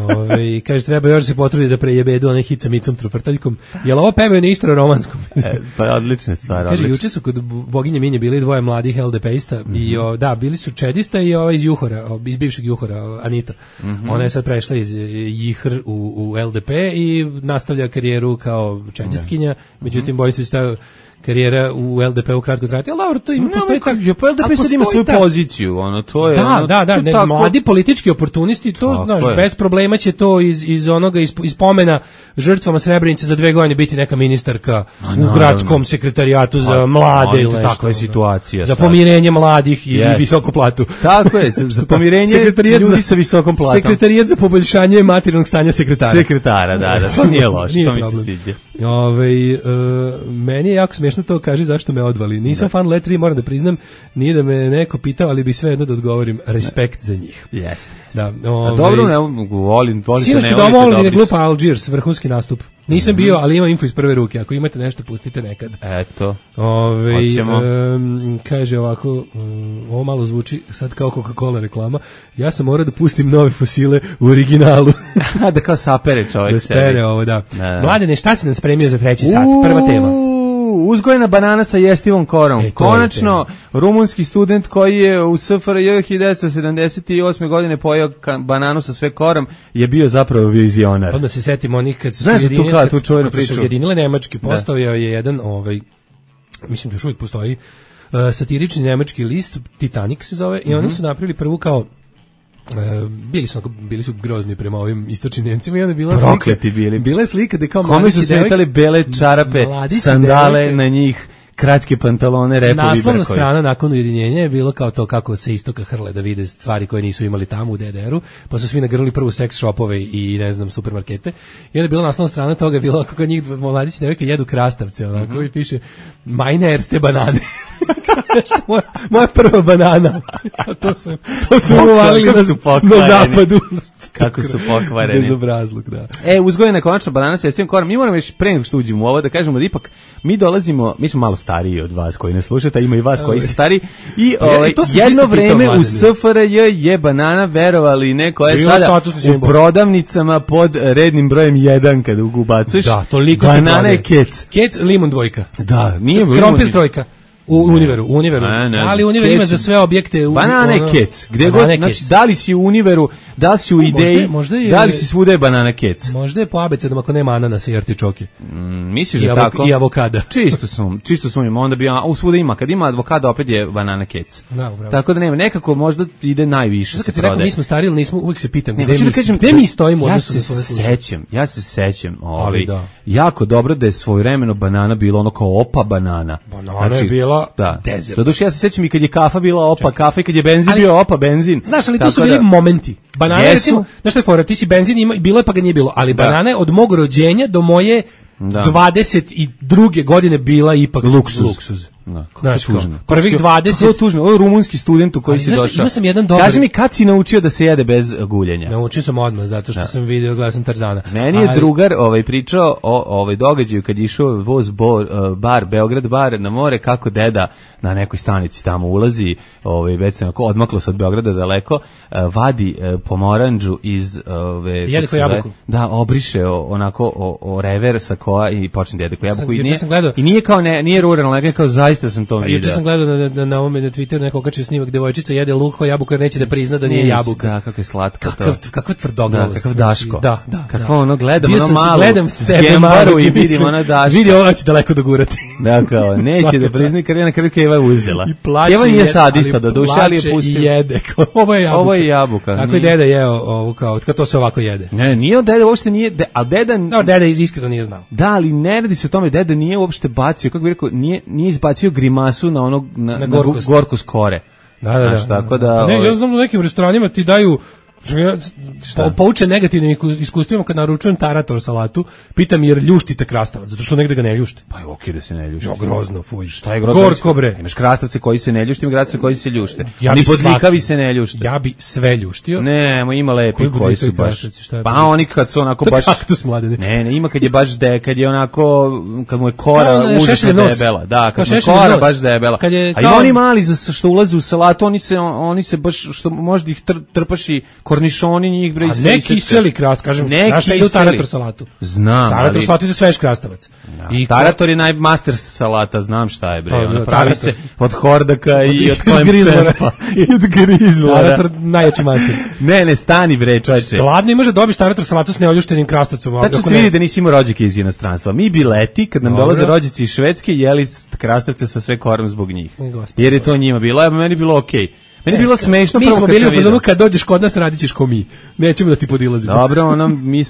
Ovaj kaže treba još se potrudi da prejebedu onaj hit sa Micom Truprtaljkom. Jel ovo pevaju na istro romanskom? e, pa odlična stvar. Kaže juče su kod boginje Minje bili dvoje mladih L D P-ista mm-hmm. i o, da bili su čedista i ovaj iz Juhora, iz bivšeg Juhora Anita. Mm-hmm. Ona je sad prešla iz Jihr u, u L D P i nastavlja karijeru kao čedistkinja, međutim bojim se stavio karijera u L D P-u kratko trajati, ali dobro, to ima, no, postoji tako... Ja, pa L D P sad ima svoju ta... poziciju, ono, to je... Da, ono, da, da, ne, tako... mladi politički oportunisti, to, tako znaš, je. Bez problema će to iz, iz onoga, iz, iz pomena žrtvama Srebrenice za dve godine biti neka ministarka A, u gradskom sekretarijatu za mlade ili nešto. Takva je situacija. Za pomirenje mladih i yes. visoku platu. Tako je, za, za pomirenje ljudi sa visokom platom. Sekretarijat za poboljšanje materijalnog stanja sekretara. Sekretara, da, da, to nije loše, to mi se sviđa. Ove, uh, meni je jako smiješno to, kaži zašto me odvali. Nisam da. fan Let tri, moram da priznam, nije da me neko pitao, ali bi sve jedno da odgovorim, respekt za njih. Jeste. Da, ove, dobro, ne volim, volite, sinoć ne volite dobri. Sinoć glupa Algiers, vrhunski nastup. Nisam mm-hmm. bio, ali imam info iz prve ruke. Ako imate nešto, pustite nekad. Eto. Ove, um, kaže ovako, um, ovo malo zvuči sad kao Coca-Cola reklama. Ja sam morao da pustim nove fosile u originalu. Da kao sapere čovjek. Da spere ovo, da. da. Mladene, šta si nam spremio za treći sat? Prva tema. Uzgojena banana sa jestivom korom. E, Konačno, rumunski student koji je u S F R J hiljadu devetsto sedamdeset osme godine pojeo bananu sa sve korom je bio zapravo vizionar. Odmah se setimo onih kad su Znaš se ujedinile, tu tu čuvenu priču. Su ujedinile nemački, postavio je jedan, ovaj, mislim da još uvijek postoji, uh, satirični nemački list, Titanic se zove, mm-hmm. i oni su napravili prvu kao Uh, bili su bili su grozni prema ovim istočnim Nemcima i onda bila Prokleti slika bili. Bila je slika da kao mladići su smetali bele čarape, sandale devojke, na njih, kratke pantalone, repovi, brkovi. Naslovna strana nakon ujedinjenja je bilo kao to kako se istoka hrle da vide stvari koje nisu imali tamo u D D R-u, pa su svi nagrnuli prvo seks shopove i ne znam supermarkete. I onda je bila naslovna strana toga, bilo kako njih mladići devojke jedu krastavce, onako, mm-hmm. i piše meine erste banane. moja, moja prva banana. to su, to su uvalili na, na zapadu. Kako su pokvareni. Bezobrazluk, da. E, uzgojena konačno banana sa jestivom korom. Mi moramo još pre nego što uđemo u ovo da kažemo da ipak mi dolazimo, mi smo malo stariji od vas koji ne slušate, a ima i vas koji su stariji. I ovaj, jedno vreme u S F R J je banana, verovali ne, koja je sada u prodavnicama pod rednim brojem jedan kada ubacuješ. Da, toliko se banana je kec. Kec, limon dvojka. Da, nije krompir trojka. U Univeru, u Univeru. Ne, ne, ali Univer ima za sve objekte. U, banana je kec. Gde god, znači, da li si u Univeru, da li si u Ideji, možda, možda je, da li si svuda je banana kec. Možda je po abecedom ako nema ananasa i artičoke. Mm, misliš I da avok, tako? I avokada. Čisto sum, čisto sumnjam, onda bi, a u svuda ima, kad ima avokada opet je banana kec. Da, tako da nema, nekako možda ide najviše se prodaje. Rekao, mi smo stariji, nismo, uvijek se pitam, gde, mi, kažem, gde mi stojimo? Ja se sećam, ja se sećam, ovaj, jako dobro da je svojevremeno banana bila ono kao opa banana. Banana je bila desert. Doduše, ja se sećam i kad je kafa bila opa kafa i kad je benzin ali, bio opa benzin. Znaš, ali tu su bili da, momenti. Banana, recimo, znaš što je fora, ti si benzin ima, bilo je pa ga nije bilo, ali da. Banane od mog rođenja do moje da. dvadeset druge godine bila ipak luksuz. luksuz. Da, znaš, tužno. Prvih dvadeset Kako tužno, ovo je rumunski student u koji si došao. Ima sam jedan dobar. Kaži mi kad si naučio da se jede bez guljenja? Naučio sam odmah zato što da. sam video, gledao sam Tarzana. Meni je ali... drugar ovaj pričao o ovaj događaju kad je išao voz bo, uh, bar Beograd bar na more kako deda na nekoj stanici tamo ulazi, ovaj već se onako odmaklo se od Beograda daleko, uh, vadi uh, pomorandžu iz ove jeliko jabuku. Da, obriše o, onako o, o rever sa koa i počne da jede ko jabuku i nije. Gledao... I nije kao ne, nije ruralno, nego kao zaista sam to vidio. Juče sam gledao na na na ovome na Twitteru neko okačio snimak devojčica jede luk kao jabuku jer neće da prizna da nije jabuka. Da, kako je slatka to. Kakav kakva tvrdoglavost. Da, kakav Daško. Da, da. Kako ono gledamo ono malo. Gledam sebe malo i vidim ono Daško. Vidi ovo će daleko dogurati. Da, kao neće da prizna kad je na kraju Keva uzela. Keva nije sadista do duše, ali je pustio. I jede. Ovo je jabuka. Ovo je jabuka. Tako i deda jeo ovo kao kad to se ovako jede. Ne, nije od deda uopšte nije, a deda No, deda iskreno nije znao. Da, ali ne radi se o tome, deda nije uopšte bacio, kako bih rekao, nije nije izbacio grimasu na onog na, na, na gorkost kore. Da, da, znaš, da. Tako da ne, ja znam da u nekim restoranima ti daju Po, pouče negativnim iskustvima kad naručujem tarator salatu, pitam jer ljuštite krastavac, zato što negde ga ne ljušte. Pa je okej da se ne ljušte. Jo, grozno, fuj. Šta je grozno? Gorko bre. Imaš krastavce koji se ne ljušte, ima krastavce koji se ljušte. Ja oni podlikavi se ne ljušte. Ja bi sve ljuštio. Ne, mo ima lepi koji, koji su baš. Pa oni kad su onako baš kaktus mladene. Ne, ne, ima kad je baš de, kad je onako kad mu je kora užasno debela. Da, kad mu je kora baš debela. A ima oni mali za što ulaze u salatu, oni se oni se baš što možda ih trpaši kornišoni njih bre. A ne kiseli krast, kažem, znaš šta ide u tarator salatu? Znam. Tarator salatu ide svež krastavac. I tarator je najmaster salata, znam šta je bre. Ona pravi se od hordaka i od grizlora. I od grizlora. Tarator najjači master. Ne, ne, stani bre, čoveče. Gladno imaš da dobiš tarator salatu s neoljuštenim krastavcom. Tačno se vidi da nisi imao rođake iz inostranstva. Mi bi leti, kad nam dolaze rođaci iz Švedske, jeli krastavce sa sve korom zbog njih. Jer je to njima bilo, a meni bilo okej. Meni je bilo smešno prvo kad bili u fazonu kad dođeš kod nas radićeš ko mi. Nećemo da ti podilazimo. Dobro, ono mi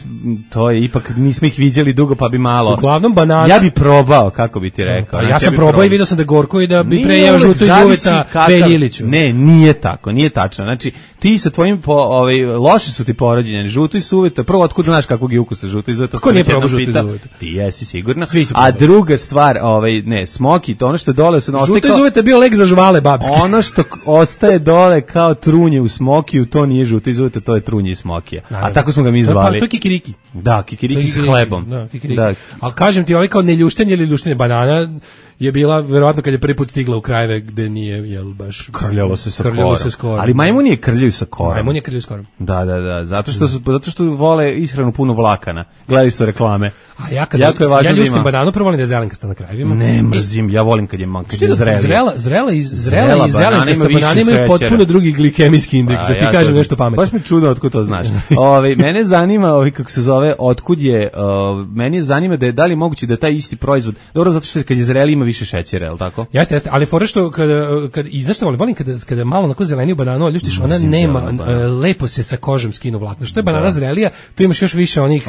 to je ipak nismo ih viđali dugo pa bi malo. Uglavnom banana. Ja bi probao, kako bi ti rekao. Pa ja sam probao i video sam da gorko i da bi pre jeo žuto iz uveta Beljiliću. Ne, nije tako, nije tačno. Znači ti sa tvojim po ovaj loši su ti porođeni, žuto iz uveta. Prvo otkud znaš kakvog je ukusa žuto iz uveta? Ko nije probao žuto iz uveta? Ti jesi sigurno. A druga stvar, ovaj ne, smoki, to ono što dole se žuto iz uveta bio lek za žvale babske. Ono što ostaje dole kao trunje u smokiju, to nije žuto iz uveta, to je trunje iz smokija. A tako smo ga mi zvali. To je kikiriki. Da, kikiriki s hlebom. Da, kikiriki. Da. Ali kažem ti, ovaj kao neljuštenje ili ljuštenje banana je bila verovatno kad je prvi put stigla u krajeve gde nije jel baš krljalo se sa krljalo se korom. Ali majmuni je krljaju sa korom. Majmuni je krljaju sa korom. Da, da, da, zato što su zato što vole ishranu puno vlakana. Gledaju su reklame. A ja kad jako je važno ja ljuštim da bananu, prvo volim da je zelenkasta na krajevima. Ne mrzim, ja volim kad je man, kad je zrela. Zrela, zrela i zrela i zelenkasta banana imaju potpuno drugi glikemijski indeks, da ti kažem nešto pametno. Baš me čudo otkud to znaš. Ovaj mene zanima, ovaj kako se zove, otkud je, meni zanima da je da li moguće da taj isti proizvod. Dobro, zato što kad je zreli ima više šećera, el tako? Jeste, jeste, ali fore što kad kad i znaš šta volim, volim kada kada malo onako zeleniju bananu ljuštiš, ona nema lepo se sa kožom skinu vlakna. Što je banana zrelija, tu imaš još više onih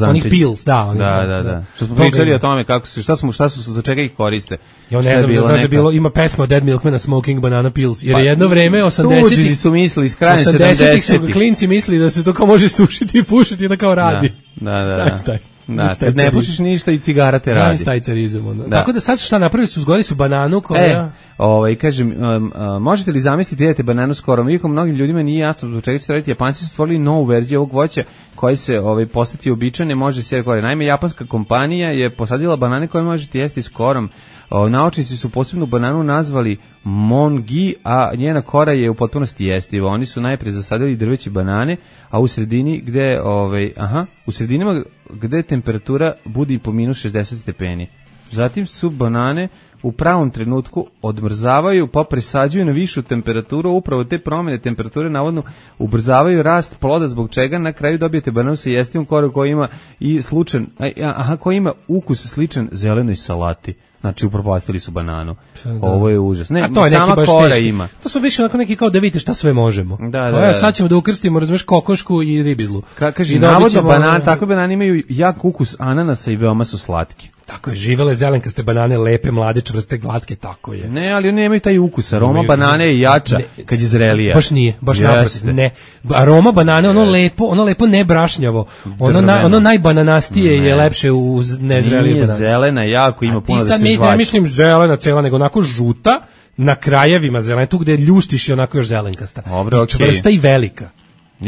onih pils, da, onih. Da, da, da. Što smo pričali o tome kako se šta smo šta su za čega ih koriste. Ja ne znam, znaš da bilo ima pesma od Dead Milkmana Smoking Banana Pills, jer je jedno vreme osamdesetih su mislili iz kraja sedamdesetih su klinci mislili da se to kao može sušiti i pušiti da kao radi. Da, da, da. Da, kad ne pušiš ništa i cigara te radi. Znaš taj carizam. Ono. Da. Tako da sad šta napravili su, uzgojili su bananu koja... E, ovaj, kažem, um, uh, možete li zamisliti da jedete bananu skorom? Iako mnogim ljudima nije jasno zbog čega ćete raditi. Japanci su stvorili novu verziju ovog voća koji se ovaj, postati uobičajene, može se gore. Naime, japanska kompanija je posadila banane koje možete jesti skorom. O, naučnici su posebnu bananu nazvali mongi, a njena kora je u potpunosti jestiva. Oni su najprije zasadili drveće banane, a u sredini gde, ovaj, aha, u sredinama gde temperatura budi po minus šezdeset stepeni. Zatim su banane u pravom trenutku odmrzavaju pa presađuju na višu temperaturu, upravo te promjene temperature navodno ubrzavaju rast ploda, zbog čega na kraju dobijete bananu sa jestivom korom koji ima i slučan, aha, koji ima ukus sličan zelenoj salati. Znači upropastili su bananu. Da. Ovo je užas. Ne, to je sama kora teški. Ima. To su više onako neki kao da vidite šta sve možemo. Da, da, da. Ja, sad ćemo da ukrstimo, razumeš, kokošku i ribizlu. Ka, kaži, navodno banane, takve banane imaju jak ukus ananasa i veoma su slatki. Tako je, živele zelenkaste banane, lepe, mlade, čvrste, glatke, tako je. Ne, ali oni nemaju taj ukus, aroma banane je jača ne, kad je zrelija. Baš nije, baš naprosto, ne. Aroma banane, ono lepo, ono lepo ne brašnjavo, ono, na, ono najbananastije ne. Je lepše u nezrelije banane. Nije zelena, jako ima puno da se žvači. I sad ne mislim zelena cela, nego onako žuta, na krajevima zelena, tu gde ljuštiš i onako još zelenkasta. Dobro, okej. Čvrsta i velika.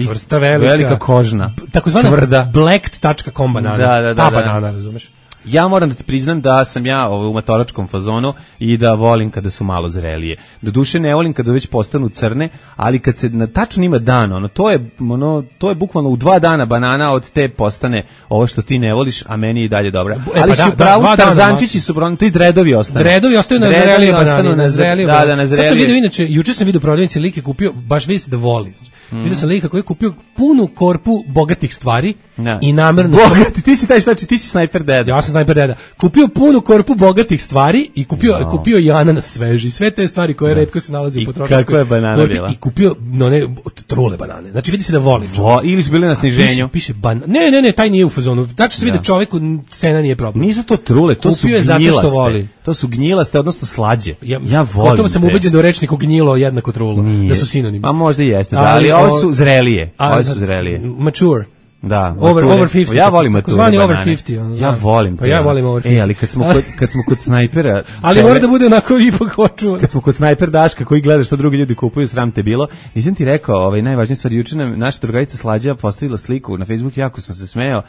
Čvrsta, velika. Velika kožna. Takozvana blacked tačka com banana. Da, da, da, ta da. banana, razumeš? Ja moram da ti priznam da sam ja u matoračkom fazonu i da volim kada su malo zrelije. Do duše ne volim kada već postanu crne, ali kad se na tačno ima dan, ono to je ono to je bukvalno u dva dana banana od te postane ovo što ti ne voliš, a meni je i dalje dobra. E, ali pa su da, pravu da, tarzančići su brano, ti dredovi ostanu. Dredovi ostaju na zrelije banane, na zrelije. Da, da, na zrelije. Sad sam vidio inače, juče sam vidio prodavnici lik je kupio, baš vidi se da voli. Mm. Vidio sam lika koji je kupio punu korpu bogatih stvari ja. I namerno... Bogati, ti si taj znači, ti si snajper deda. Ja sam snajper deda. Kupio punu korpu bogatih stvari i kupio, no. kupio i ananas sveži. Sve te stvari koje no. retko se nalaze u potrošačkoj. I kakva je banana korpi, bila? I kupio no, ne, trule banane. Znači vidi se da voli. Vo, ili su bili na sniženju. Piše, piše ban... Ne, ne, ne, taj nije u fazonu. Znači se vidi da čoveku cena nije problem. Nisu to trule, to kupio su gnjilaste. To su gnjilaste, odnosno slađe. Ja, ja volim. Gotovo sam ubeđen da u rečniku gnjilo jednako trulo. Nije. Da su sinonimi. A možda i jeste, da, ali, ali ovo su zrelije. Ovo su zrelije. Mature. Da, over over pedeset. Ja volim mature banane. Over pedeset. Ono, ja volim. Pa ja volim over pedeset. E, ali kad smo kod, kad smo kod snajpera, ali mora da bude onako ipak hoću. Kad smo kod snajper Daška koji gleda šta drugi ljudi kupuju, sram te bilo. Nisam ti rekao, ovaj najvažnija stvar, juče nam naša drugarica Slađa postavila sliku na Facebook, jako sam se smejao,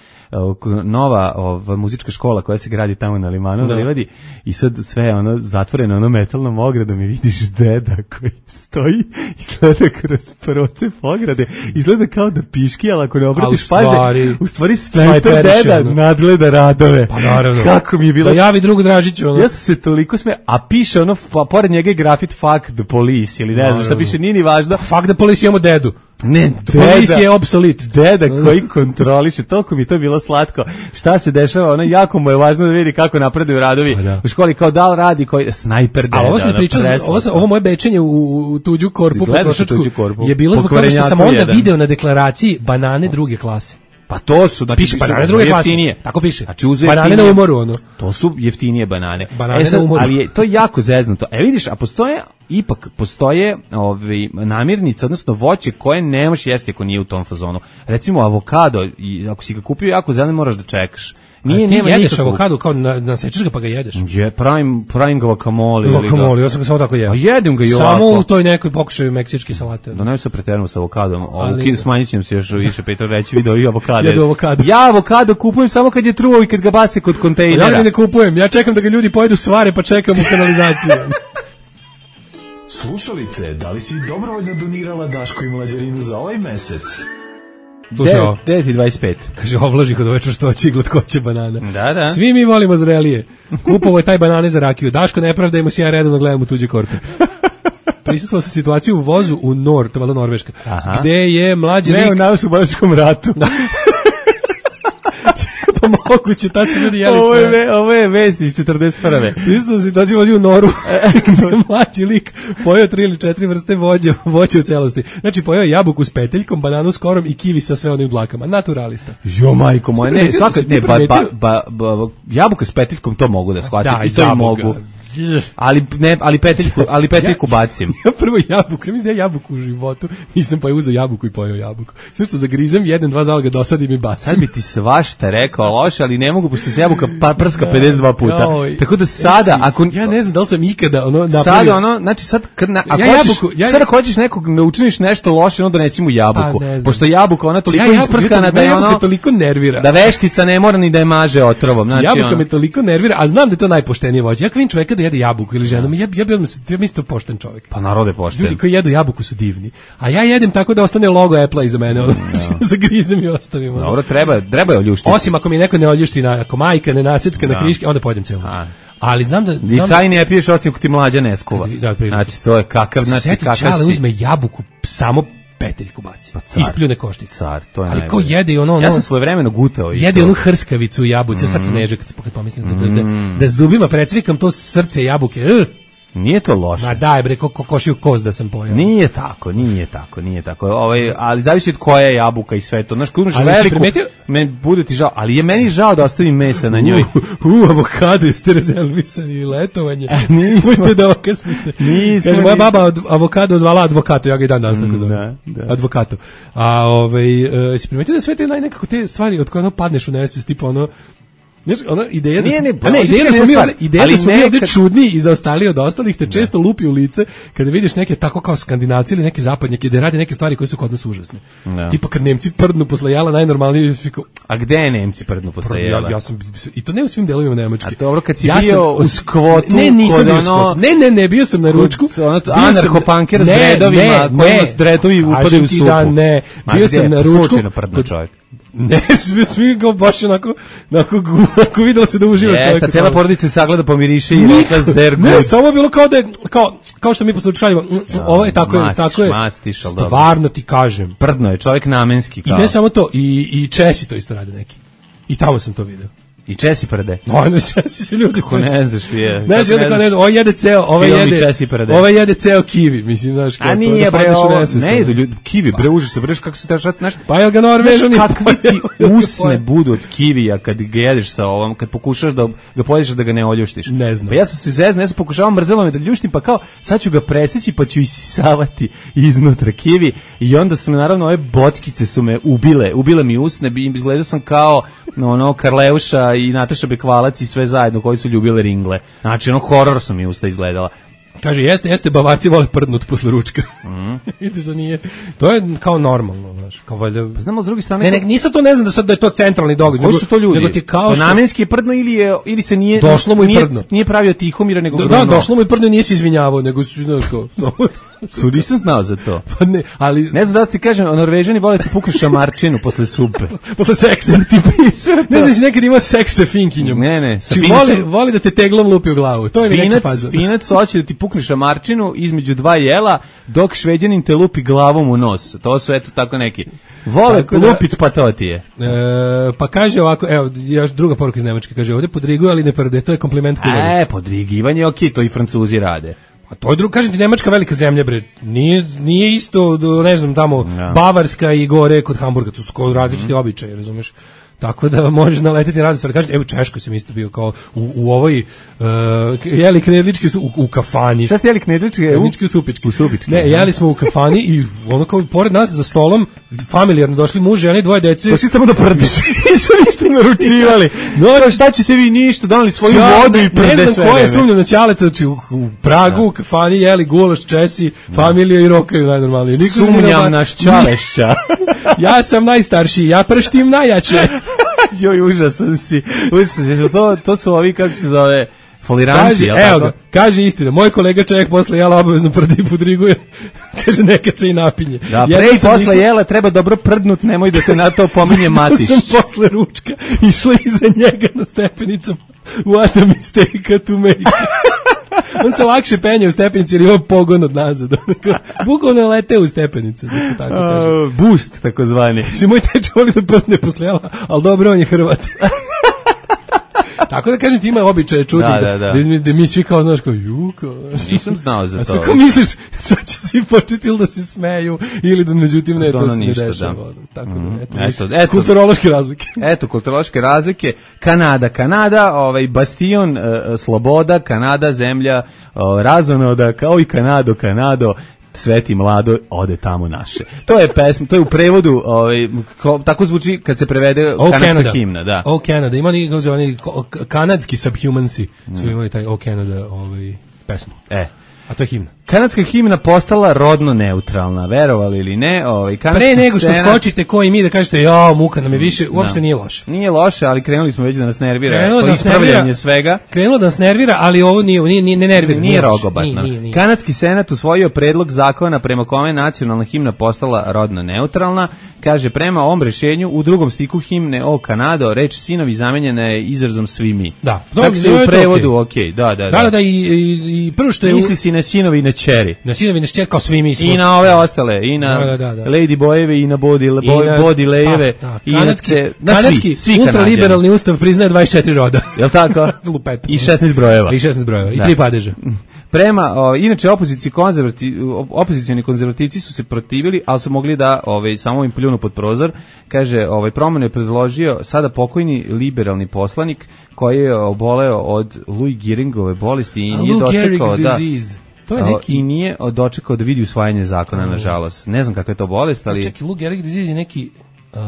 nova ova muzička škola koja se gradi tamo na Limanu, na Livadi, i sad sve ono zatvoreno ono metalnom ogradom i vidiš deda koji stoji i gleda kroz procep ograde. Izgleda kao da piški, ali ako ne obratiš pažnje, u stvari snajper deda nadgleda radove. Pa naravno. Kako mi je bilo. Da javi drugu Dražiću. Ono. Ja sam se toliko sme, a piše ono, pa, pored njega je grafit fuck the police, ili ne znam šta piše, nije ni važno. Fuck the police, imamo dedu. Ne, police je obsolit. Deda koji kontroliše, toliko mi to bilo slatko. Šta se dešava, ono jako mu je važno da vidi kako napreduju radovi da. U školi, kao da li radi koji snajper deda. A ovo se priča, ovo, ovo moje bečenje u, u tuđu korpu potrošačku je bilo zbog toga što sam onda video na deklaraciji banane druge klase. Pa to su, znači piše banane druge jeftinije. Klase. Tako piše. Znači uz banane na umoru ono. To su jeftinije banane. Banane e sad, na umoru. Ali je to jako zeznuto. E vidiš, a postoje ipak postoje ovaj namirnice, odnosno voće koje ne možeš jesti ako nije u tom fazonu. Recimo avokado, i ako si ga kupio jako zelen, moraš da čekaš. Nije, ti nema jedeš nikakvu... avokado kao na, nasečeš ga pa ga jedeš. Je, pravim, pravim ga guacamole. Guacamole, ja sam ga samo tako jeo. A jedem ga i ovako. Samo u toj nekoj pokušaju meksičke salate. Da ne se preteramo sa avokadom. Ali... Smanjit ćemo se još više, Petar reći video i avokado. Jedu avokado. Ja avokado kupujem samo kad je truo i kad ga bace kod kontejnera. Ja ga ne kupujem, ja čekam da ga ljudi pojedu svare pa čekam u kanalizaciju. Slušalice, da li si dobrovoljno donirala Daško i Mlađarinu za ovaj mesec? devet i dvadeset pet. Kaže, ovlaži kod ove čvrstoće i glatkoće banana. Da, da. Svi mi volimo zrelije. Kupovo je taj banane za rakiju. Daško, ne pravdajmo se, ja redovno gledam u tuđe korpe. Prisustvovao sam situaciju u vozu u Nor, to je valjda Norveška, aha, gde je mlađi lik... Ne, u Narodnooslobodilačkom ratu. Pa moguće, tad su ljudi jeli ovo sve. Je, ovo je vest iz četrdeset prve. Prisustvovao sam situaciju u Noru, gde mlađi lik pojeo tri ili četiri vrste vođe, voće u celosti. Znači, pojeo jabuku s peteljkom, bananu s korom i kivi sa sve onim dlakama. Naturalista. Jo, majko moja, ne, svaka, ne, ba, ba, ba, ba, jabuka s peteljkom, to mogu da shvatim. Da, i to i mogu. Ali ne, ali peteljku, ali peteljku bacim. Ja prvo jabuku, ja mislim da ja jabuku u životu, nisam pa je uzeo jabuku i pojeo jabuku. Sve što zagrizem, jedan, dva zaloga dosadim i bacim. Sad bi ti svašta rekao loše, ali ne mogu, pošto se jabuka pa prska pedeset dva puta. Joj. Tako da sada, ako... Ja ne znam da li sam ikada ono napravio. Sada ono, znači sad, kad na, ako ja hoćeš, jabuku, ja, sad ako hoćeš nekog ne učiniš nešto loše, onda donesi mu jabuku. Pa, pošto jabuka, ona toliko ja, isprskana da je ono... toliko nervira. Da veštica ne mora ni da je maže otrovom. Znači, jabuka ono... me toliko nervira, a znam da je to najpoštenije voće. Ja vidim čoveka da jede jabuku ili ženu, ja, ja bi odmah, ja mislim to pošten čovjek. Pa narode pošten. Ljudi koji jedu jabuku su divni. A ja jedem tako da ostane logo Apple iza mene, ono, no. Zagrizem i ostavim. Ono. Dobro, treba, treba je oljuštiti. Osim ako mi neko ne oljušti, na, ako majka ne nasecka no. na kriške, onda pojedem celu. A. Ali znam da... I saj ne piješ osim ako ti mlađa ne skuva. Da, znači, to je kakav, znači, kakav si... Čale uzme jabuku, samo peteljku baci. Pa ispljune koštice. Car, to je ali najbolje. Ko jede ono, ono... Ja sam svojevremeno gutao. Jede onu hrskavicu u jabuci, mm. sad se neže kad se kad pomislim da, da, da, da zubima precvikam to srce jabuke. Uh. Nije to loše. Ma daj bre, ko, ko, košiju koz da sam pojao. Nije tako, nije tako, nije tako. Ovaj, ali zavisi od koja je jabuka i sve to. Znaš, kad imaš ali veliku, primetio... me bude ti žao, ali je meni žao da ostavim mesa na njoj. U, u avokado jeste rezervisani letovanje. E, nismo. Mojte da okasnite. Nismo. Kaže, moja baba od avokado zvala advokato, ja ga i dan danas tako zovem. Da, da. Advokato. A ovaj, uh, si primetio da sve te naj nekako te stvari od koje ono padneš u nesvijest, tipa ono, znači, ona ideja da, nije, ne, a ne, ideja da smo mi, ovdje, ideja da smo mi ovdje nekad... čudni i zaostali od ostalih te često lupi u lice kada vidiš neke tako kao Skandinavci ili neke zapadnjake da rade neke stvari koje su kod nas užasne. No. Tipa kad Nemci prdnu posle jela najnormalnije. A gde je Nemci prdnu posle jela? Ja, ja sam, i to ne u svim delovima Nemačke. A dobro, kad si ja bio u skvotu, ne, nisam bio ono, ne, ne, ne, bio sam na ručku. Anarcho-punker s dredovima, kojima s dredovi upadaju u supu. Da, ne, bio sam na ručku. Slučajno prdno čovjek. Ne, svi svi ga baš onako, onako, onako videlo se da uživa čovjek. Jeste, cijela porodica se sagleda pomiriše i rekla zergu. Ne, samo bilo kao da je, kao, kao što mi poslušajimo, ovo je tako je, tako je. Mastiš, ali dobro. Stvarno ti kažem. Prdno je, čovjek namenski kao. I ne samo to, i, i Česi to isto rade neki. I tamo sam to video. I Česi prde. No, ne Česi su ljudi koji ne znaš je. Znaš, onda kao ne, ovo jede ceo, ovo jede. Ovo jede ceo kivi, mislim, znaš, kao. A nije bre, ne jedu ljudi kivi, bre, užasno, bre, kako se tašat, znaš. Pa jel ga Norvežani kakvi ti usne budu od kivija kad ga jedeš sa ovom, kad pokušaš da ga pojedeš da ga ne oljuštiš. Ne znam. Pa ja sam se zeznuo, ja sam pokušavao mrzelo me da ljuštim, pa kao sad ću ga preseći pa ću isisavati iznutra kivi i onda su me naravno ove bockice su me ubile, ubile mi usne, izgledao sam kao ono Karleuša i Nataša Bekvalac i sve zajedno koji su ljubile ringle. Znači, ono, horor su mi usta izgledala. Kaže, jeste, jeste, Bavarci vole prdnut posle ručka. Mm. Vidiš da nije, to je kao normalno, znaš, kao valjda... Pa znamo, s druge strane... Ne, ne, nisam to, ne znam da sad da je to centralni događaj. Koji su to ljudi? Nego ti kao što... Pa namenski je prdno ili, je, ili se nije... Došlo mu i nije, prdno. Nije pravio Tihomira, nego... Da, da, došlo mu i prdno i nije se izvinjavao, nego su, znaš, kao... Su, nisam znao za to. Pa ne, ali... Ne znam da ti kažem, Norvežani vole ti puknu šamarčinu posle supe. Posle seksa. Ti ne znam si nekad imao seks sa finkinjom. Ne, ne. Sa voli, voli da te teglom lupi u glavu. To je finac, neka faza. Finac hoće da ti pukne šamarčinu između dva jela, dok Šveđanin te lupi glavom u nos. To su, eto, tako neki. Vole da, lupit, pa to ti je. E, pa kaže ovako, evo, još druga poruka iz Nemačke, kaže, ovdje podriguju, ali ne prde. To je kompliment koji E, podrigivanje, okej, to i Francuzi rade. A to je drugo, kažem ti, Nemačka velika zemlja, bre. Nije, nije isto, ne znam, tamo, no. Bavarska i gore kod Hamburga, to su kao različiti mm-hmm. običaje, razumeš? Tako da možeš naleteti na razne stvari. Kažete, evo, Češkoj sam isto bio kao u, u ovoj, uh, jeli knedlički u, u kafani. Šta ste jeli knedlički? Knedlički u supički. U supički. Ne, jeli smo u kafani i ono kao pored nas za stolom, familijarno došli muž, žene, dvoje dece. Došli samo da prdiš. Nisu ništa naručivali. No, šta ćete vi ništa, donali svoju ja, vodu i prde sve. Ne znam ko je sumnjao na Ćaleta, u, u Pragu, u kafani, jeli gulaš, Česi, familija i rokaju najnormalnije. Niko sumnjam naš Čalešća. Ja sam najstarši, ja prštim najjače. Joj, užasan si, užasan si, to, to su ovi, kako se zove, foliranti, jel tako? Evo ga, kaže istina, moj kolega čovjek posle jela obavezno prdi i podriguje, kaže nekad se i napinje. Da, pre i posle išla... jela treba dobro prdnut, nemoj da te na to pominje Matiš. Ja sam posle ručka išla iza njega na stepenicama, what a mistake to make. On se lakše penje u stepenici jer ima pogon od nazad. Bukvalno lete u stepenice, da se tako kaže. Uh, boost, takozvani. Moj teče voli da prdne posle jela, ali dobro, on je Hrvat. Tako da kažem ti ima običaje čudnih Da, da, da, da. da, mi, da mi svi kao znaš kao ju kao. Nisam znao za A to. sve kao misliš sad će svi početi ili da se smeju ili da međutim ne, Da, to ono se ne ništa, dešava. da. ono, Tako Mhm. da, eto, Eto, viš, eto. kulturološke razlike. Eto, kulturološke razlike. Kanada, Kanada, ovaj bastion uh, sloboda, Kanada, zemlja uh, razonoda, kao i Kanado, Kanado, Sveti mlado, ode tamo naše. To je pesma, to je u prevodu, ovaj, ko, tako zvuči kad se prevede Oh, kanadska Canada. himna, da. Oh, Canada. Ima oni, kako se oni ko- k- kanadski subhumansi su imali taj Oh, Canada ovaj, pesmu. E. A to je himna. Kanadska himna postala rodno neutralna, verovali ili ne, ovaj kanadski Pre nego što senat- skočite ko i mi da kažete ja muka nam je više, uopšte Da. nije loše. Nije loše, ali krenuli smo već da nas nervira. Krenulo To da nas ispravljanje nervira. svega. Krenulo da nas nervira, ali ovo nije, nije, nije ne nervira. Nije loše. rogobatno. Nije, nije, nije. Kanadski senat usvojio predlog zakona prema kome nacionalna himna postala rodno neutralna. Kaže, prema ovom rešenju u drugom stiku himne O Kanado, reč sinovi zamenjena je izrazom svi mi. Da. Čak Dobro, se je u to prevodu, okej. okej, da, da, Da, da, da, i, i, i prvo što je... u- Misli si na sinovi i na ćeri. Na sinovi nas čekao svi mi smo. I na ove ostale, i na Da, da, da, da. Lady Bojeve, i na Body, I boj, na- body Lejeve, pa, da, i na, kanadski, ce, na kanadski svi, svi ultraliberalni ustav priznaje dvadeset četiri roda. Jel tako? Lupetom. I šesnaest brojeva. I šesnaest brojeva. I Da. tri padeža. Prema, o, inače opoziciji konzervati, opozicioni konzervativci su se protivili, ali su mogli da ovaj samo im pljunu pod prozor. Kaže, ovaj promenu je predložio sada pokojni liberalni poslanik koji je oboleo od Louis Geringove bolesti i A nije Lou dočekao Gehrig's da disease. To je o, neki... i nije dočekao da vidi usvajanje zakona, nažalost. Ne znam kakva je to bolest, ali Čekaj, Lou Gehrig disease je neki... Uh,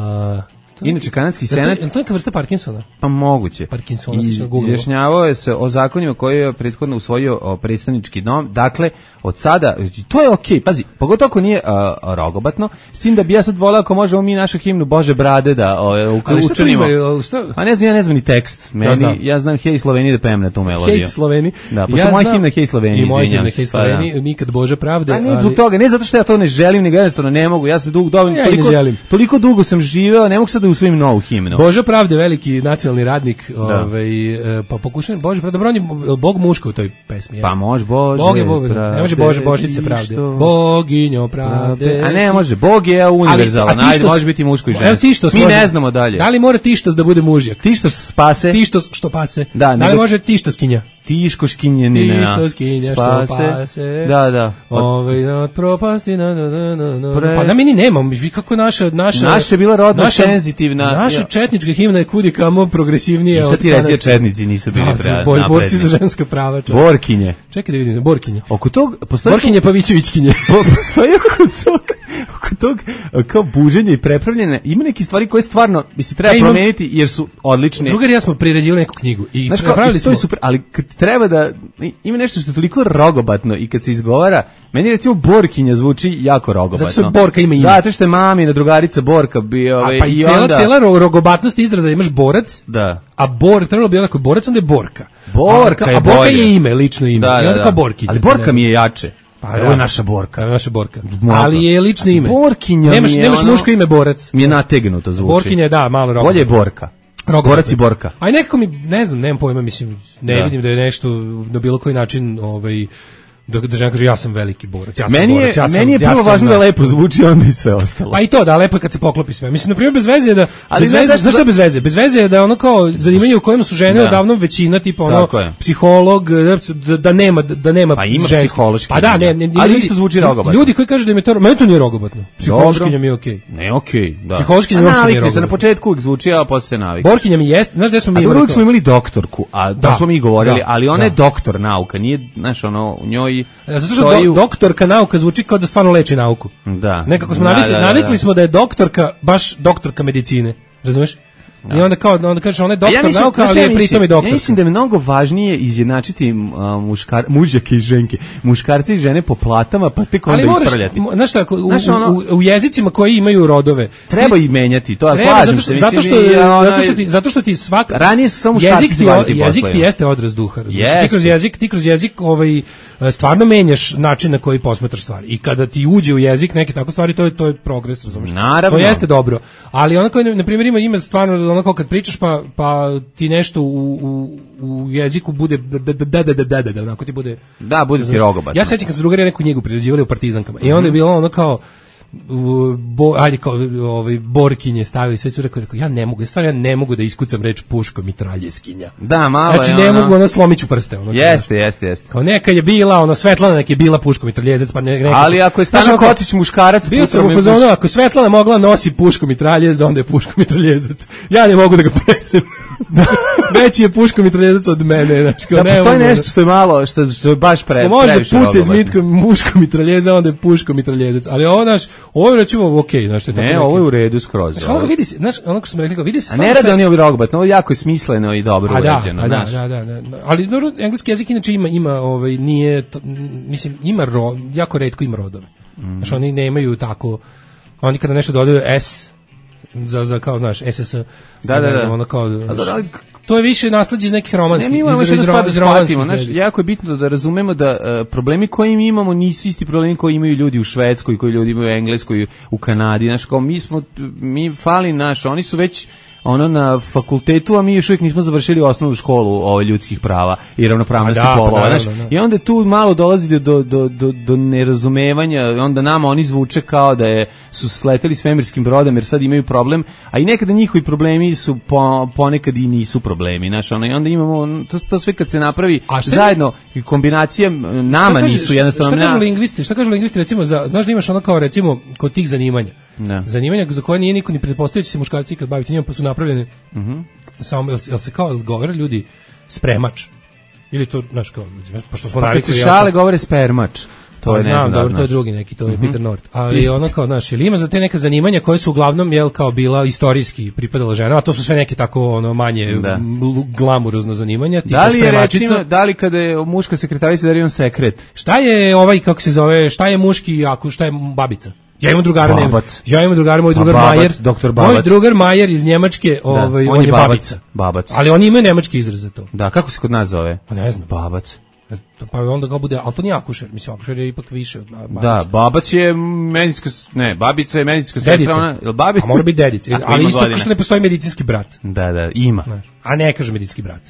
inače kanadski je to, senat je to neka vrsta Parkinsona? pa moguće. Parkinsona, I sam googlao. izjašnjavao je se o zakonima koje je prethodno usvojio o, predstavnički dom. Dakle, od sada, to je okej, pazi, pogotovo ako nije a, a, rogobatno, s tim da bi ja sad voleo ako možemo mi našu himnu Bože brade da o, u, Ali šta to učinimo. ima? Šta? A ne znam, ja ne znam ni tekst. Meni, znam. ja znam Hej Sloveni da pevam na tu melodiju. Hej Sloveni. Da, pošto moja himna Hej Sloveni, I moja izvinjam himna se, Hej pa da. Sloveni, nikad Bože pravde. A ne ali- zbog toga, ne zato što ja to ne želim, nego jednostavno ne mogu. Ja sam dugo, dovoljno, Ja i ne toliko, želim. toliko dugo sam živeo, ne mogu sad da usvojim novu himnu. Bože pravde, veliki nacionalni radnik, ovaj, e, pa pokušam, Bože pravde, dobro, on je Bog muško u toj pesmi. jeste? Pa može Bože Bog je Bog, pravde, ne može Bože Božice pravde. što- Boginjo pravde. A ne, može, Bog je univerzalan, Ali- a ti ajde, što- može biti muško i Evo žensko. ti što Mi može- ne znamo dalje. Da li mora tištos da bude mužjak? Ti što spase, Ti što, što pase? Da, Da li nego- može tištoskinja? tiško škinjenina. Ti što skinja, što pase. Da, da. Ovaj od propasti na na na na na. Pre- Pa da mi ni nemamo, vi kako naša naša Naša je bila rodno naša- senzitivna. Naša Ja. četnička himna je kudi kamo progresivnija. I sad od ti reci da kanadske. četnici nisu bili Da, pre- boj- borci napredni. za ženska prava. čovječe. Borkinje. Čekaj da vidim, Borkinje. Oko tog, postoji Borkinje Pavićevićkinje. Po- postoji oko tog, oko tog kao buženja i prepravljanja, ima neke stvari koje stvarno bi se treba Ja imam- promeniti jer su odlične. Drugar i ja smo priređivali neku knjigu i Znaš kao, napravili to smo je super, ali kad treba da ima nešto što je toliko rogobatno i kad se izgovara, meni recimo Borkinja zvuči jako rogobatno. Zato što Borka ima ime. Zato što je mamina drugarica Borka bio, A ovaj, pa i i cela, onda cela ro- rogobatnost izraza imaš borac, da. a bor, trebalo bi onako borac, onda je Borka. Borka a, je a Borka bolje. je ime, lično ime. Da, I da, onda da. kao Borkinja. Ali Borka mi je jače. Pa, Ovo da. je naša Borka. Kao naša Borka. Mnogo. Ali je lično ime. Borkinja nemaš, mi je nemaš ono- muško ime borac. Mi je nategnuto zvuči. Borkinja je, da, malo rogobatno. Bolje je Borka. Rogobatno. Borac i Borka. A i nekako mi, ne znam, nemam pojma, mislim, ne Da. vidim da je nešto na bilo koji način, ovaj, da, da žena kaže ja sam veliki borac, ja sam Meni je, borac, ja sam, meni je ja prvo sam važno da na- lepo zvuči, onda i sve ostalo. Pa i to, da, lepo je kad se poklopi sve. Mislim, na primjer, bez veze je da, Ali bez znaš veze, zašto znaš što da- je bez veze? Bez veze je da je ono kao zanimanje u kojem su žene Da. odavno većina, tipa ono, Tako je. psiholog, da, da nema, da nema Pa ima ženski. psihološki, Pa da, ne, ne, ali ljudi- isto zvuči rogobatno. Ljudi koji kažu da im je to, meni to nije rogobatno. Psihološkinja mi je okej. Ne, okej, da. Psihološki A mi uopšte nije navikli se, na rogobatno. početku uvijek zvuči, a posle se navikli. Borkinja mi jest, znaš gde smo mi A dobro, imali uvijek to? smo imali doktorku, a da, Da, smo mi govorili, da, ali ona je da. doktor nauka, nije, znaš, ono, u njoj Zato što stoji do, u- doktorka nauka zvuči kao da stvarno leči nauku. Da. Nekako smo Da, navikli, da, da, navikli da. smo da je doktorka baš doktorka medicine. Razumeš? I onda kao onda kažeš ona je A doktor mislim, nauka, znaš šta ali ja je mislim? pritom i doktor. Ja mislim da je mnogo važnije izjednačiti uh, muškar, mužjake i ženke, muškarce i žene po platama, pa tek onda Ali moraš, ispravljati. mo- znaš šta, ako u, Znaš, ono- u, u jezicima koji imaju rodove. Treba ti- i menjati, to ja treba, slažem zato što, se. zato mislim, što, i, a, zato onaj- što ti, zato što ti svaka Ranije su samo muškarci jezik se ti, bavili tim jezik ti poslovima. jeste odraz duha, razumiješ? Ti Jeste. kroz jezik, ti kroz jezik ovaj stvarno menjaš način na koji posmatraš stvari. I kada ti uđe u jezik neke tako stvari, to je to je progres, razumiješ? Naravno. To jeste dobro. Ali ono koji na primjer ima ima stvarno ono kao kad pričaš pa pa ti nešto u, u, u jeziku bude da da da da da da da onako ti bude Da, bude ti razumeš? rogobatno. Ja sećam kad su drugari neku knjigu priređivali u Partizankama i onda je bilo ono kao bo, ajde kao ovaj borkinje stavili, sve su rekao, rekao ja ne mogu, stvarno ja ne mogu da iskucam reč puško mitraljezkinja. Da, malo znači, je ne ono... mogu ono slomiću prste. Ono, jeste, jeste, jeste. Kao neka je bila, ono Svetlana neka je bila puško mitraljezec, pa ne, nekako, ali ako je Stano Kotić muškarac, bio sam u fazonu, ako Svetlana mogla nosi puško mitraljez, onda je puško mitraljezac. Ja ne mogu da ga presem. Veći je puško mitraljezac od mene, znači kao da, ne. Postoji nešto što je malo, što je baš pre. Može da puca iz muško mitraljeza, onda je puško mitraljezac. Ali ovo naš, ovo je recimo okej, znači to je ne, ovo je u redu skroz. Znači, ono vidi se, znaš, ono što smo rekli, vidi se. A ne rade oni ovi rogbat, ovo jako je smisleno i dobro uređeno, da, da, da, da, da. Ali dobro, engleski jezik inače ima ima ovaj nije mislim ima ro, jako retko ima rodove. Mm. Znači oni nemaju tako, oni kada nešto dodaju s za za kao znaš ss. Da, da, da. Ono kao to je više nasleđe iz nekih romanskih. Ne, mi imamo što da shvatimo, znaš, jako je bitno da razumemo da uh, problemi koje mi imamo nisu isti problemi koji imaju ljudi u Švedskoj, koji ljudi imaju u Engleskoj, u Kanadi, znaš, kao mi smo, mi fali naš, oni su već ono na fakultetu, a mi još uvijek nismo završili osnovnu školu o ljudskih prava i ravnopravnosti da, polova, da, znaš, da, da. I onda tu malo dolazi do, do, do, do nerazumevanja, onda nama oni zvuče kao da je, su sleteli svemirskim brodom jer sad imaju problem, a i nekada njihovi problemi su po, ponekad i nisu problemi, znaš, ono, i onda imamo, to, to sve kad se napravi zajedno i kombinacija nama kaže, nisu jednostavno. Šta kažu lingvisti, šta kažu lingvisti recimo, za, znaš da imaš ono kao recimo kod tih zanimanja, ne. zanimanja za koje nije niko ni pretpostavio će se muškarci kad baviti njima, pa su napravljeni mm-hmm. samo, jel, jel se kao govore ljudi spremač, ili to, znaš kao, pošto smo pa navikli. Pa kad se šale govore spermač. To je, znam, ne znam, dobro, to je drugi neki, to je mm-hmm. Peter North. Ali ono kao, znaš, ili ima za te neka zanimanja koje su uglavnom, jel, kao bila istorijski pripadala žena, a to su sve neke tako, ono, manje da. glamurozno zanimanja, tipa da li je spremačica. Recimo, da li kada je muška sekretarica da je on sekret? Šta je ovaj, kako se zove, šta je muški, ako šta je babica? Ja imam drugara, nema. Ja imam drugara, moj drugar babac, Majer. Doktor Babac. Moj drugar Majer iz Njemačke, da, ovaj, on, on je je babac, babica. Babac. Ali oni imaju nemački izraz za to. Da, kako se kod nas zove? Pa ne znam. Babac. Pa onda ga bude, ali to nije akušer, mislim, akušer je ipak više od babice. Da, babac je medicinska, ne, babica je medicinska sestra, ona, je li babi? A mora biti dedica, ali isto godine. Što ne postoji medicinski brat. Da, da, ima. Znaš, a ne kaže medicinski brat.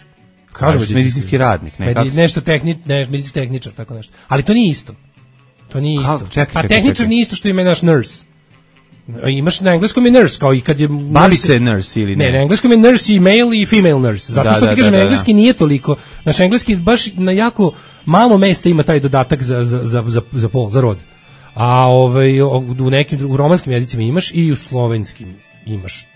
Kaže medicinski, medicinski radnik, ne, Medi, nešto tehni, ne, medicinski tehničar, tako nešto. Ali to nije isto. To nije isto. A, čekaj, a čekaj, tehničar čekaj. nije isto što ima naš nurse. Imaš na engleskom je nurse, kao i kad je... Babica je nurse ili ne? Ne, na engleskom je nurse i male i female nurse. Zato da, što da, ti kažem, da, na da, engleski da. nije toliko. Naš engleski baš na jako malo mesta ima taj dodatak za, za, za, za, za pol, za rod. A ovaj, u nekim u romanskim jezicima imaš i u slovenskim imaš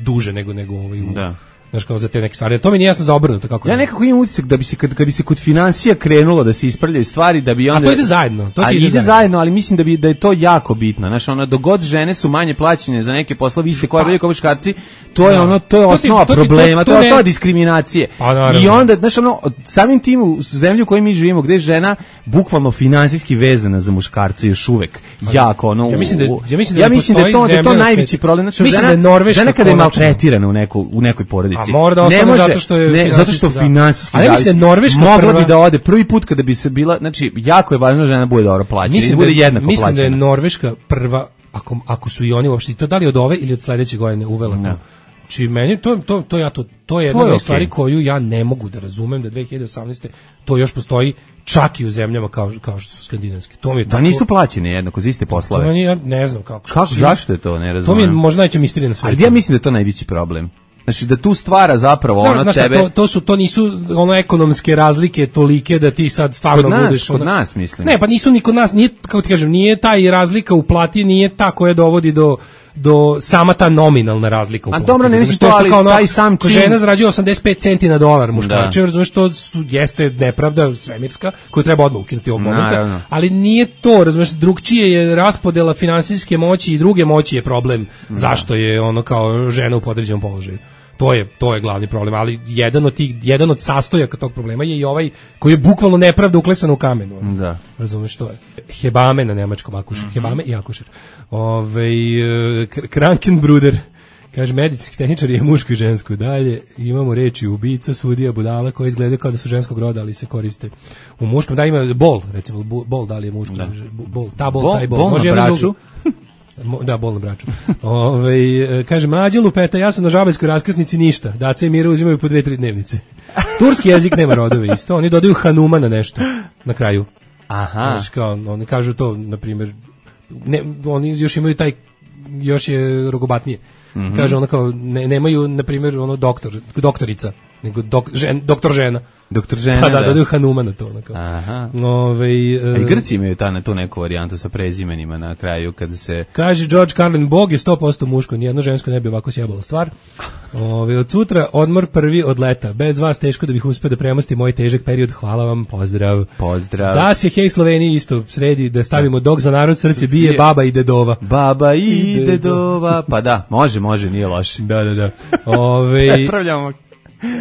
duže nego, nego ovaj u... Da. Znaš, kao za te neke stvari. To mi nije jasno za obrnuto. Kako ja nekako imam utisak da bi se, kad, kad bi se kod financija krenulo da se ispravljaju stvari, da bi onda... A to ide zajedno. To a ide, ide zajedno. zajedno, ali mislim da bi da je to jako bitno. Znaš, ono, dogod žene su manje plaćene za neke poslove, iste koje bolje kao muškarci, to je da. ono, to je to osnova ti, to problema, to, to, to je ne... osnova diskriminacije. Pa, I onda, znaš, ono, samim tim u zemlji u kojoj mi živimo, gde je žena bukvalno finansijski vezana za muškarce još uvek, jako, ono... Ja mislim da, ja mislim da, ja mislim da je to, da je to najveći problem. Znači, mislim žena, da je žena kada je maltretirana u, neku, u nekoj porodici, ne može, zato što je ne, zato što finansijski zavisi. Da Norveška mogla prva... bi da ode prvi put kada bi se bila, znači jako je važno da žena bude dobro plaćena, mislim da bude jednako mislim plaćena. Mislim da je Norveška prva, ako, ako su i oni uopšte, to da li od ove ili od sledeće godine uvela to. No. Či meni to to to ja to to je jedna od okay. stvari koju ja ne mogu da razumem da dve hiljade osamnaeste to još postoji čak i u zemljama kao kao što su skandinavske. To mi je da tako, nisu plaćeni jednako za iste poslove. To meni, ja ne znam kako. Kako zašto je to, ne razumem. To mi je možda najveća misterija na svetu. Ali ja mislim da je to najveći problem. Znači da tu stvara zapravo ono no, tebe... To, to, su, to nisu ono ekonomske razlike tolike da ti sad stvarno kod nas, budeš... Kod ono... nas, mislim. Ne, pa nisu ni kod nas, nije, kako ti kažem, nije taj razlika u plati, nije ta koja dovodi do do sama ta nominalna razlika u plati. A dobro, ne mislim to, ali kao ono, taj sam čin... žena zarađuje osamdeset pet centi na dolar, muškarče, razumiješ, to su, jeste nepravda svemirska, koju treba odmah ukinuti ovog momenta, Naravno. ali nije to, razumiješ, drugčije je raspodela finansijske moći i druge moći je problem da. Zašto je ono kao žena u podređenom položaju. To je to je glavni problem, ali jedan od tih jedan od sastojaka tog problema je i ovaj koji je bukvalno nepravda uklesana u kamenu. Da. Razumeš što je? Hebame na nemačkom akušer, mm-hmm. Hebame i akušer. Ovaj Krankenbruder kaže medicinski tehničar je muško i žensko. Dalje imamo reči ubica, sudija, budala koji izgledaju kao da su ženskog roda, ali se koriste u muškom. Da ima bol, recimo bol da li je muško, da. Bol, ta bol, bol taj bol. bol može na braču. Da, bolno braču. Ove, kaže, mlađe lupeta, ja sam na žabajskoj raskrsnici ništa. Daca i Mira uzimaju po dve, tri dnevnice. Turski jezik nema rodove isto. Oni dodaju Hanuma na nešto, na kraju. Aha. Znači, kao, oni kažu to, na primjer, ne, oni još imaju taj, još je rogobatnije. Mm-hmm. Kaže ona kao, ne, nemaju, na primjer, ono doktor, doktorica, nego dok, žen, doktor žena. Doktor žena, pa da. Da, da. da Hanuma na to. Onako. Aha. Ove, uh, A i Grci imaju ta, na tu neku varijantu sa prezimenima na kraju, kada se... Kaže George Carlin, Bog je sto posto muško, nijedno žensko ne bi ovako sjebalo stvar. Ove, od sutra odmor prvi od leta. Bez vas teško da bih uspio da premostim moj težak period. Hvala vam, pozdrav. Pozdrav. Da se hej Sloveniji isto sredi, da stavimo dog za narod, srce bije, baba i dedova. Baba i dedova. Pa da, može, može, nije loše. Da, da, da. Ove, Prepravljamo.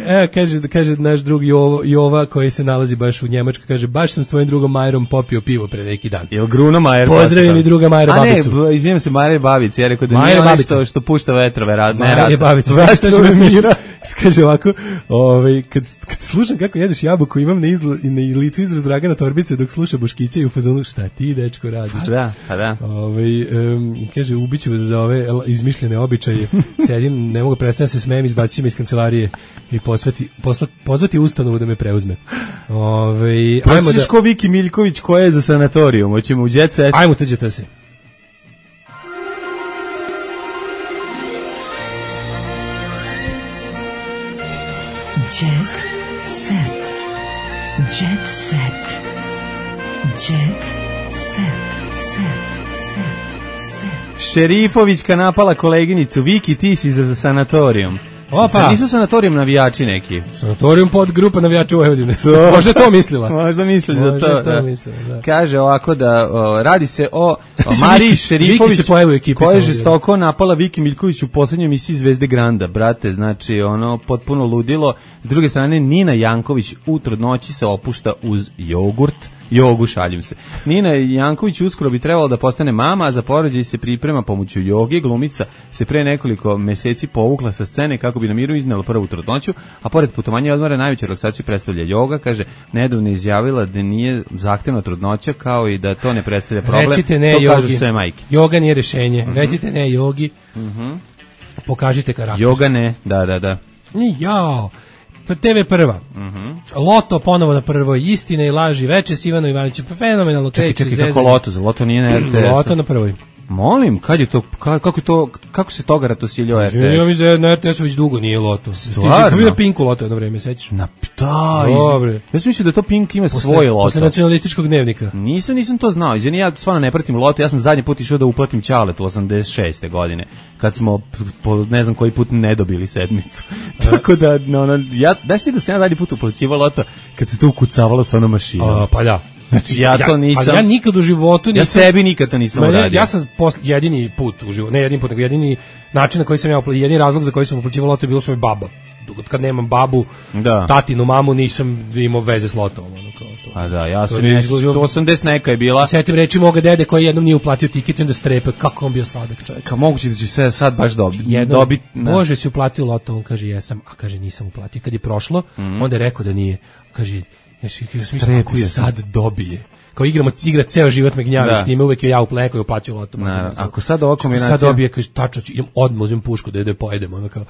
E, kaže, kaže naš drug Jovo, Jova koji se nalazi baš u Njemačkoj, kaže, baš sam s tvojim drugom Majerom popio pivo pre neki dan. Jel Gruno Majer? Pozdravim i druga Majera Babicu. A ne, izvijem se, Majer Babica, ja rekao da Majer nije ono što, što pušta vetrove, rad, ne rad. Majer Babica, što što me mira. Kaže ovako, ovaj, kad, kad slušam kako jedeš jabuku, imam na, izla, na licu izraz Dragana Torbice dok sluša Boškića i u fazonu, šta ti, dečko, radiš? Pa da, pa da. Ovaj, um, kaže, ubiću vas za ove izmišljene običaje. Sedim, ne mogu predstaviti da se smijem, izbaciti me iz kancelarije i posveti, posla, pozvati ustanovu da me preuzme. Ovaj, ajmo da... ko Viki Miljković koja je za sanatorijum, hoćemo u Jet Set. Ajmo tuđete se. Jet set. Jet set. Jet set. Set. Set. Set. Šerifovićka napala koleginicu. Viki, ti si za sanatorijum. Opa. Nisu sanatorijum navijači neki. Sanatorijum pod grupa navijača u Vojvodine. Možda to mislila. Možda misli za Možda to. to da. mislila, da. Kaže ovako da o, radi se o, o Mariji Šerifović koja je žestoko napala Viki Miljković u poslednjoj emisiji Zvezde Granda. Brate, znači ono potpuno ludilo. S druge strane Nina Janković u trudnoći se opušta uz jogurt. Jogu, šaljim se. Nina Janković uskoro bi trebalo da postane mama, a za porođaj se priprema pomoću joge. Glumica se pre nekoliko meseci povukla sa scene kako bi na miru iznela prvu trudnoću, a pored putovanja i odmora najveću relaksaciju predstavlja joga. Kaže, nedavno je izjavila da nije zahtevna trudnoća, kao i da to ne predstavlja problem. Recite ne to jogi. kažu sve majke. Joga nije rešenje. Mm-hmm. Recite ne jogi. Mm-hmm. Pokažite karakter. Joga ne, da, da, da. Jao. te ve prva. Mm-hmm. Loto ponovo na prvoj, Istine i laži, veče s Ivanom Ivanićem, pa fenomenalno kreće. Čekaj, čekaj, kako Loto? Za Loto nije na er te esu. Loto na prvoj. Molim, kad je to, kako je to, kako se toga ratosiljio er te es? Ja mislim da na er te esu već dugo nije Loto. Stvarno? Ti na Pinku Loto jedno vreme, sećaš? Na, da, dobre. Ja sam mislio da to Pink ima posle, svoj Loto. Posle nacionalističkog dnevnika. Nisam, nisam to znao. Izvini, ja stvarno ne pratim Loto. Ja sam zadnji put išao da uplatim Ćaletu osamdeset šeste godine, kad smo po ne znam koji put ne dobili sedmicu. Tako da, no, no, ja, daš ti da sam ja zadnji put uplaćivao Loto kad se to ukucavalo sa onom mašinom? A, pa da. Znači, ja to nisam... Ali ja nikad u životu nisam... Ja sebi nikad to nisam mene, uradio. Ja sam posle, jedini put u životu, ne jedini put, nego jedini način na koji sam ja, jedini razlog za koji sam uplaćivao Loto je bilo svoj baba. Kad nemam babu, da. tatinu, mamu, nisam imao veze s Lotom. Ono, kao to. A da, ja sam nešto, osamdeset neka je bila. Setim reči moga dede koji jednom nije uplatio tiket i onda strepe, kako on bio sladak čovjek. Kao moguće da će se sad baš dobiti. Jednom, dobit, Bože, si uplatio Loto, on kaže jesam, a kaže nisam uplatio. Kad je prošlo, mm-hmm. onda je rekao da nije. Kaže, ješi, kako sad dobije. Kao igramo, igra ceo život me gnjavi s njime, uvek je ja u pleku i uplaću Loto. Na, ako sad ova kombinacija... Sad dobije, kaže, tačno, idem odmah, uzmem pušku da je da pojedem, ono kao,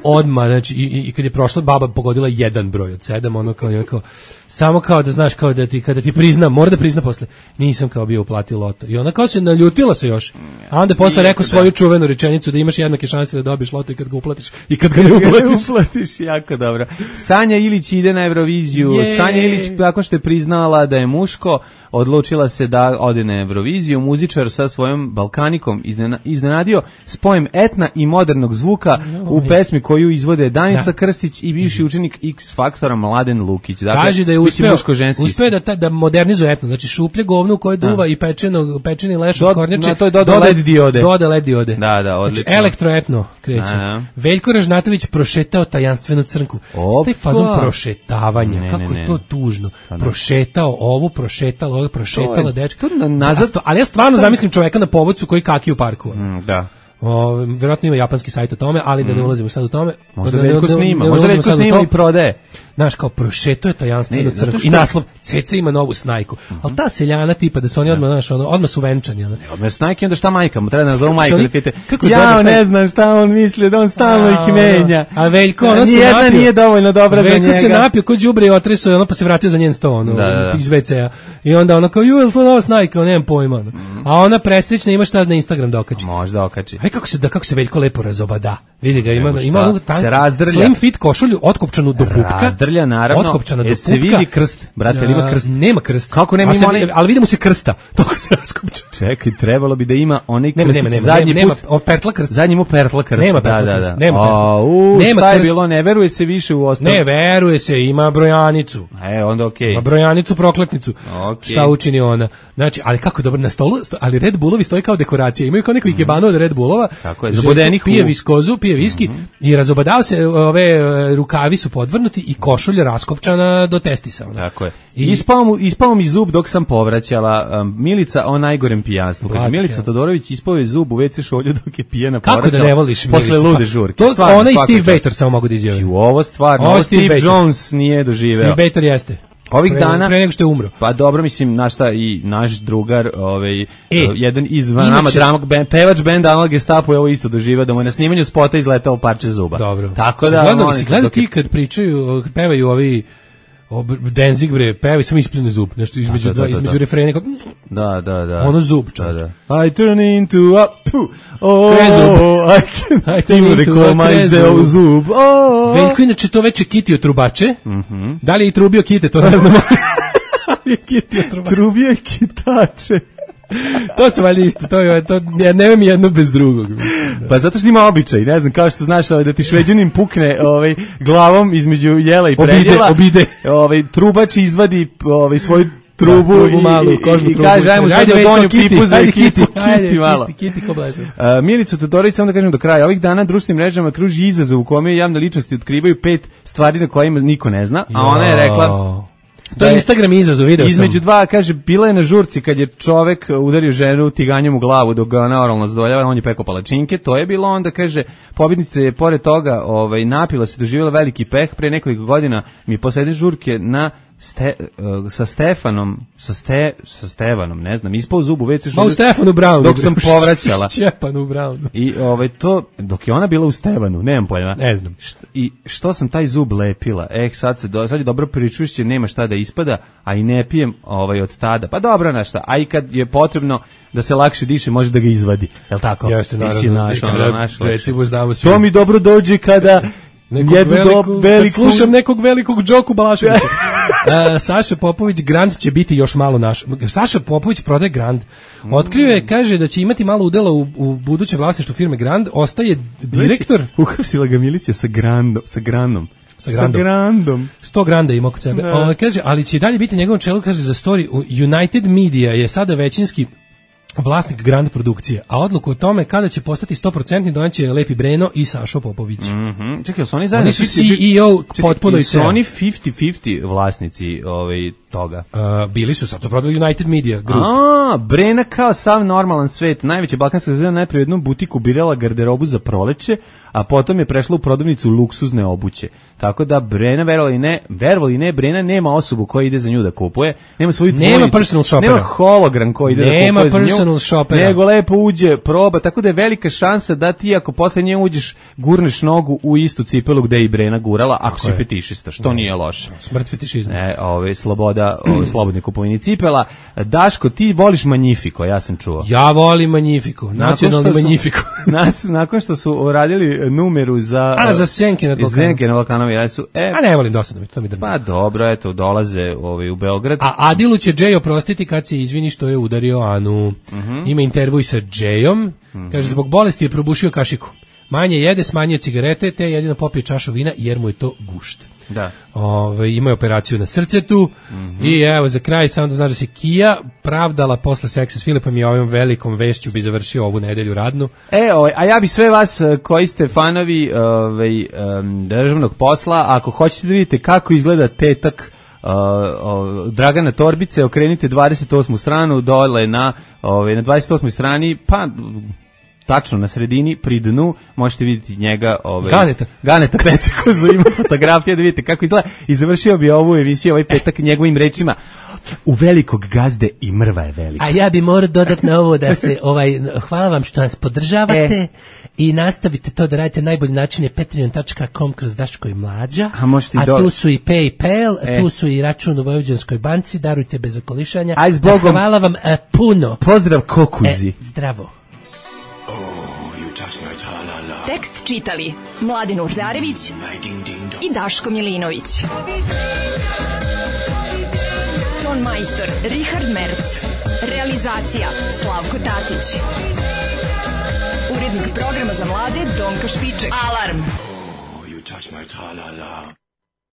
odmah, znači, i, i kad je prošla, baba pogodila jedan broj od sedam, ono kao, kao, samo kao da znaš, kao da ti, kada ti priznam, mora da prizna posle, nisam kao bio uplatio Loto. I ona kao se naljutila se još, a onda posle rekao svoju čuvenu rečenicu da imaš jednake šanse da dobiješ Loto i kad ga uplatiš, i kad ga ne uplatiš. uplatiš, jako dobro. Sanja Ilić ide na Euroviziju, yeah. Sanja Ilić, nakon što je priznala da je muško, odlučila se da ode na Euroviziju. Muzičar sa svojom Balkanikom iznenadio spojem etna i modernog zvuka u pesmi koju izvode Danica da. Krstić i bivši učenik X Faktora Mladen Lukić. Dakle, kaže da je uspeo, uspeo da, ta, da modernizuje etno, znači šuplje govno u koje duva da. I pečeno, pečeni leš od kornjače. Na to je doda led diode. Doda led diode. Da, da, odlično. Znači, elektroetno kreće. Da. Veljko Ražnatović prošetao tajanstvenu crnku. Staj fazom prošetavanja, ne, kako ne, ne. Je to tužno. Pa prošetao ovu, prošetao ovu, prošetala dečka. Nazad, ali ja stvarno zamislim čoveka na povodcu koji kaki u parku. Mm, da. O, vjerojatno ima japanski sajt o tome, ali da ne ulazimo sad u tome. Možda Veljko snima, možda Veljko snima i prodaje. znaš, kao prošeto je tajanstveno Ne, zato crkvu što- i naslov Ceca ima novu snajku. Ali ta seljana tipa da su oni odmah, znaš, ono, odmah su venčani. Ono. Odmah snajke, onda šta majka mu, treba da nazove majka su da oni- pite, kako ja dobar taj- ne znam šta on misli, da on stalno ih menja. A Veljko, ono se Nijedna napio. nije dovoljno dobra za Veljko njega. se napio kod đubre i otresao je ono, pa se vratio za njen sto, ono, Da, da, da. iz ve ce a. I onda ono kao, ju, je li to nova snajka? Ono, nemam pojma. Ono. A ona presrećna ima šta na Instagram da okači. Možda okači. Aj kako se da kako se Veljko lepo razobada. Vidi ga, ima Nego šta, ima onu tanku, se razdrlja. slim fit košulju otkopčanu do pupka. Razdrlja, naravno. Otkopčana do E, pupka. se vidi krst, brate, ali ima krst. A, nema krst. Kako nema, A se ima vidi- onaj- ali vidimo se krsta. Toliko se raskopča. Čekaj, trebalo bi da ima onaj Nema, krst. nema, nema, zadnji nema, put. nema, o, pertla krst. Zadnji mu pertla krst. Nema da, pertla da, krst, da. nema pertla. A, u, Nema šta je krst. bilo, ne veruje se više u ostalo. Ne, veruje se, ima brojanicu. E, onda okej. Ma brojanicu prokletnicu. Okej. Šta učini ona? Znači, ali kako dobro na stolu, sto- ali Red Bullovi stoji kao dekoracija. Imaju kao neko ikebano od Red Bullova. Tako je, Željko zabodenih pije u- viskozu, pije viski i razobadao se, ove e, rukavi su podvrnuti i košulja raskopčana do testisa. Ona. Tako je. I- Ispao mu, ispao mi zub dok sam povraćala. Um, Milica o najgorem pijanstvu. Kaže, Black Milica hell. Todorović ispao je zub u ve ce šolju dok je pijena Kako povraćala. da ne voliš Posle Milicu? lude Pa, žurke. To Stvarno, ona i svaka Steve čast. Bater samo mogu da izjave. I u ovo stvarno, Ovo ovo Steve Steve Bater. Jones nije doživeo. Steve Bater jeste. Ovih Pre- dana pre nego što je umro. Pa dobro, mislim, naš šta i naš drugar, ovaj E, jedan iz inače- nama dramog band, pevač benda Anal Gestapo je ovo isto doživeo da mu je na snimanju spota izletelo parče zuba. Dobro. Tako Si da gledao, molim si te, gledao dok je- ti kad pričaju, kad pevaju ovi ob, Danzig bre, pevaju samo ispljune zub, nešto između Da, da, dva, da, da. između refrena kao Da, da, da. ono zub, Da, čovječe. da. I turn into a pu, oh, Krezub. I can I turn even into recall a my krezub. zeo zub. Oh. Veljko inače to veče kitio trubače. Da li je i trubio kite, to ne znamo. Ali je kitio trubače. Trubije kitače. To su valjda isto, to je, to, ja nemam jedno bez drugog. mislim, da. Pa zato što ima običaj, ne znam, kao što znaš, ovaj, da ti šveđanin pukne ovaj, glavom između jela i Obide, predjela. obide. Ovaj, trubač izvadi ovaj, svoju trubu, Da, trubu i, malu, i, kožnu i trubu. kaže, ajmo sad Ajde, na Veljko, donju kiti, pipu za ajde, ekipu, kiti, ajde, kiti malo. kiti, kiti, ko blesav. Uh, Milicu Todorović, samo da kažem do kraja, ovih dana društvenim mrežama kruži izazov u kome javne ličnosti otkrivaju pet stvari na kojima niko ne zna, a ona je rekla... To da je je Instagram izazov, video sam. Između dva, kaže, bila je na žurci kad je čovek udario ženu tiganjem u glavu dok ga ona oralno zadovoljava, on je pekao palačinke, to je bilo onda, kaže, pobjednica je pored toga ovaj, napila se, doživjela veliki peh, pre nekoliko godina mi poslede žurke na Ste, uh, sa Stefanom, sa, ste, sa Stevanom, ne znam, ispao zub u ve ce Ma u Stefanu Brownu. dok sam povraćala. Šćepanu Brownu. I ovaj to dok je ona bila u Stevanu, nemam pojma. Ne znam. Št, I što sam taj zub lepila? Eh, sad se do, sad je dobro pričušće, nema šta da ispada, a i ne pijem ovaj od tada. Pa dobro, na šta. A i kad je potrebno da se lakše diše, može da ga izvadi. Jel tako? Jeste, naravno. Nisi naš, ono, Kada, naš recimo, znamo svi. To mi dobro dođe kada Nekog jedu veliku, do kad veliku... slušam nekog velikog Đoku Balaševića. uh, Saša Popović, Grand će biti još malo naš. Saša Popović prodaje Grand. Otkrio je, kaže da će imati malo udela u, u budućem vlasništvu firme Grand. Ostaje direktor. Uhapsila ga milicija sa Grandom. Sa Grandom. Sa Grandom. Sa Grandom. sto granda ima kod sebe. Da. On kaže, ali će i dalje biti njegovom čelu, kaže za story. United Media je sada većinski vlasnik Grand produkcije, a odluku o tome kada će postati sto posto doneće Lepi Breno i Sašo Popović. Mhm. Čekaj, su oni zajedno? Oni su fifty- C E O Čekaj, potpuno i su ceo. oni fifty fifty vlasnici ovaj, toga? Uh, bili su, sad su prodali United Media Group. A, Brena kao sav normalan svet. Najveća balkanska zvezda najprije u jednom butiku birala garderobu za proleće, a potom je prešla u prodavnicu luksuzne obuće. Tako da Brena, verovali ne, verovali ne, Brena nema osobu koja ide za nju da kupuje, nema svoju Nema dvojicu, personal shoppera. nema hologram koji ide Nema da kupuje za nju, personal shoppera. nego lepo uđe, proba, tako da je velika šansa da ti ako posle nje uđeš, gurneš nogu u istu cipelu gde je i Brena gurala, ako si je. fetišista, što nije loše. Smrt fetišizma. Ne, ove, sloboda, ove, slobodne kupovine cipela. Daško, ti voliš Magnifico, ja sam čuo. Ja volim Magnifico, nacionalni Nakon što su- Magnifico. Nas- nakon što su radili numeru za... A, za Senke nad Balkanom. Senke na Balkanu, ja su... E, A ne volim, dosadno mi, to mi drma. pa dobro, eto, dolaze ovaj, u Beograd. A Adilu će Džej oprostiti kad se izvini što je udario Anu. Ima intervjuj sa Džejom. Kaže, zbog bolesti je probušio kašiku. Manje jede, smanjio cigarete, te jedino popije čašu vina jer mu je to gušt. Da. Ove, ima je operaciju na srcetu i evo za kraj samo da znaš da se Kija pravdala posle seksa s Filipom i ovim velikom vešću bi završio ovu nedelju radnu. E, ovaj, a ja bi sve vas eh, koji ste fanovi ovaj, em, državnog posla, ako hoćete da vidite kako izgleda tetak Uh, uh, Dragana Torbice, okrenite dvadeset osmu stranu dole na, ovaj, na dvadeset osmoj strani, pa tačno na sredini, pri dnu, možete vidjeti njega... Ove, Ganeta. Ganeta Pecikozu, ima fotografija da vidite kako izgleda. I završio bi ovu emisiju, ovaj petak, njegovim rečima. U velikog gazde i mrva je velika. A ja bi morao dodati na ovo da se, ovaj, hvala vam što nas podržavate e. i nastavite to da radite. Najbolji način je patreon tačka com kroz Daško i Mlađa. A, a do... tu su i PayPal, e. tu su i račun u Vojvođanskoj banci, darujte bez okolišanja. Aj, zbogom. Hvala vam e, puno. Pozdrav Kokuzi. E, zdravo. Tekst čitali Mladen Urdarević i Daško Milinović. Ton majstor Richard Merc. Realizacija Slavko Tatić. Urednik programa za mlade Donka Špiček. Alarm! Oh, you touch my tra-la-la.